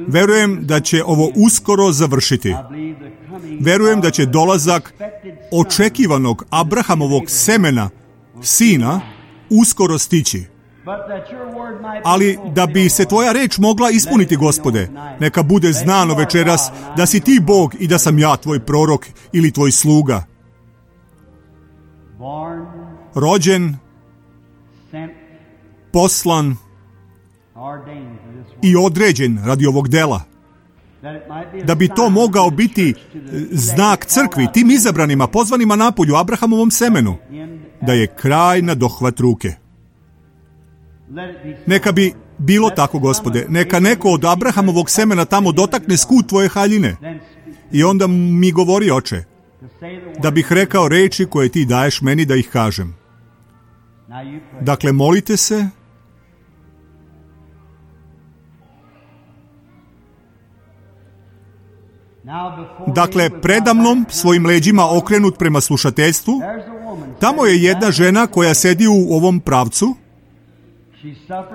Verujem da će ovo uskoro završiti. Verujem da će dolazak očekivanog Abrahamovog semena, sina, uskoro stići. Ali da bi se tvoja reč mogla ispuniti, Gospode, neka bude znano večeras da si ti Bog i da sam ja tvoj prorok ili tvoj sluga. Rođen, poslan i određen radi ovog dela. Da bi to mogao biti znak crkvi, tim izabranima, pozvanima napolju, Abrahamovom semenu, da je kraj na dohvat ruke. Neka bi bilo tako, Gospode. Neka neko od Abrahamovog semena tamo dotakne skut tvoje haljine. I onda mi govori, Oče, da bih rekao reči koje ti daješ meni da ih kažem. Dakle, molite se. Dakle, predamnom, svojim leđima okrenut prema slušateljstvu, tamo je jedna žena koja sedi u ovom pravcu.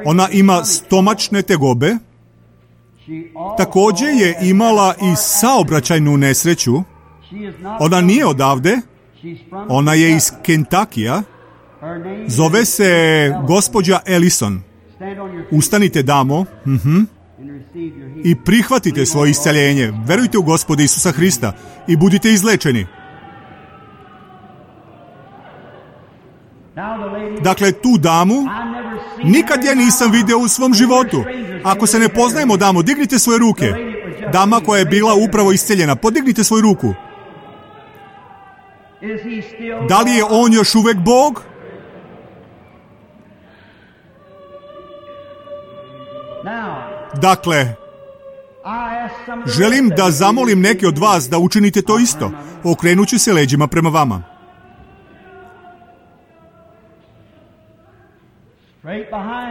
Ona ima stomačne tegobe. Također je imala i saobraćajnu nesreću. Ona nije odavde. Ona je iz Kentakija. Zove se gospođa Ellison. Ustanite, damo. I prihvatite svoje isceljenje. Verujte u Gospoda Isusa Hrista i budite izlečeni. Dakle, tu damu nikad ja nisam vidio u svom životu. Ako se ne poznajemo, damo, dignite svoje ruke. Dama koja je bila upravo isceljena, podignite svoju ruku. Da li je on još uvek Bog? Dakle, želim da zamolim neke od vas da učinite to isto, okrenući se leđima prema vama.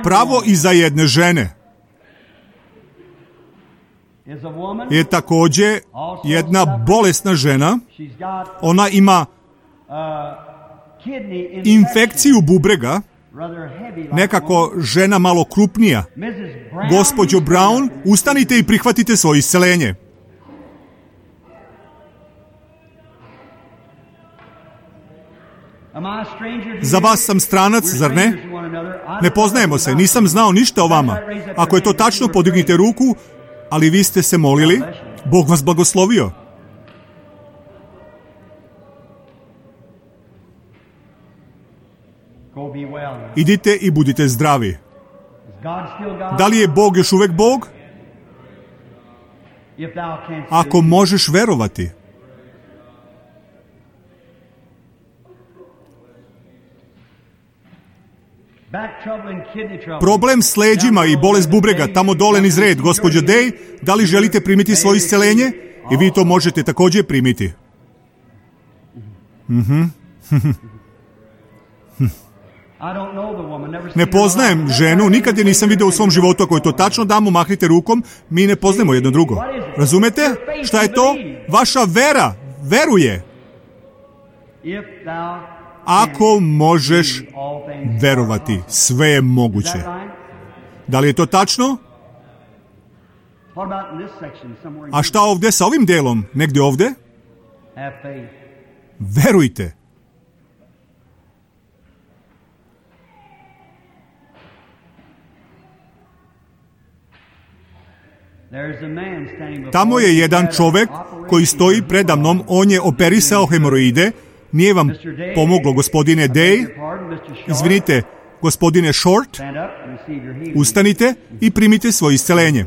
Pravo iza jedne žene je također jedna bolesna žena. Ona ima infekciju bubrega, nekako žena malo krupnija. Gospođo Brown, ustanite i prihvatite svoje isceljenje. Za vas sam stranac, zar ne? Ne poznajemo se, nisam znao ništa o vama. Ako je to tačno, podignite ruku, ali vi ste se molili, Bog vas blagoslovio. Idite i budite zdravi. Da li je Bog još uvek Bog? Ako možeš verovati. Problem s leđima i bolest bubrega, tamo dole niz red, gospođo Day, da li želite primiti svoje isceljenje? I vi to možete također primiti. Ne poznajem ženu, nikad je nisam vidio u svom životu. Ako je to tačno, damo, mahnite rukom, mi ne poznajemo jedno drugo. Razumete? Šta je to? Vaša vera, veruje. Ako možeš verovati, sve je moguće. Da li je to tačno? A šta ovdje sa ovim delom? Negdje ovdje? Verujte. Tamo je jedan čovek koji stoji preda mnom, on je operisao hemoroide. Nije vam pomoglo, gospodine Day? Izvinite, gospodine Short? Ustanite i primite svoje isceljenje.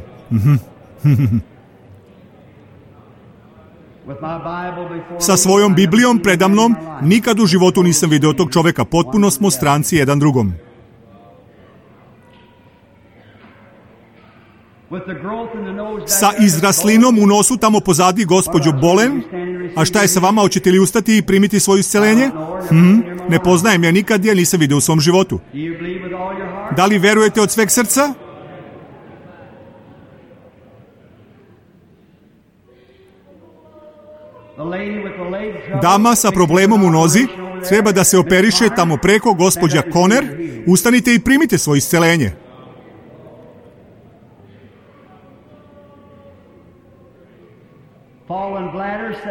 Sa svojom Biblijom preda mnom nikad u životu nisam video tog čoveka. Potpuno smo stranci jedan drugom. Sa izraslinom u nosu tamo pozadi, gospođo Bolen. A šta je sa vama? Hoćete li ustati i primiti svoje isceljenje? Ne poznajem ja nikad, ja nisam vidio u svom životu. Da li verujete od sveg srca? Dama sa problemom u nozi treba da se operiše tamo preko, gospođa Conner. Ustanite i primite svoje isceljenje.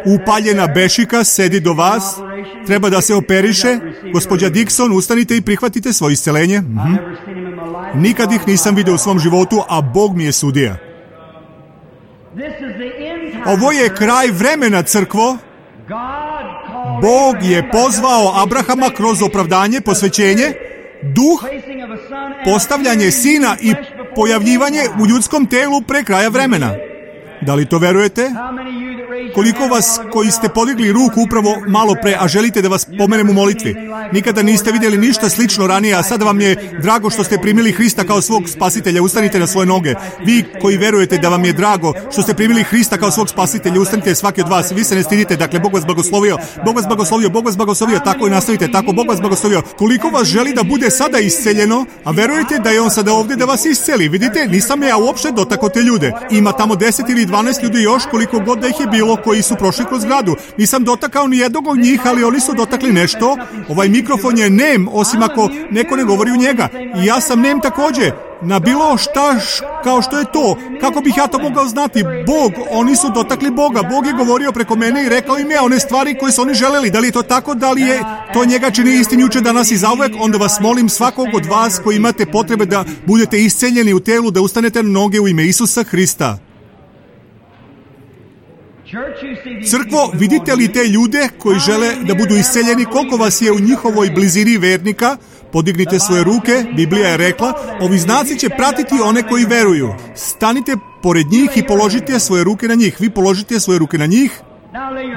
Upaljena bešika sedi do vas, treba da se operiše. Gospođa Dixon, ustanite i prihvatite svoje isceljenje. Nikad ih nisam vidio u svom životu, a Bog mi je sudija. Ovo je kraj vremena, crkvo. Bog je pozvao Abrahama kroz opravdanje, posvećenje, duh, postavljanje sina i pojavljivanje u ljudskom telu pre kraja vremena. Da li to verujete? Koliko vas koji ste podigli ruku upravo malo pre, a želite da vas pomenem u molitvi? Nikada niste vidjeli ništa slično ranije, a sada vam je drago što ste primili Hrista kao svog spasitelja. Ustanite na svoje noge. Vi koji verujete da vam je drago što ste primili Hrista kao svog spasitelja, ustanite svaki od vas. Vi se ne stidite, dakle, Bog vas blagoslovio. Bog vas blagoslovio, Bog vas blagoslovio, tako i nastavite, tako, Bog vas blagoslovio. Koliko vas želi da bude sada isceljeno, a verujete da je on sada ovdje da vas isceli? Vidite, nisam ja uopšte dotakao te ljude. Ima tamo 10 ili 12 ljudi još, koliko god da ih je bilo, koji su prošli kroz zgradu. Nisam dotakao ni jednog od njih, ali oni su dotakli nešto. Ovaj mikrofon je nem, osim ako neko ne govori u njega. I ja sam nem također. Na bilo šta kao što je to. Kako bih ja to mogao znati? Bog, oni su dotakli Boga. Bog je govorio preko mene i rekao im je one stvari koje su oni želeli. Da li je to tako? Da li je to njega čini istin juče, danas i zauvek? Onda vas molim, svakog od vas koji imate potrebe da budete isceljeni u telu, da ustanete na noge u ime Isusa Hrista. Crkvo, vidite li te ljude koji žele da budu isceljeni? Koliko vas je u njihovoj blizini vernika? Podignite svoje ruke, Biblija je rekla, ovi znaci će pratiti one koji veruju. Stanite pored njih i položite svoje ruke na njih. Vi položite svoje ruke na njih.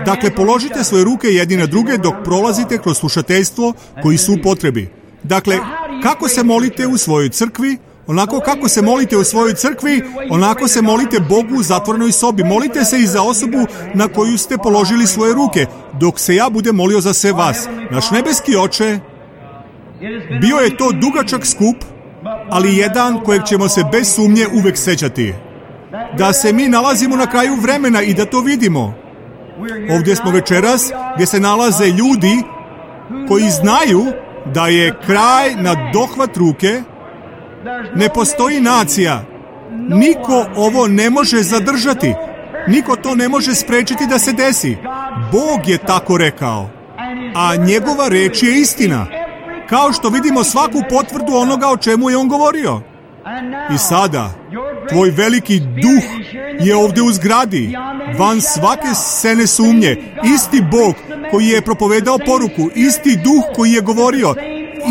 Dakle, položite svoje ruke jedni na druge dok prolazite kroz slušateljstvo koji su u potrebi. Dakle, kako se molite u svojoj crkvi? Onako kako se molite u svojoj crkvi, onako se molite Bogu u zatvorenoj sobi. Molite se i za osobu na koju ste položili svoje ruke, dok se ja budem molio za sve vas. Naš nebeski Oče, bio je to dugačak skup, ali jedan kojeg ćemo se bez sumnje uvek sećati. Da se mi nalazimo na kraju vremena i da to vidimo. Ovdje smo večeras gdje se nalaze ljudi koji znaju da je kraj na dohvat ruke. Ne postoji nacija. Niko ovo ne može zadržati. Niko to ne može sprečiti da se desi. Bog je tako rekao. A njegova reč je istina. Kao što vidimo svaku potvrdu onoga o čemu je on govorio. I sada, tvoj veliki duh je ovdje u zgradi, van svake sene sumnje. Isti Bog koji je propovedao poruku, isti duh koji je govorio,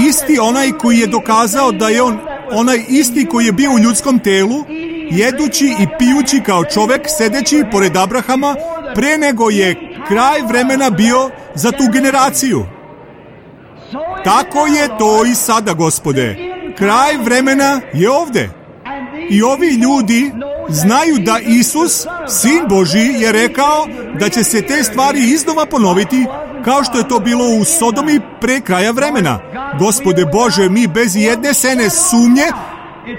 isti onaj koji je dokazao da je on onaj isti koji je bio u ljudskom telu, jedući i pijući kao čovek, sedeći pored Abrahama, pre nego je kraj vremena bio za tu generaciju. Tako je to i sada, Gospode. Kraj vremena je ovde. I ovi ljudi znaju da Isus, Sin Božji, je rekao da će se te stvari iznova ponoviti, kao što je to bilo u Sodomi pre kraja vremena. Gospode Bože, mi bez jedne sene sumnje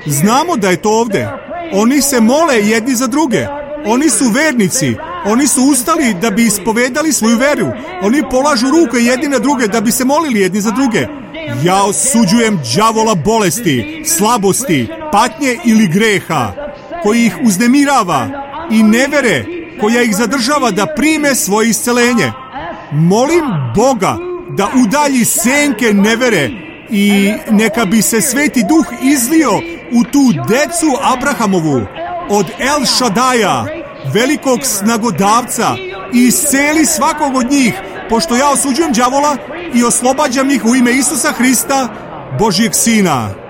znamo da je to ovde. Oni se mole jedni za druge. Oni su vernici. Oni su ustali da bi ispovedali svoju veru. Oni polažu ruke jedni na druge da bi se molili jedni za druge. Ja osuđujem đavola bolesti, slabosti, patnje ili greha, koji ih uznemirava, i nevere koja ih zadržava da prime svoje iscelenje. Molim Boga da udalji senke nevere i neka bi se Sveti Duh izlio u tu decu Abrahamovu, od El Šadaja, velikog snagodavca, i isceli svakog od njih, pošto ja osuđujem đavola i oslobađam ih u ime Isusa Hrista, Božjeg Sina.